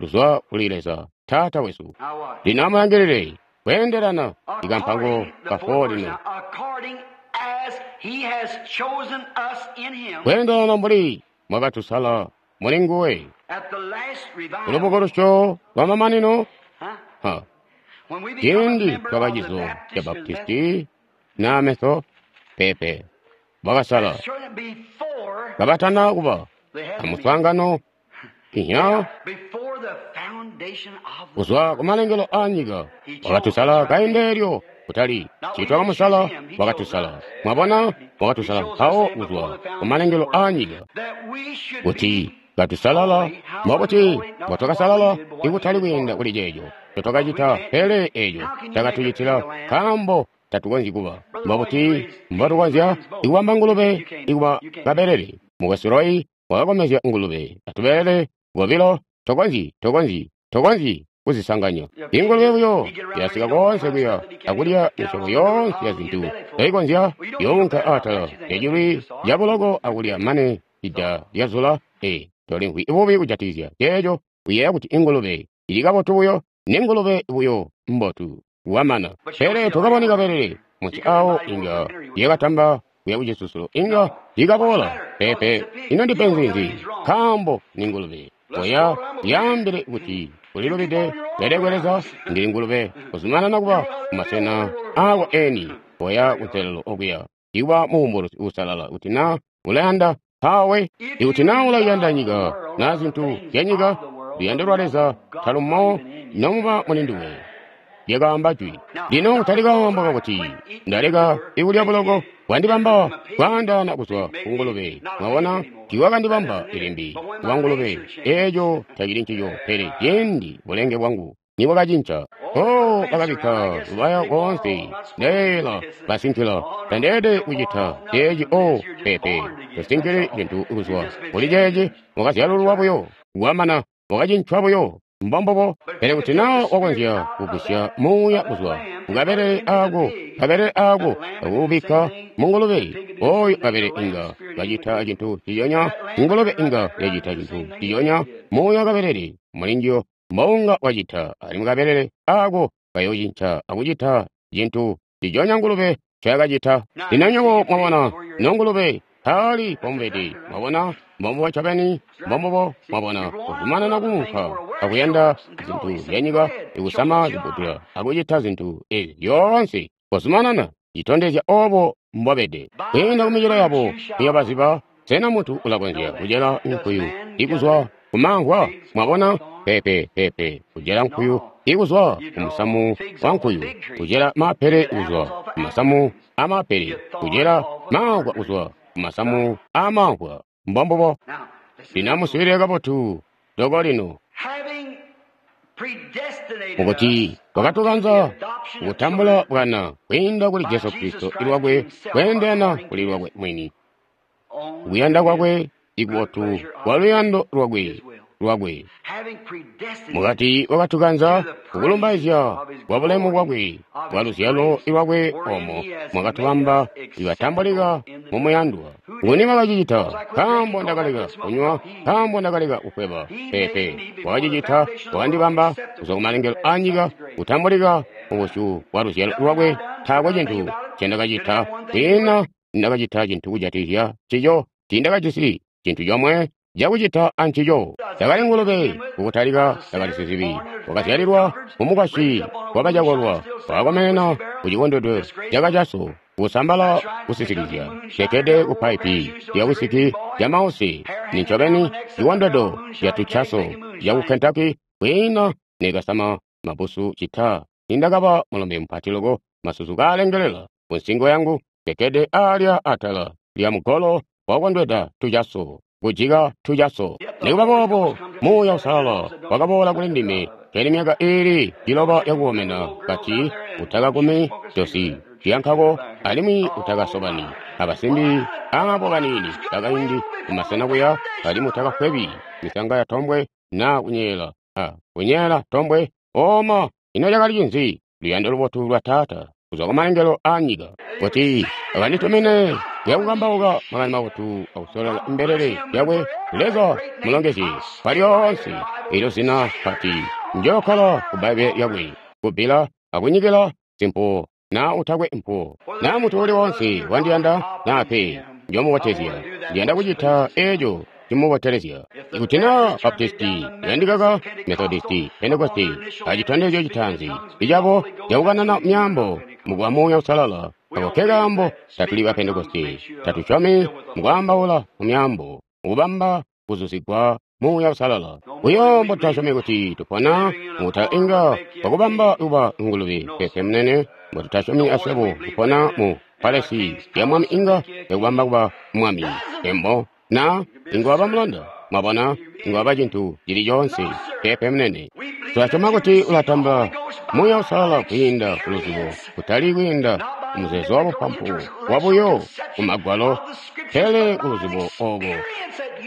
luzwa kuli Leza Taata wesu. Lino amulangilile kweendelana ikampango ka 4 lino. Kweendelana mbuli mwakatusala muli nguwe. Lubukulusyo lwa mamanino, ciindi twakacizo ca Baptisti na Metho pepe bakasala kabatana kuba amuswaangano inya kuzwa kumalengelo a nyika. Wakatusala kaindi elyo, kutali citwakamusala, wakatusala. Mwabona, wakatusala mpawo kuzwa kumalengelo a nyika kuti katusalala. Mbobuti mbotwakasalala? Ikutali kwiinda kuli ceeco ncotwakacita, pele eeco cakatucitila, nkaambo tatukonzyi kuba. Mbobuti mbotukonzya ikubamba ngulube ikuba kabelele? Mukwesu Roy wakakomezya ngulube atubelele bobilo. Tokonzyi kuzisanganya. Ingulube buyo yasika koonse kuya akulya misyobo yoonse ya zintu toikonzya, younka atala yacilwi cabuloko akulya mane ida lyazula. Tolimvwi bubi kujatikizya ceeco. Uyeeya kuti ingulube ili kabotu buyo, ningulube buyo mbotu wamana. Pele tokaboni kabelele munsi awo inga yakatamba kuya kucisusulo, inga ikaboola. Pepe, ino ndipenzi nzi? Nkaambo ningulube. Oya yaambile kuti ulilubide, pele kweleza ndili ngulube kuzumanana kuba kumasena aako eni. Oya kunselelo okuya ikuba muumbulusi uusalala kuti na ulayanda mpawe. Ikuti na ulayanda nyika na zintu zya nyika, luyando lwa Leza talumo nomuba muli nduwe. Lyakaamba jwi. Lino talikaamba kakuti ndaleka ikulya buloko bwandibamba kwaandaana kuzwa ku ngulube. Mwabona, tiiwakandibamba ilimbi kuba ngulube. Eeco tacili ncico, pele ciindi bulenge bwangu nibwakacinca. Oh, bakabikka lubaya koonse, ndeela basinkila, tandeelede kucita ceeci. Oh, pepe, tosinkili cintu kuzwa kuli ceeci. Wakazyalululwa buyo, wamana, wakacincwa buyo. Mbombobo. Pele kuti naa wakonzya kugwisya muuya kuzwa kukabelele ako akuubikka mungulube, oyo kabelele inga kacita cintu ciyonya, ngulube inga yacita cintu ciyonya. Muuya kabelele mulinjiyo mbounga wacita, alimwi kabelele ako kayocinca akucita cintu ciyonya ngulube ncayakacita. Lino nywebo mwabona, nongulube taali pomubede. Mwabona, mbombubo ncobeni, mbombubo. Mwabona, kuzumanana kuunka akuyanda zintu zyanyika, ikusama zibbudula akucita zintu ezi zyoonse, kuzumanana citondezya obo mbobede. Kwiinda kumicelo yabo muyobaziba. Sena muntu ulakonzya kucela nkuyu ikuzwa kumamvwa? Mwabona, pepe pepe, kucela nkuyu ikuzwa kumusamu wa nkuyu, kucela mapele kuzwa kumasamu amapele, kucela mamvwa kuzwa kumasamu amamvwa. Mbombubo. Lino amuswiilile kabotu loko lino. Mukuti wakatukanza kutambula bwana kwiinda kuli Jesu Kristo ilwakwe, kweendelana kuli lwakwe mwini, kuyanda kwakwe ikubotu kwa luyando lwakwe. Mukati wakatukanza kukulumbaizya kwa bulemu bwakwe bwa luzyalo lwakwe, omo mwakatubamba ibatambulika mumuyandwa. Nguni wakacicita? Nkaambo ndakaleka kunywa, nkaambo ndakaleka kufweba. Pepe, wakacicita, wakandibamba kuzwa kumalengelo a nyika, kutambulika mubusyu bwa luzyalo lwakwe. Taakwe cintu ncendakacita, kwiina ndakacita cintu kujatikizya ncico. Tiindakajisi cintu comwe cakucita ancico. Ndakali ngulube kukutalika, ndakali sizibi. Wakazyalilwa mumukwasyi wabacakolwa, wakakomenena kucikondwedo cakacaso, kusambala kusisikizya, cekede kupaipi lya wisiki ya mausi. Nincobeni cikondwedo catucaso caku Kentucky. Kwiina nekasama mabusu cita nindakaba mulombe mupati loko, masusu kaalengelela kunsingo yangu, cekede alya atala lya mugolo wakondweda tucaso, kujika tucaso. Nikuba boobo, Muuya Uusalala wakaboola kuli ndime keli myaka iili 9 yakukomena, kati utakakumi dosi lyankako, alimwi utakasobani abasimbi abo baniini bakaindi kumasena kuya, alimwi utakafwebi misanga ya tombwe na kunyeela kunyeela tombwe. Oma, ino cakali cinzi? Luyando lubotu lwa Taata kuzwa kumalengelo a nyika, kuti akanditumine Yakukambauka makani mabotu akusololela mbelele zyakwe. Leza mulongezye kwalyoonse elyo zina pati. Njokkala ku Bbaibbele lyakwe, kubbila akunyikila simpuwo naa utakwe mpuwo. Naa muntu uli woonse wandiyanda naa pe, njomubotezya. Ndiyanda kucita eeco cimubotelezya. Ikuti naa Baptisti yandikaka, Methodisti, Pentekosti, acitondezyo citaanzi icabo cakukanana myaambo mukuba Muuya Uusalala. Ako ke kaambo tatuli ba Pentekosti, tatusyomi mukwaambaula mu myaambo, mukubamba kuzuzigwa Muuya Uusalala. Buyo mbotutasyomi kuti tupona mukuta inga kwakubamba kuba ngulube pepe munene, mbotutasyomi aswebo kupona mu palesi ya mwami inga yakubamba kuba mwami. Embo na inga waba mulanda, mwabona, inga waba cintu cili coonse pepe munene. Tulasyoma kuti ulatamba Muuya Uusalala kwiinda ku luzibo, kutali kwiinda ku muzeezo wa bupampu wabuyo ku magwalo, pele ku luzibo obo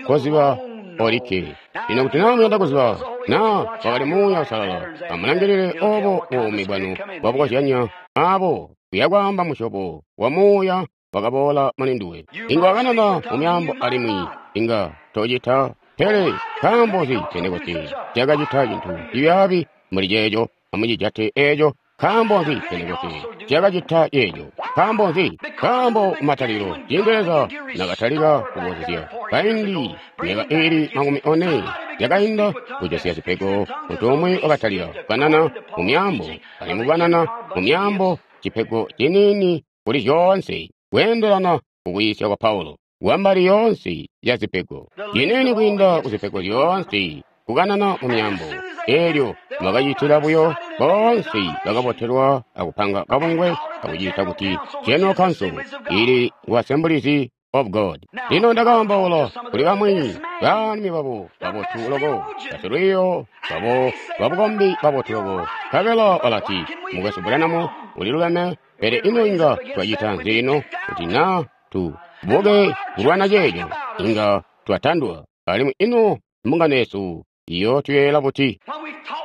koziba olikke. Lino kuti naa muyanda kuziba naa wakali Muuya Uusalala, amulangilile obo buumi bwanu bwabukozyanya abo kuyakwaamba musyobo wa muuya wakaboola muli nduwe. Inga wakanana mu myaambo alimwi inga tocita, pele nkaambo nzi Pentekoste cakacita cintu cibyaabi mbuli ceeco? Amucijate eeco. Nkaambo nzi Pentekoste cakacita ceeco? Nkaambo nzi? Nkaambo kumatalikilo ciindi Leza nakatalika kubozezya kaindi myaka iili 40 yakainda kujosya zipego, muntu umwi wakatalika kukanana mu myaambo, alimwi kukanana mu myaambo cipego ciniini kuli zyoonse kweendelana kukuyiisya kwa Paulo, kwambali yoonse ya zipego, ciniini kwiinda kuzipego zyoonse kukanana mu myaambo. Eelyo mwakacitila buyo boonse bakabotelwa akupanga kabungwe akuciita kuti General Council ili ngu Assemblies of God. Lino ndakaambaula kuli bamwi baalumi babo babotu loko, basilwiiyo babo babukombi babotu loko, nkabela balati, Mukwesu Branham uliluleme, pele ino inga twacita nzi lino kuti naa tu buke kulwana ceeco? Inga twatandwa. Alimwi ino mbungano yesu iyootuyeeyela buti?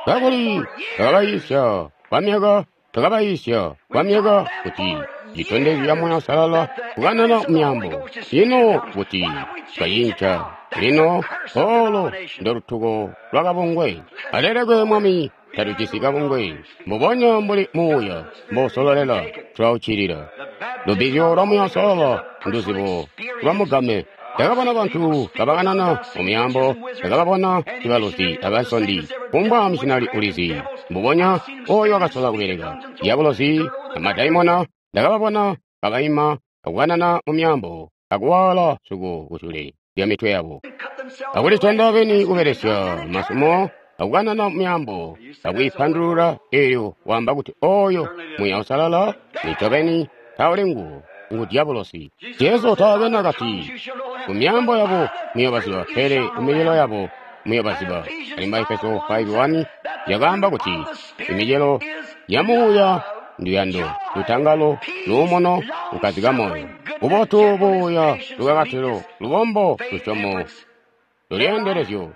Kakuli twakabayiisya kwamyaka, twakabayiisya kwamyaka kuti citondezyo ca Muuya Uusalala kukanana myaambo. Ino kuti twacinca lino olo ndolutuko lwa kabungwe. Alelekwe Mwami, tatujisi kabungwe. Mbubonya mbuli Muuya mbousololela, tulauccilila. Lubbizyo lwa Muuya Uusalala nduzibo lwa mugame. Ndakabona bantu kabakanana mu myaambo, ndakababona ibaluzi abansondi, kumbwa misyinali ulizi, mbubonya oyo wakasola kubeleka dyabulozi amadaimona. Ndakababona kabaima akukanana mu myaambo akuwaala suko kusyule lya mitwe yabo, akulitenda beni kubelesya masumo akukanana mu myaambo akwiipandulula. Eelyo waamba kuti oyo Muuya Uusalala nicobeni tauli nguwo, ngu dyabulosi. Jesu taakwe nakati ku myaambo yabo muyobaziba, pele ku micelo yabo muyobaziba. Alimwi Efeso 5:1 yakaamba kuti imicelo ya Muuya nduyando, lutangalo, luumuno, kukkazika moyo, bubotu, buuya, lukakatilo, lubombo, lusyomo, lulyeendelezyo.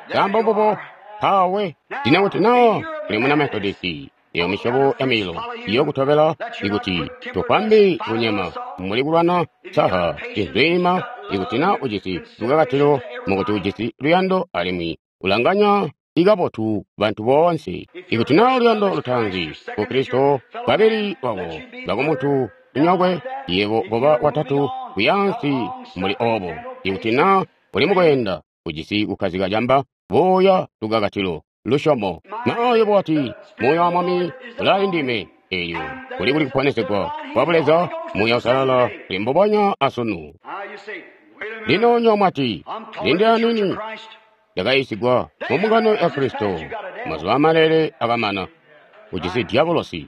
Nkaambo mbubo mpawe. Lino kuti naa uli muna Methodisti, eyo misyobo ya mililo iyokutobela ikuti tofwambi kunyema muli kulwana saha cinzwiima. Ikuti naa ujisi lukakatilo mukuti ujisi luyando alimwi ulanganya ikabotu bantu boonse. Ikuti naa luyando lutaanzi ku Kristo, kabili wako bakumuntu nyokwe, yebo koba watatu kuyaansi muli obo. Ikuti naa uli mukweenda ujisi kukkazika camba, buuya, lukakatilo, lusyomo. Naa yebo wati, Muuya wa Mwami ulaali ndime, eelyo kuli kuli kuponesegwa kwa Buleza, Muuya Uusalala uli mbubonya asunu. Lino nywebo mwati, lindila nini, ndakayiisigwa mu mbungano ya Kristo, mazuba amalele akamana. Ujisi dyabulosi.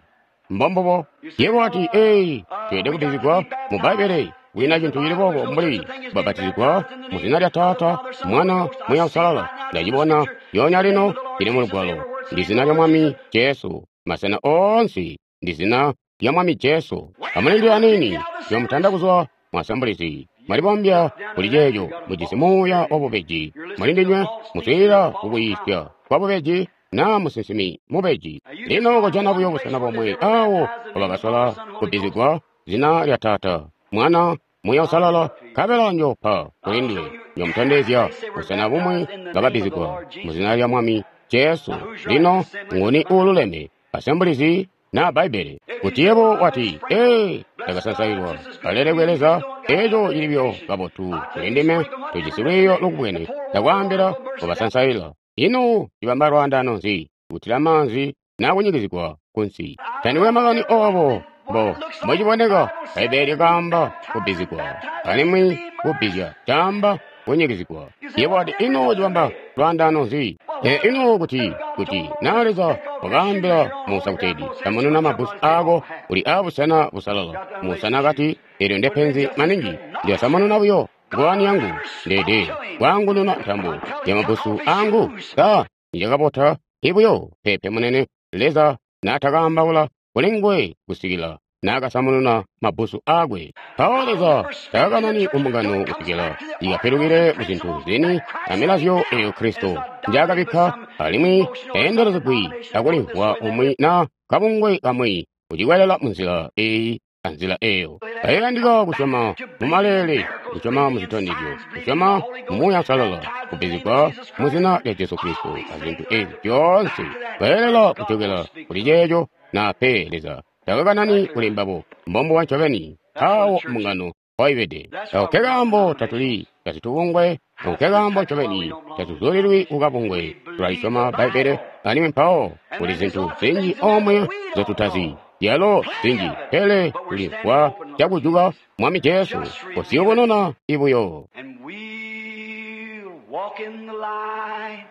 Mbombubo. Yebo wati, ee, tweelede kubbizigwa mu Bbaibbele. Kwiina cintu cili boobo mbuli kubapatizigwa mu zina lya Taata, Mwana, Muuya Uusalala. Ndacibona lyoonya lino lili mu Lugwalo. Ndi zina lya Mwami Jesu. Masena oonse ndi zina lya Mwami Jesu. Amulindile aniini, njoomutanda kuzwa mu Assemblies. Mwalibombya kuli ceeco, mujisi muuya wabubeji mulindinywe, muswiilila kukuyiisya kwabubeji naa musinsimi mubeji. Lino kojana buyo busena bomwe awo mpobakasola kubbizigwa zina lya Taata, Mwana, Muuya Uusalala, nkabela Njoopa kuli nduwe. Njoomutondezya busena bumwi bakabbizigwa mu zina lya Mwami Jesu. Lino nguni uululeme, Assemblies na Bbaibbele? Kuti yebo wati, Ee, ndakasansailwa, alelekwe Leza, eco cili buyo kabotu kuli ndime, tujisi lwiiyo lukubwene, ndakwaambila kubasansaila. Ino cibamba lwaandaano nzi kutila maanzi na kunyikizigwa kunsi? Tandikwe makani obo mbo mbociboneka, Bbaibbele lyakaamba kubbizigwa, alimwi kubbizya caamba kunyikizigwa. Yebo wati, ino cibamba lwaandaano nzi? Ee, ino kuti, kuti na Leza wakaambila Musa kuteeti, samununa mabbusu aako uli aabusena busalala. Musa nakati, eelyo ndepenzi maningi, ndilasamununa buyo ngowani yangu, ndeede kwaangununa ntambo ya mabbusu aangu. Sa nicakabota ibuyo? Peepe munene, Leza naatakaambaula kuli nguwe kusikila naakasamununa mabbusu aakwe. Mpawo Leza takakanani kumbungano kusikila ikapilukile kuzintu zini amilazyo eyo Kristo njaakabikka, alimwi teendelezegwi akulimvwa umwi na kabungwe kamwi kucikwelela munzila eyi anzila eyo. Ayandika kusyoma mumaleele, kusyoma muzitondezyo, kusyoma mu Muuya Uusalala, kubbizigwa mu zina lya Jesu Kristo, azintu ezi zyoonse bayelela kujokela kuli ceeco na pe Leza takakanani kuli mbabo. Mbombuwa ncobeni awo mbungano mpoibede. Ako nkekaambo tatuli basitubungwe, ako nkekaambo ncobeni tatuzulilwi kukabungwe. Tulalisyoma Bbaibbele, alimwi mpawo kuli zintu zinji omwe nzyotutazi, zyalo zinji, pele tulimvwa cakujuka Mwami Jesu kusiyubununa ibuyo. And we'll walk in the light.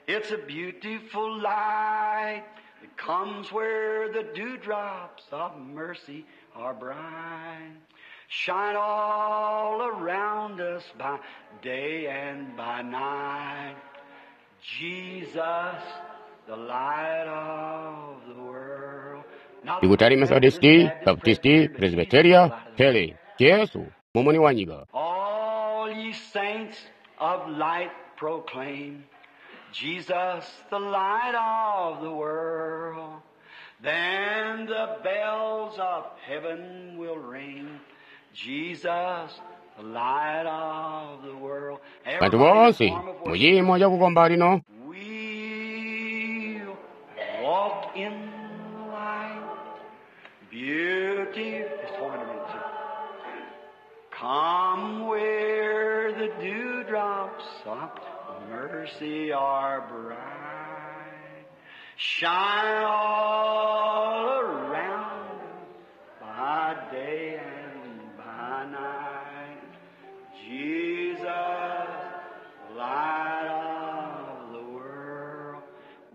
It's a beautiful light that comes where the dewdrops of mercy are bright. Shine all around us by day and by night. Jesus, the light of the world. Not Ikutali Methodisti, Baptisti, Presbyteria, pele Jesu mumuni wa nyika. All ye saints of light proclaim Jesus, the light of the world. Then the bells of heaven will ring. Jesus, the light of the world. Bantu boonse muciimo cakukomba lino, We'll walk in the light. Beauty. Just hold it a minute, sir. Come where the dewdrops of mercy are bright. Shine all around by day and by night. Jesus, light of the world.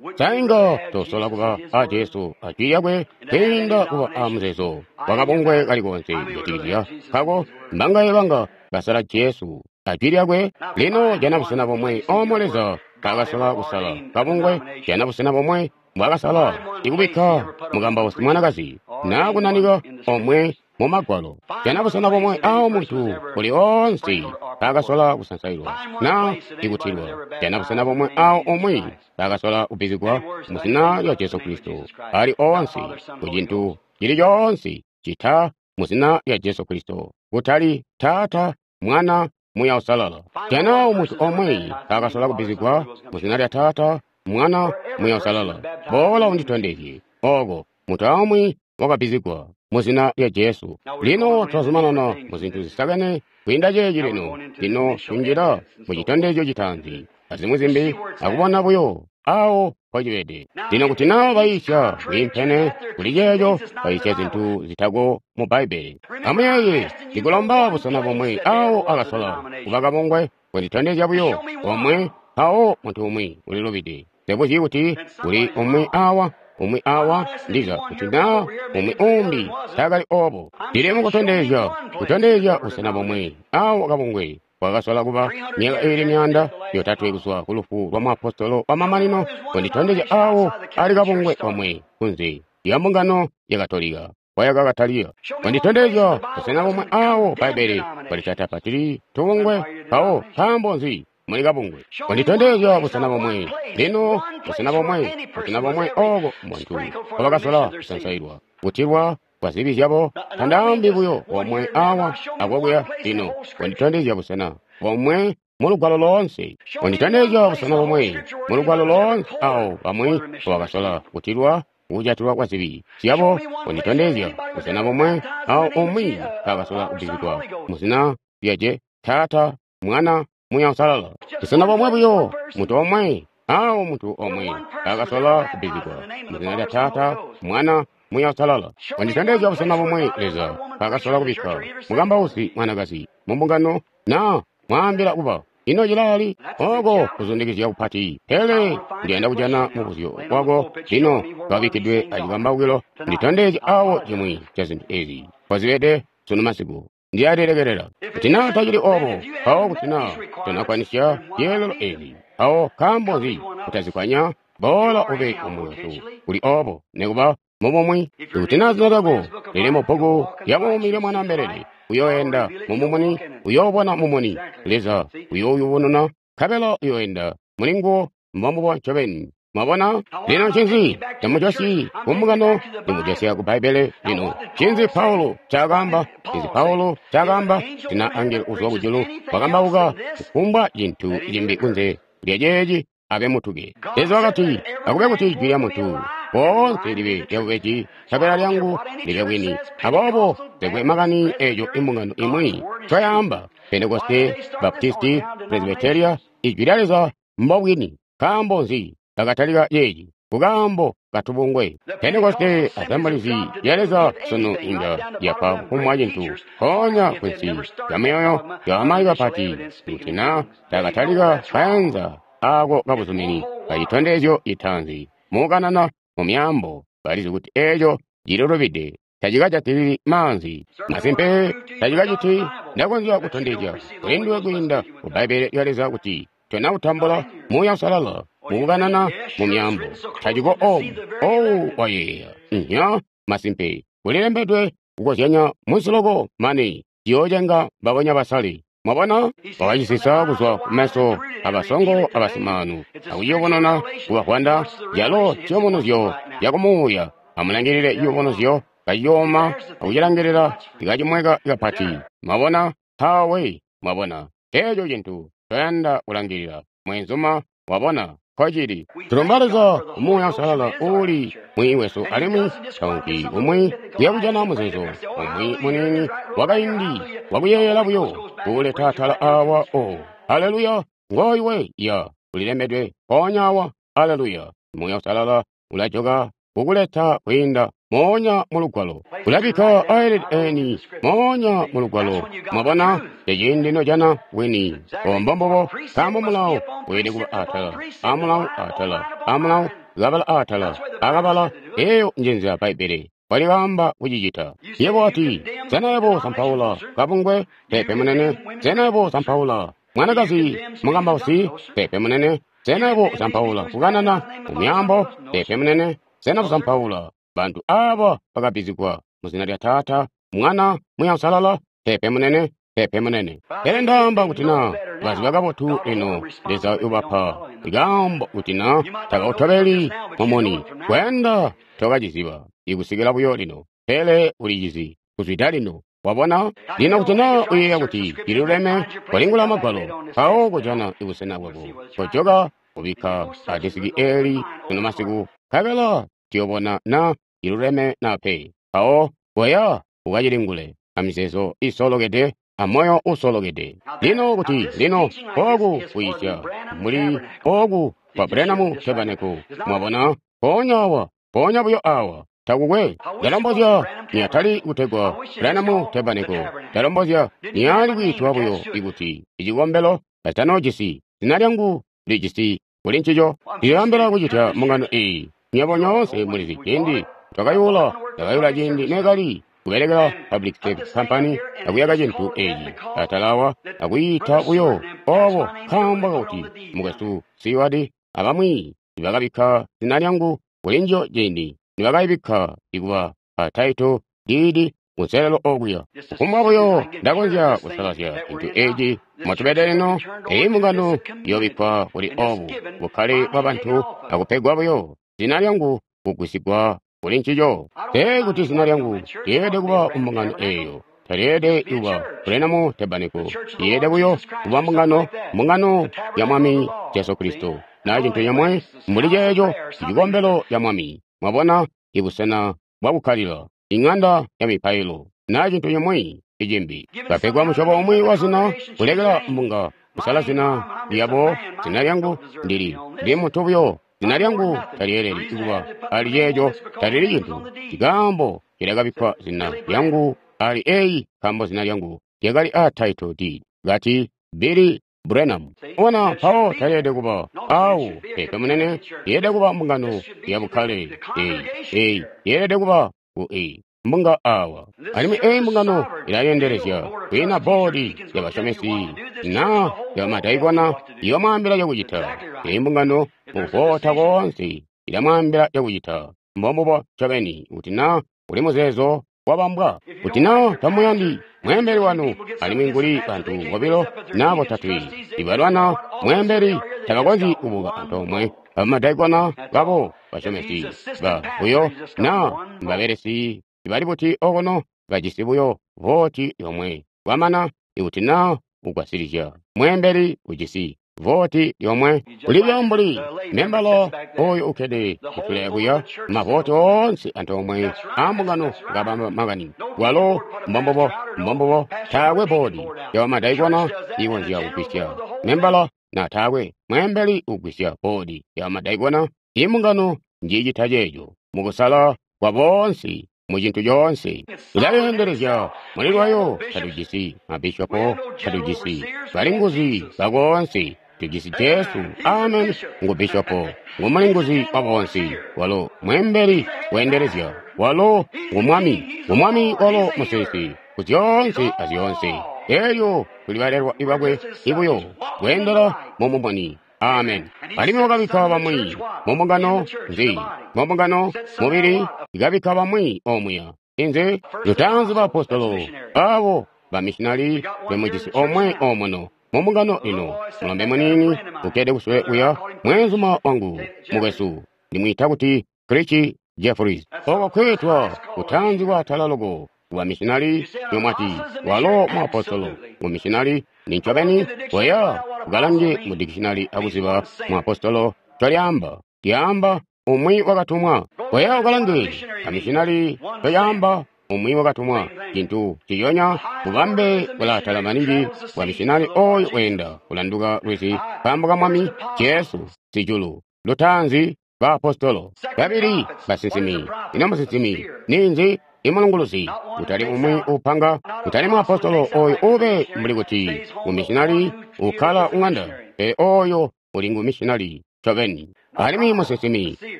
Would you sainga have tosola Jesus kuba and his a word? Jesu ajwi lyakwe kwiinda kuba a muzeezo wakabungwe kalikonse kujatikizya kako mbangaye banga basala Jesu ajwi lyakwe. Lino jana busena bomwe omwe Leza kaakasola kusala kabungwe, jana busena bomwe mbwaakasala ikubikka mukambausi mwanakazi na kunanika omwe mu Magwalo. Jana busena bomwe awo muntu uli onse kaakasola kusansailwa na ikutilwa. Jana busena bomwe awo omwe kaakasola kubbizigwa mu zina lya Jesu Kristo ali onse ku cintu cili coonse cita mu zina lya Jesu Kristo, kutali Taata, Mwana, Muuya Uusalala. Jana muntu omwe kaakasola kubbizigwa mu zina lya Taata, Mwana, Muuya Uusalala. Boola unditondezye oko muntu aumwi wakabbizigwa mu zina lya Jesu. Lino twazumanana mu zintu zisakene kwiinda ceeci lino. Lino tunjila mu citondezyo citaanzi azimwi zimbi akubona buyo awo mpocibede. Lino kuti naa bayiisya bwiimpene kuli ceeco, bayiisya zintu zitako mu Bbaibbele. Amuyeeye, ndikulomba busena bomwe awo akasola kuba kabungwe kunditondezya buyo omwe, mpawo muntu umwi ulilubide. Nsebuzyi kuti kuli umwi awa, umwi awa, ndiza kuti naa umwi umbi taakali obo. Ndili mukutondezya, kutondezya busena bomwe awo kabungwe bwakasola kuba myaka iili 300 kuzwa ku lufu lwa muapostolo wamamanino, kunditondezya awo ali kabungwe komwe kunze lya mbungano ya Katolika kwayakakataliya. Kunditondezya busena bomwe awo Bbaibbele bwalitatapatili tubungwe, mpawo nkaambo nzi muli kabungwe? Kunditondezya busena bomwe lino, busena bomwe, busena bomwe oko muntu wabakasola kusansailwa kutilwa. kwa zibi zyabo? Tandaambi buyo bomwe awa akokuya lino. Konditondezya busena bomwe mu Lugwalo loonse. Konditondezya busena bomwe mu Lugwalo loonse awo bamwi bakasola kutilwa kujatilwa kwa zibi zyabo. Konditondezya busena bomwe awo umwi kaakasola kubbizigwa mu zina lya Taata, Mwana, Muuya Uusalala. Busena bomwe buyo, muntu omwe, awo muntu omwe kaakasola kubbizigwa mu zina lya Taata, Mwana, Muuya Uusalala. Konditondezya busena bomwe Leza kaakasola kubikka mukambausi mwanakazi mu mbungano na mwaambila kuba. Ino cilali oko kuzundikizya kupati, pele ndiyanda kujana mubuzyo wako lino kabikkidwe acikambaukilo. Nditondezye awo cimwi ca zintu ezi kozibede sunu masiku. Ndiyalilekelela kuti naa tacili obo, mpawo kuti naa tonakwanisya zyeelelo ezi, mpawo nkaambo nzi kutazikwanya? Boola ube umwi wesu kuli obo, nikuba mubumwi. Ikuti naa zina lyako lili mu bbuku lya buumi lya Mwanaa mbelele, uyooenda mumumuni, uyoobona mumuni. Leza uyouyubununa, nkabela uyooenda mulinguwo mbombubo ncobeni. Mwabona? Lino ncinzi tamujosyi kumbungano, limujosya ku Bbaibbele lino. Ncinzi Paulo ncaakaamba? Ncinzi Paulo ncaakaamba? Tina angelo uzwa kujulu wakambauka kufumbwa cintu cimbi kunze lya ceeci abe mutuke. Leza wakati, akube kuti jwi lya muntu woonse libe lyabubeji, nkabela lyangu libe bwini. Aboobo tekwe makani eeco imbungano imwi ncoyaamba, Pentekoste, Baptisti, Presbyteria, ijwi lya Leza mbobwini. Nkaambo nzi bakatalika ceeci? Kukaambo katubungwe. Pentekoste Assemblies ya Leza sunu inga yapa kufumbwa cintu mpoonya kunsi lya myoyo ya bamayi bapati kuti naa takatalika kayanza aako kabuzumini kacitondezyo citaanzi mukukanana mu myaambo, balizi kuti eeco cililubide, tacikajatilili maanzi. Masimpe tacikaciti. Ndakonzya kutondezya kulinduwe kwiinda ku Bbaibbele lya Leza kuti tonakutambula Muuya Uusalala mukukanana mu myaambo. Taciko omu. Owu wayeeya. Nya masimpe kulilembedwe kukozyanya munsiloko mane ciyoocenga mbabonya basale. Mwabona? Wakacisisa kuzwa kumeso abasongo abasimaanu akuciyubununa kubavwanda calo ciyubunuzyo cakumuuya. Amulangilile ciyubunuzyo kaciyooma akucilangilila cikacimweka kapati. Mwabona? Mpawe mwabona. Eeco cintu toyanda kulangilila mweenzuma, wabona nkocili. Tulumba Leza Muuya Uusalala uuli mwiiyi wesu alimwi taunki umwi kuyakujana muzeezo umwi muniini wakaindi wakuyeeyela buyo kuuleta atala awa. O haleluya, ngooyu ya ulilembedwe mpoonya awa. Haleluya, Muuya Uusalala ulajoka kukuleta kwiinda moonya mu Lugwalo, ulabikka aelede eni moonya mu Lugwalo. Mwabona, eciindi nojana bwini ombombobo, nkaambo mulawo weelede kuba atala amulawo, atala amulawo, kabala atala akabala. Eeyo njenzila Bbaibbele walikaamba kucicita. Yebo wati, sena yebo sampaula kabungwe? Peepe munene. Sena yebo sampaula mwanakazi mukambausi? Peepe munene. Sena yebo sampaula kukanana mu myaambo? Peepe munene. Sena kusampaula bantu aaba bakabbizigwa mu zina lya Taata, Mwana, Muuya Uusalala? Peepe munene, peepe munene. Pele ndaamba kuti naa baziba kabotu lino Leza ubapa ikaambo kuti naa takautobeli mumuni. Kwenda tokaciziba ikusikila buyo lino, pele ulicizi kuzwida lino. Wabona? Lino kuti naa uyeeya kuti cililuleme, kolingula Magwalo, mpawo kujana ibusena bwako. Kojoka kubikka adesiki eeli sunu masiku, nkabela tuyobona na ciluleme na pe. Mpawo koya ukacilingule amizeezo iisolokede amoyo uusolokede. Lino kuti lino ooku kuyisya mbuli ooku kwa Branham Tabernacle, mwabona, mpoonya awa, mpoonya buyo awa, takukwe. Ndalombozya niyatali kutegwa Branham Tabernacle, ndalombozya niyali kwiitwa buyo ikuti icikombelo kacitanoojisi zina lyangu lijisi kuli ncico. Ndiliyambila kucitya mbungano eeyi. Nywebo nyoonse mulizi ciindi twakayula, ndakayula ciindi neekali kubelekela Public Service Company akuyaka cintu eeci atala awa akwiita buyo obo nkaambo kakuti mukwesu Seward abamwi nibakabikka zina lyangu kuli njiyo ciindi nibakayibikka ikuba a title deed kunselelo okuya. Kufumbwa buyo ndakonzya kusalazya cintu eeci motubede lino, eeyi mbungano iyoobikkwa kuli obu bukkale bwabantu akupegwa buyo zina lyangu kugwisigwa kuli ncico. Te kuti zina lyangu lyeelede kuba ku mbungano eyo. Talyeelede kuba Branham Tabernacle. Lyeelede buyo kuba mbungano, mbungano ya Mwami Jesu Kristo. Na cintu cimwi mbuli ceeco, cikombelo ca Mwami. Mwabona, ibusena bwakukkalila, ing'anda ya mipailo, na cintu cimwi icimbi. Bapegwa musyobo umwi wa zina, kulekela mbunga kusala zina lyabo. Zina lyangu ndili, ndi muntu buyo. Zina lyangu talyeeleli kuba ali ceeco, talili cintu. Nkaambo lyakabikkwa zina lyangu ali eyi, nkaambo zina lyangu lyakali a title deed, kati Billy Branham. Ona mpawo talyeelede kuba awo, peepe munene, lyeelede kuba mbungano ya bukkale eyi, eyi yeelede kuba ku eyi mbunga awa. Alimwi eyi mbungano ilayendelezya kwiina boodi ya basyomesi na ya madaikona iyomwaambila cakucita. Eyi mbungano mukuvota koonse ilamwaambila cakucita. Mbombubo ncobeni kuti na uli muzeezo wabambwa, kuti na tamuyandi mweembeli wanu, alimwi nguli bantu bobilo na botatwe ibalwana mweembeli, tabakonzyi kubuka antoomwe abamadaikona babo basyomesi ba buyo na babelesi ibali buti okono bajisi buyo voti yomwe. Kwamana ikuti na ugwasilizya mweembeli ujisi voti yomwe, kulibyo mbuli membala oyo ukkede kutule kuya mavoti oonse antoomwe ambungano ngabamba makani. Walo mbombubo, mbombubo, taakwe boodi yabamadaikona ikonzya kugwisya membala, na taakwe mweembeli ugwisya boodi yabamadaikona. Imbungano njicita ceeco mukusala kwa boonse mu cintu coonse. Ilalendelezya muli lwayo. Tatujisi mabishopo, tatujisi balinguzi bakoonse, tujisi Jesu. Amen. Ngu bishopo, ngu mulinguzi wa boonse, walo mweembeli weendelezya, walo ngu mwami, ngu mwami, walo musisi ku zyoonse azyoonse. Elyo tuli balelwa ibakwe ibuyo kweendela mu mumuni. Amen. Alimwi wakabikka bamwi mu mbungano nzi, mu mbungano mubili, ikabikka bamwi omuya. Inzi lutaanzi baapostolo, abo bamishinali bemujisi omwe omuno mu mbungano ino. Mulombe muniini ukkede kusule kuya, mweenzuma wangu mukwesu, ndimwiita kuti Richie Jeffries. Oko kweetwa kutaanzi kwaatala loko wa mishinali yomwati walo muapostolo ngu mishinali ni ncobeni. Koya ukalange mu dikishinali akuziba muapostolo ncolyaamba. Lyaamba umwi wakatumwa. Koya ukalange amishinali ncolyaamba, umwi wakatumwa. Cintu ciyonya bubambe bulaatala maningi bwa mishinali oyo weenda kulanduka lwizi nkaambo ka Mwami Jesu. Sijulu lutaanzi baapostolo, babili basinsimi. Ino musinsimi ninzi? Imulunguluzi, kutali umwi upanga, kutali muapostolo oyo ube mbuli kuti ngumishinali ukkala ung'anda, pele oyo uli ngumishinali ncobeni. Alimwi musinsimi,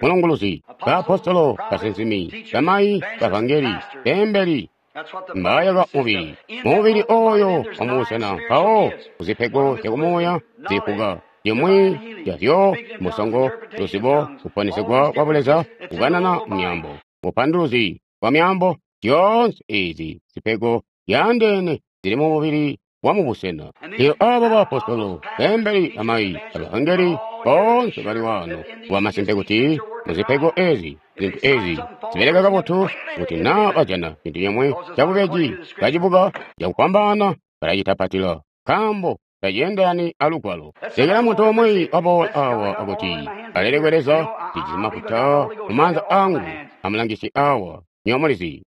mulunguluzi, baapostolo, basinsimi, bamayi, bavangeli, beembeli, mbayaka mubili, mubili oyo wamubusena mpawo kuzipego zyakumuuya zifuka zimwi zyazyo musongo, luzibo, kuponesegwa kwa buleza, kukanana myaambo, bupanduluzi bwa myaambo. Zyoonse ezi zipego zyaandeene zili mu mubili wa mubusena. Lino abo baapostolo, beembeli, bamayi, abavangeli boonse bali waano bwamasimpe kuti muzipego ezi zintu ezi zibeleka kabotu. Kuti naa bajana cintu cimwi cabubeji kacibuka cakufwambaana, balacitapatila nkaambo taceendelani alugwalo. Lekela muntu umwi waboola awa akuti, alelekwe Leza, ndijisi mafuta mumaanza angu, amulangisye awa. Nywebo mulizi,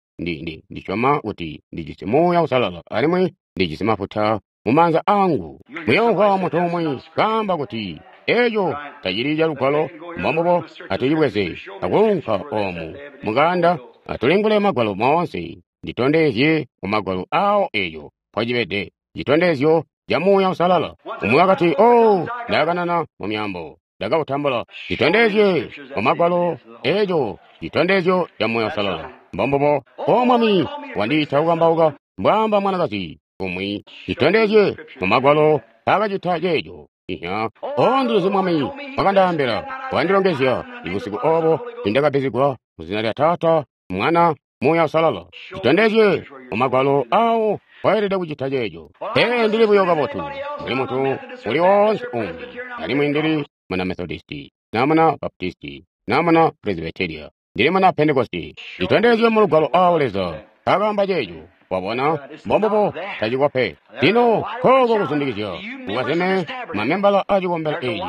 ndisyoma kuti ndijisi Muuya Uusalala alimwi ndijisi mafuta mumaanza angu. Muyoomvwa muntu umwi kaamba kuti eeco tacili calugwalo. Mbombubo, atucibweze akuunka oomu mukanda, atulingule magwalo moonse, nditondezye mumagwalo awo eeco mpocibede citondezyo ca Muuya Uusalala. Umwi wakati, "Oh, ndakanana mu myaambo, ndakautambula." Nditondezye mumagwalo eeco citondezyo ca Muuya Uusalala. Mbombubo. "O Mwami wandiita kukambauka," mbwaamba mwanakazi umwi. Nditondezye mumagwalo mpaakacita ceeco. Iya. "O, ndilizi Mwami wakandaambila, wandilongezya ibusiku obo nindakabbizigwa muzina lya Taata, Mwana, Muuya Uusalala." Nditondezye mumagwalo awo waelede kucita ceeco. Pele ndili buyo kabotu mbuli muntu uli woonse umbi, alimwi ndili muna Methodisti, na muna Baptisti, na muna Presbyteria. Ndili muna Pentekoste. Litondezye mu Lugwalo awo Leza akaamba ceeco. Wabona, mbombubo, taciko pe. Lino kooko kuzundikizya kukwazeme mamembala a cikombelo eeci.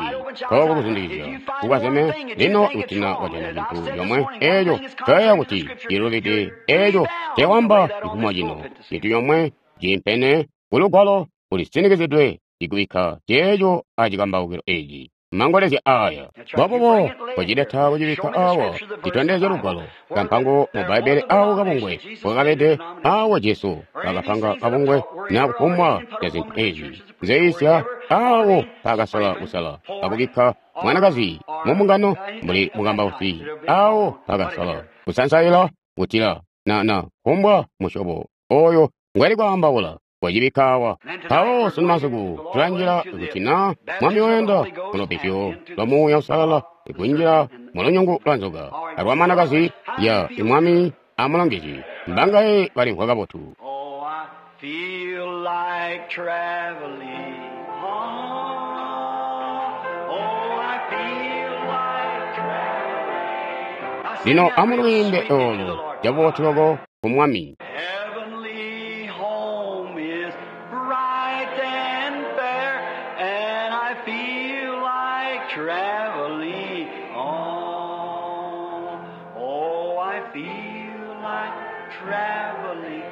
Kooko kuzundikizya kukwazeme. Lino kuti na wajana cintu comwe eeco coyeeya kuti cilubide, eeco cewamba cifumo cino, cintu comwe ciimpene ku Lugwalo kulisinikizidwe ikubikka ceeco a cikambaukilo eeci. Mangolezya aya. Mbombubo kocileta kucibikka awa, citondezye Lugwalo, kampango mu Bbaibbele awo kabungwe kwakabede awo Jesu bakapanga kabungwe na kufumbwa ca zintu ezi nzeisya awo paakasola kusala akubikka mwanakazi mu mbungano mbuli mukambausi awo paakasola kusansaila kutila na kufumbwa musyobo oyo ngwali kwaambaula. Wacibikka awa. Mpawo sunu masiku tulanjila kuti na Mwami wayanda mulubbizyo lwa Muuya Uusalala ikunjila mu lunyungu lwa nzoka alwa mwanakazi ya Mwami amulongezye. Mbangaye balimvwa kabotu. Oh, I feel like traveling on. Oh, I feel like traveling. I sing Lino that real amulwiimbe sweet to the olo Lord. cabubotu loko ku Mwami. Heavenly home is bright and fair, and I feel like traveling on. Oh, I feel like traveling,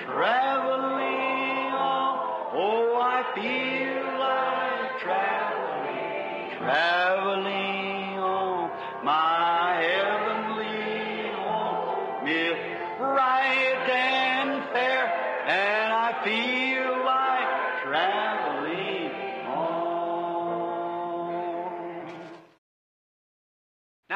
traveling on. Oh, I feel like traveling, traveling on. My heavenly home is bright and fair, and I feel like traveling on.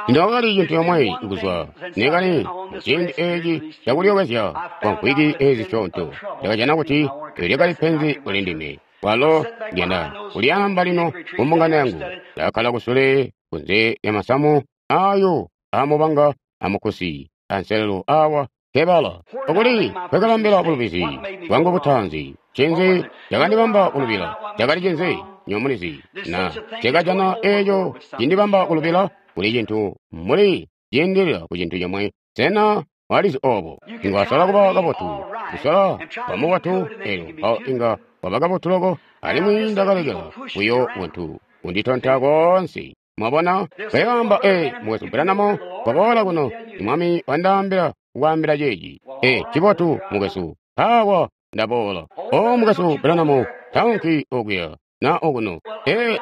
Ndakali cintu yomwe kuzwa nekali muciindi eeci cakulyookezya kwa mvwiki ezi zisyoonto, ndakajana kuti lyakali penzi kuli ndime. Walo ndiyanda kulyaamba lino ku mbungano yangu. Ndakakkala kusule kunze lya masamu ayo aamubanga amukusi anselelo awa kebala. Okuli kwekalambila bulubizi bwangu butaanzi. Ncinzi cakandibamba kulubila? Cakali cinzi? Nyomulizi. Na cakajana eeco cindibamba kulubila kuli cintu mbuli ciindilila ku cintu comwe. Sena walizi obo? Inga wasola kuba kabotu, kusola kuba mubotu, elyo mpawo inga waba kabotu loko, alimwi ndakalekela buyo buntu kunditonta koonse. Mwabona? Kayamba, Mukwesu Branham, kwaboola kuno, Mwami wandaambila kukwaambila ceeci. Cibotu, mukwesu. Mpaawa ndaboola. O, Mukwesu Branham, taunki okuya na okuno.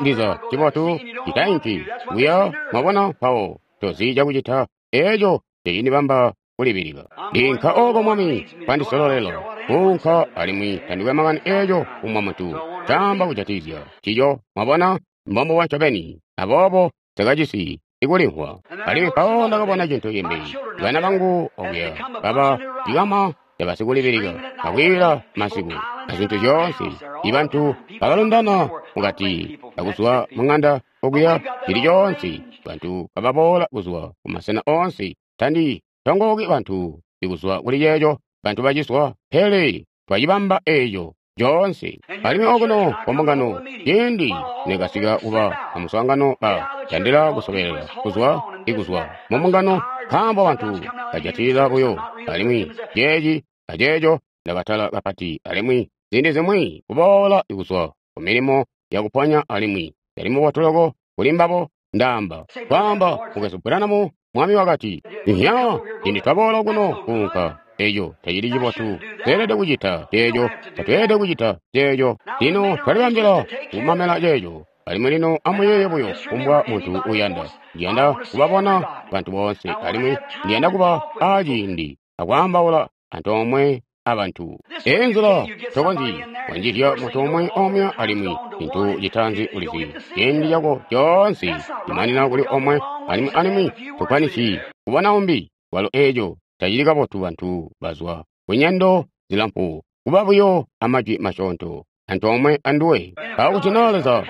Ndiza, cibotu, citainki kuya, mwabona, mpawo tozi cakucita. Eeco cecindibamba kulibilika. Ndinka oko Mwami kwandisololela kuunka, alimwi tandikwe makani eeco kumwa muntu caamba kujatikizya cico. Mwabona, mbombubo ncobeni. Aboobo takajisi ikulimvwa. Alimwi mpawo ndakabona cintu cimbi. Bana bangu okuya baba cikama cabasikulibilika akwiila masiku azintu zyoonse. Ibantu bakalundana mukati akuzwa mung'anda okuya cili coonse. Bantu kababoola kuzwa kumasena oonse. Tandi tongooki bantu ikuzwa kuli ceeco. Bantu baciswa, pele twacibamba eeco coonse. Alimwi okuno ku mbungano, ciindi nekasika kuba amuswaangano ba tandila kusobelela kuzwa ikuzwa mu mbungano, nkaambo bantu bajatilila buyo. Alimwi ceeci aceeco ndakatala kapati, alimwi ziindi zimwi kuboola ikuzwa ku milimo yakuponya, alimwi yali mubotu loko kuli mbabo. Ndaamba kwaamba Mukwesu Branham, Mwami wakati, Nya, ciindi twaboola kuno kuunka, eco tacili cibotu. Tweelede kucita ceeco, tatweelede kucita ceeco. Lino twalibambila kumamela ceeco. Alimwi lino amuyeeye buyo kumbwa muntu uyanda. Ndiyanda kubabona bantu boonse, alimwi ndiyanda kuba aaciindi akwaambaula antoomwe abantu. Eyi nzila tokonzyi kwanjizya muntu omwe omwe, alimwi cintu citaanzi ulizi ciindi cako coonse cimanina kuli omwe, alimwi tokwanisi kubona umbi. Walo eeco tacili kabotu. Bantu bazwa kunyendo zilamfu kuba buyo amajwi masyoonto antoomwe anduwe. Mpawo kuti naa Leza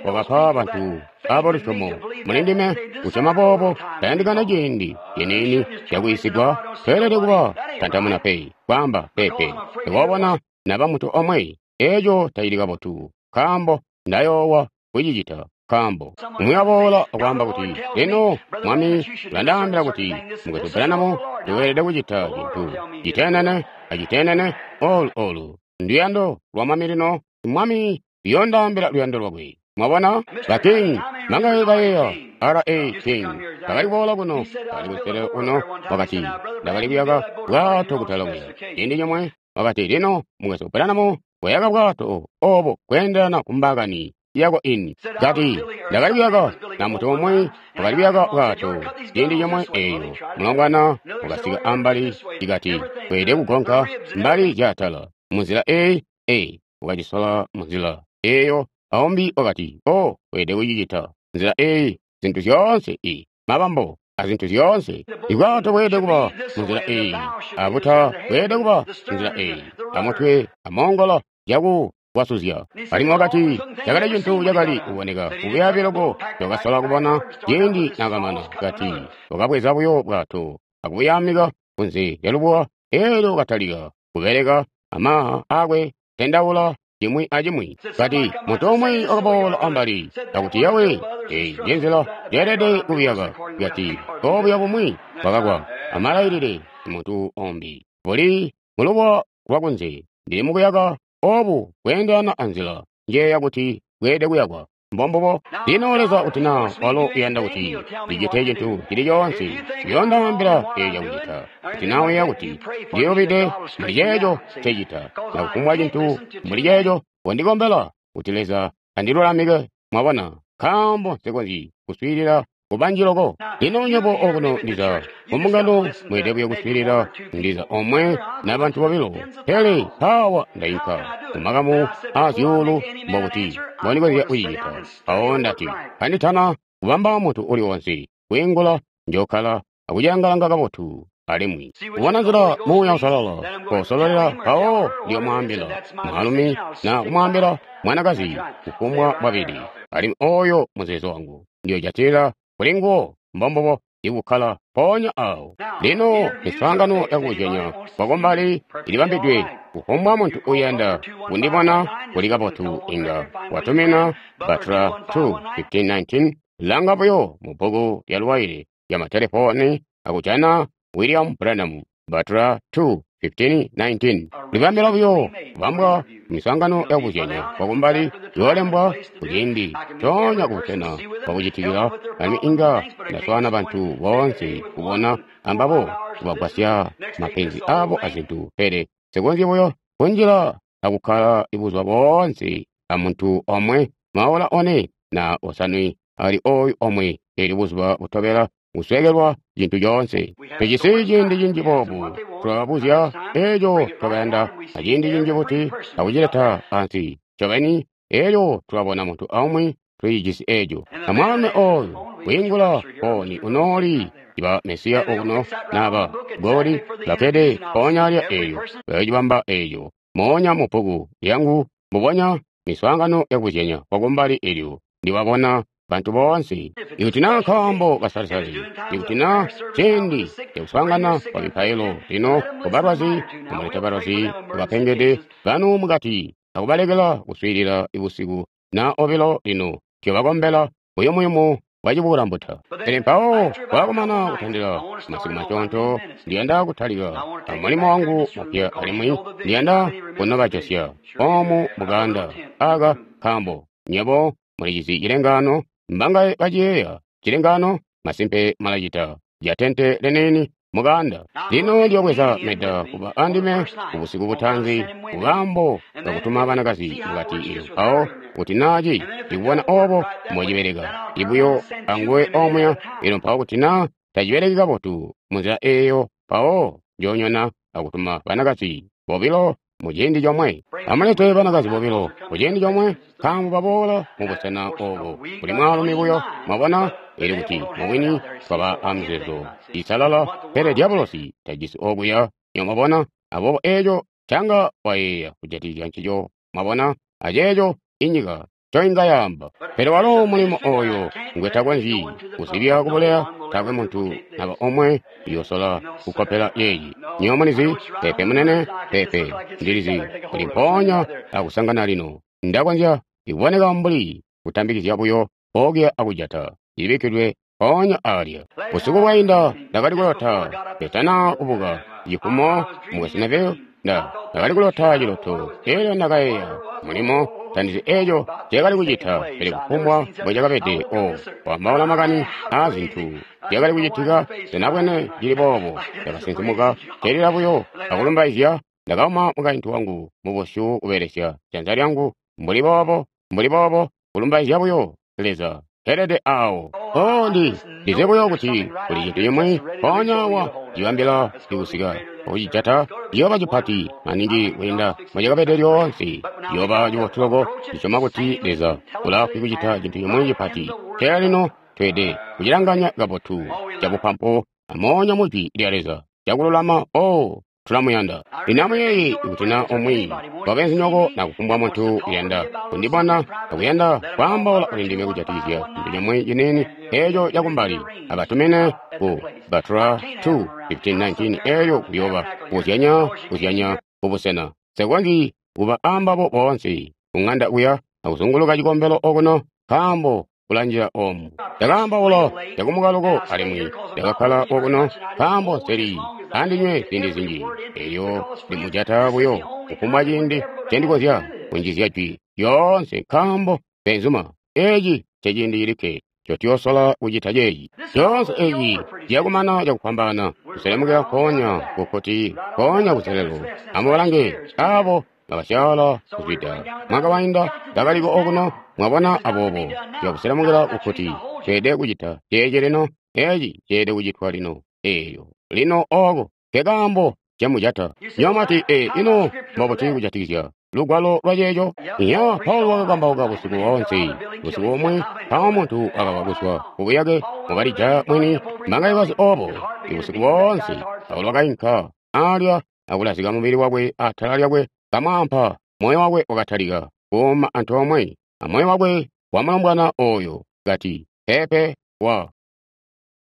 wakapa bantu abo lusyomo muli ndime kusyoma boobo, tayandikana ciindi ciniini cakuyisigwa. Tweelede kuba tantamuna pe, kwaamba pepe. Ndikoobona naba muntu omwe, eeco tacili kabotu, nkaambo ndayoowa kucicita. Nkaambo umwi waboola akwaamba kuti, lino Mwami ulandaambila kuti, Mukwesu Branham, weelede kucita cintu citenene acitenene olu olu. Nduyando lwa Mwami lino. Mwami uyoondaambila luyando lwakwe. Mwabona? Ba King, mangaye bayeeya R.A. King, bakali kuboola kuno, bakali kuselelo kuno, wakati, ndakali kuyaka bwato kutala kuya. Ciindi cimwe, wakati, lino, Mukwesu Branham, wayaka bwato obo kweendelana ku mbaakani yako ini. Kati, ndakali kuyaka na muntu umwi wakali kuyaka bwato ciindi cimwe eyo. Mulongwana wakasika ambali, ikati, weelede kugonka mbali zyaatala. Munzila eyi, eyi, wakacisola munzila eyo. Aumbi wakati, oh, weelede kucicita nzila eyi, zintu zyoonse i mabambo a zintu zyoonse. Ibwato bweelede kuba munzila eyi, abuta bweelede kuba munzila eyi, amutwe amoongola zyaku wasuzya. Alimwi wakati, cakali cintu cakali kuboneka kubyaabi loko cakasola kubona ciindi nakamana. Kati, wakabweza buyo bwato akubuyamika kunze lya lubuwa, elyo katalika kubeleka amaha akwe tendaula cimwi acimwi. Kati, muntu umwi wakaboola ambali akuti, yawe, eyi njenzila lyeelede kubiyaka. Kati, obuya bumwi bwakakwa amalailile muntu ombi buli mulubuwa lwakunze. Ndili mukuyaka obu kweendelana anzila njeeya kuti bweelede kuyakwa. Mbombubo. Lino Leza kuti na walo uyanda kuti ndicite cintu cili coonse, uyoondaambila eeco kucita. Kuti na uyeeya kuti ndiyobide muli ceeco ncecita, na kufumbwa cintu muli ceeco, kondikombela kuti Leza andilulamike. Mwabona, nkaambo nsikonzyi kuswiilila kubanji loko. Lino nywebo okuno ndiza mumbungano mweelede buyo kuswiilila ndiza omwe na bantu bobilo, pele mpaawa ndainka mumakamu a zyuulu mbokuti mbondikonzya kucicita. Mpawo ndati, kanditana kubamba muntu uli wonse kwiingula, njokkala akucilangalanga kabotu alimwi kubona nzila Muuya Uusalala kosololela, mpawo ndiyomwaambila mwaalumi na kumwaambila mwanakazi kufumbwa bwabili, alimwi oyo muzeezo wangu ndiyojatilila kuli nguwo. Mbombubo, ikukkala mpoonya awo. Lino miswaangano yakubuzyanya kwakumbali ilibambidwe kufumbwa muntu uyanda kundibona kuli kabotu inga watumina Batra 2:15-19 langa buyo mu bbuku lya luwaile lya matelefoni akujana William Branham Batra 2:15-19. Libambila buyo kubambwa miswaangano yakubuzyanya kwakumbali yoolembwa kuciindi coonya kubusena bwakucitikila, alimwi inga ndaswaana bantu boonse kubona ambabo kubagwasya mapenzi abo azintu, pele nsikonzyi buyo kunjila akukkala buzuba boonse amuntu omwe maola one na osanwe ali oyu omwe, elyo buzuba butobela kusweekelwa cintu coonse. Tujisi ciindi cinji boobu, tulabuzya eeco twakayanda aciindi cinji buti akucileta ansi ncobeni, elyo tulabona muntu aumwi tulijisi eeco. Amwaalumi oyu kwiingula fooni unooli iba Mesiya okuno naba goli bakkede mpoonya alya eeyo bayocibamba eeco moonya mu bbuku lyangu mbubonya miswaangano yakubuzyanya kwakumbali elyo ndiwabona bantu boonse. Ikuti naa nkaambo kasalisali, ikuti naa ciindi cakuswaangana kwa mipailo lino kubalwazi, amulete balwazi kubapengede banu mukati akubalekela kuswiilila busiku na obilo lino njobakombela buyumuyumu bwacibukulambuta. Pele mpawo bwakumana kutandila masiku masyoonto, ndiyanda kutalika amulimo wangu mupya alimwi ndiyanda kunobajosya oomu mukaanda aka nkaambo nywebo mulicizi cilengaano. Mbangaye baciyeeya cilengaano? Masimpe malacita lya tente lenieni mukaanda. Lino ndiyobweza meda kuba andime kubusiku butaanzi kukaambo kakutuma banakazi mukati ilyo mpawo kuti naaci ndikubona obo mbocibeleka ibuyo anguwe omuya, elyo mpawo kuti naa tacibeleki kabotu munzila eeyo, mpawo njoonyona akutuma banakazi bobilo muciindi comwe. Amulete banakazi bobilo muciindi comwe, nkaambo baboola mubusena obo kuli mwaalumi buyo. Mwabona? Elyo kuti mubwini twaba amizeezo isalala, pele diabolosi tajisi okuya. Nyo mwabona? Aboobo eeco canga wayeeya kujatikizya ncico. Mwabona? Aceeco inyika ncoinga yaamba. Pele walo mulimo oyo ngwe takonzyi kuzibya kubuleya, taakwe muntu naba omwe uyosola kukkopela yeeyi. Nyo mulizi, pepe munene, pepe, ndilizi kuli mpoonya akusangana lino. Ndakonzya ikuboneka mbuli kutambikizya buyo. okuya akujata. Ibikkidwe mpoonya alya. Busiku bwainda ndakali kulota ketana kubuka cifumo mu Westerville. Ndakali kulota ciloto, elyo ndakayeeya mulimo tandizi eco cakali kucita, pele kufumbwa mbo cakabede, o kwaambaula makani aa zintu zyakali kucitika, sinabwene cili boobo. Ndakasinsimuka celila buyo akulumbaizya. Ndakauma mukaintu wangu mubusyu kubelesya janza lyangu mbuli boobo, mbuli boobo, kulumbaizya buyo Leza. Helede awo. Oh, ndize buyo kuti kuli cintu cimwi mpoonya wa cibambila cikusika okucijata ciyooba cipati maningi kwiinda mbocakabede lyoonse. Ciyooba cibotu loko. Ndisyoma kuti Leza ulaafwi kucita cintu cimwi cipati. Pele lino tweede kucilanganya kabotu cabupampu amoonya mu Jwi lya Leza cakululama. Oh, tulamuyanda. Lino amuyeeye kuti na umwi wabenzinyoko na kufumbwa muntu uyanda kundibona akuyanda kwaambaula kuli ndime kujatikizya cintu cimwi ciniini eco cakumbali, abatumine ku Batra 2:15-19 elyo kuyooba kuzyanya kuzyanya kubusena. Nsekonzyi kuba ambabo boonse kuŋanda kuya akuzunguluka cikombelo okuno, nkaambo kulanjila omu. Ndakaambaula cakumukaloko alimwi ndakakkala okuno nkaambo nseli andinywe ziindi zinji. Elyo ndimujata buyo kufumbwa ciindi ncendikonzya kunjizya jwi lyoonse, nkaambo beenzuma, eci nceciindi cilikke ncotuyoosola kucita ceeci. Coonse eci ciyakumana cakufwambaana, kuselemukila nkoonya kukkuti, nkoonya kuselelo. Amubalange abo bakasyaala kuzwida mwaka wainda bakaliko okuno, mwabona. Aboobo tuyakuselemukila kukkuti. Tweelede kucita ceeci lino, eci ceelede kucitwa lino. Eelyo lino oko nkekaambo camujata. Nyomati, ee, ino mbobuti kujatikizya lugwalo lwa ceeco? Iya, Paulo wakakambauka busiku boonse, busiku bumwi, mpawo muntu wakawa kuzwa kubuyake mukalija mwini mbangaye obo. Ibusiku boonse Paulo wakainka alya akulazika mubili wakwe atala lyakwe kamwaampa. Moyo wakwe wakatalika kuuma antoomwe amoyo wakwe wa mulombwana oyo, kati, pepe wa.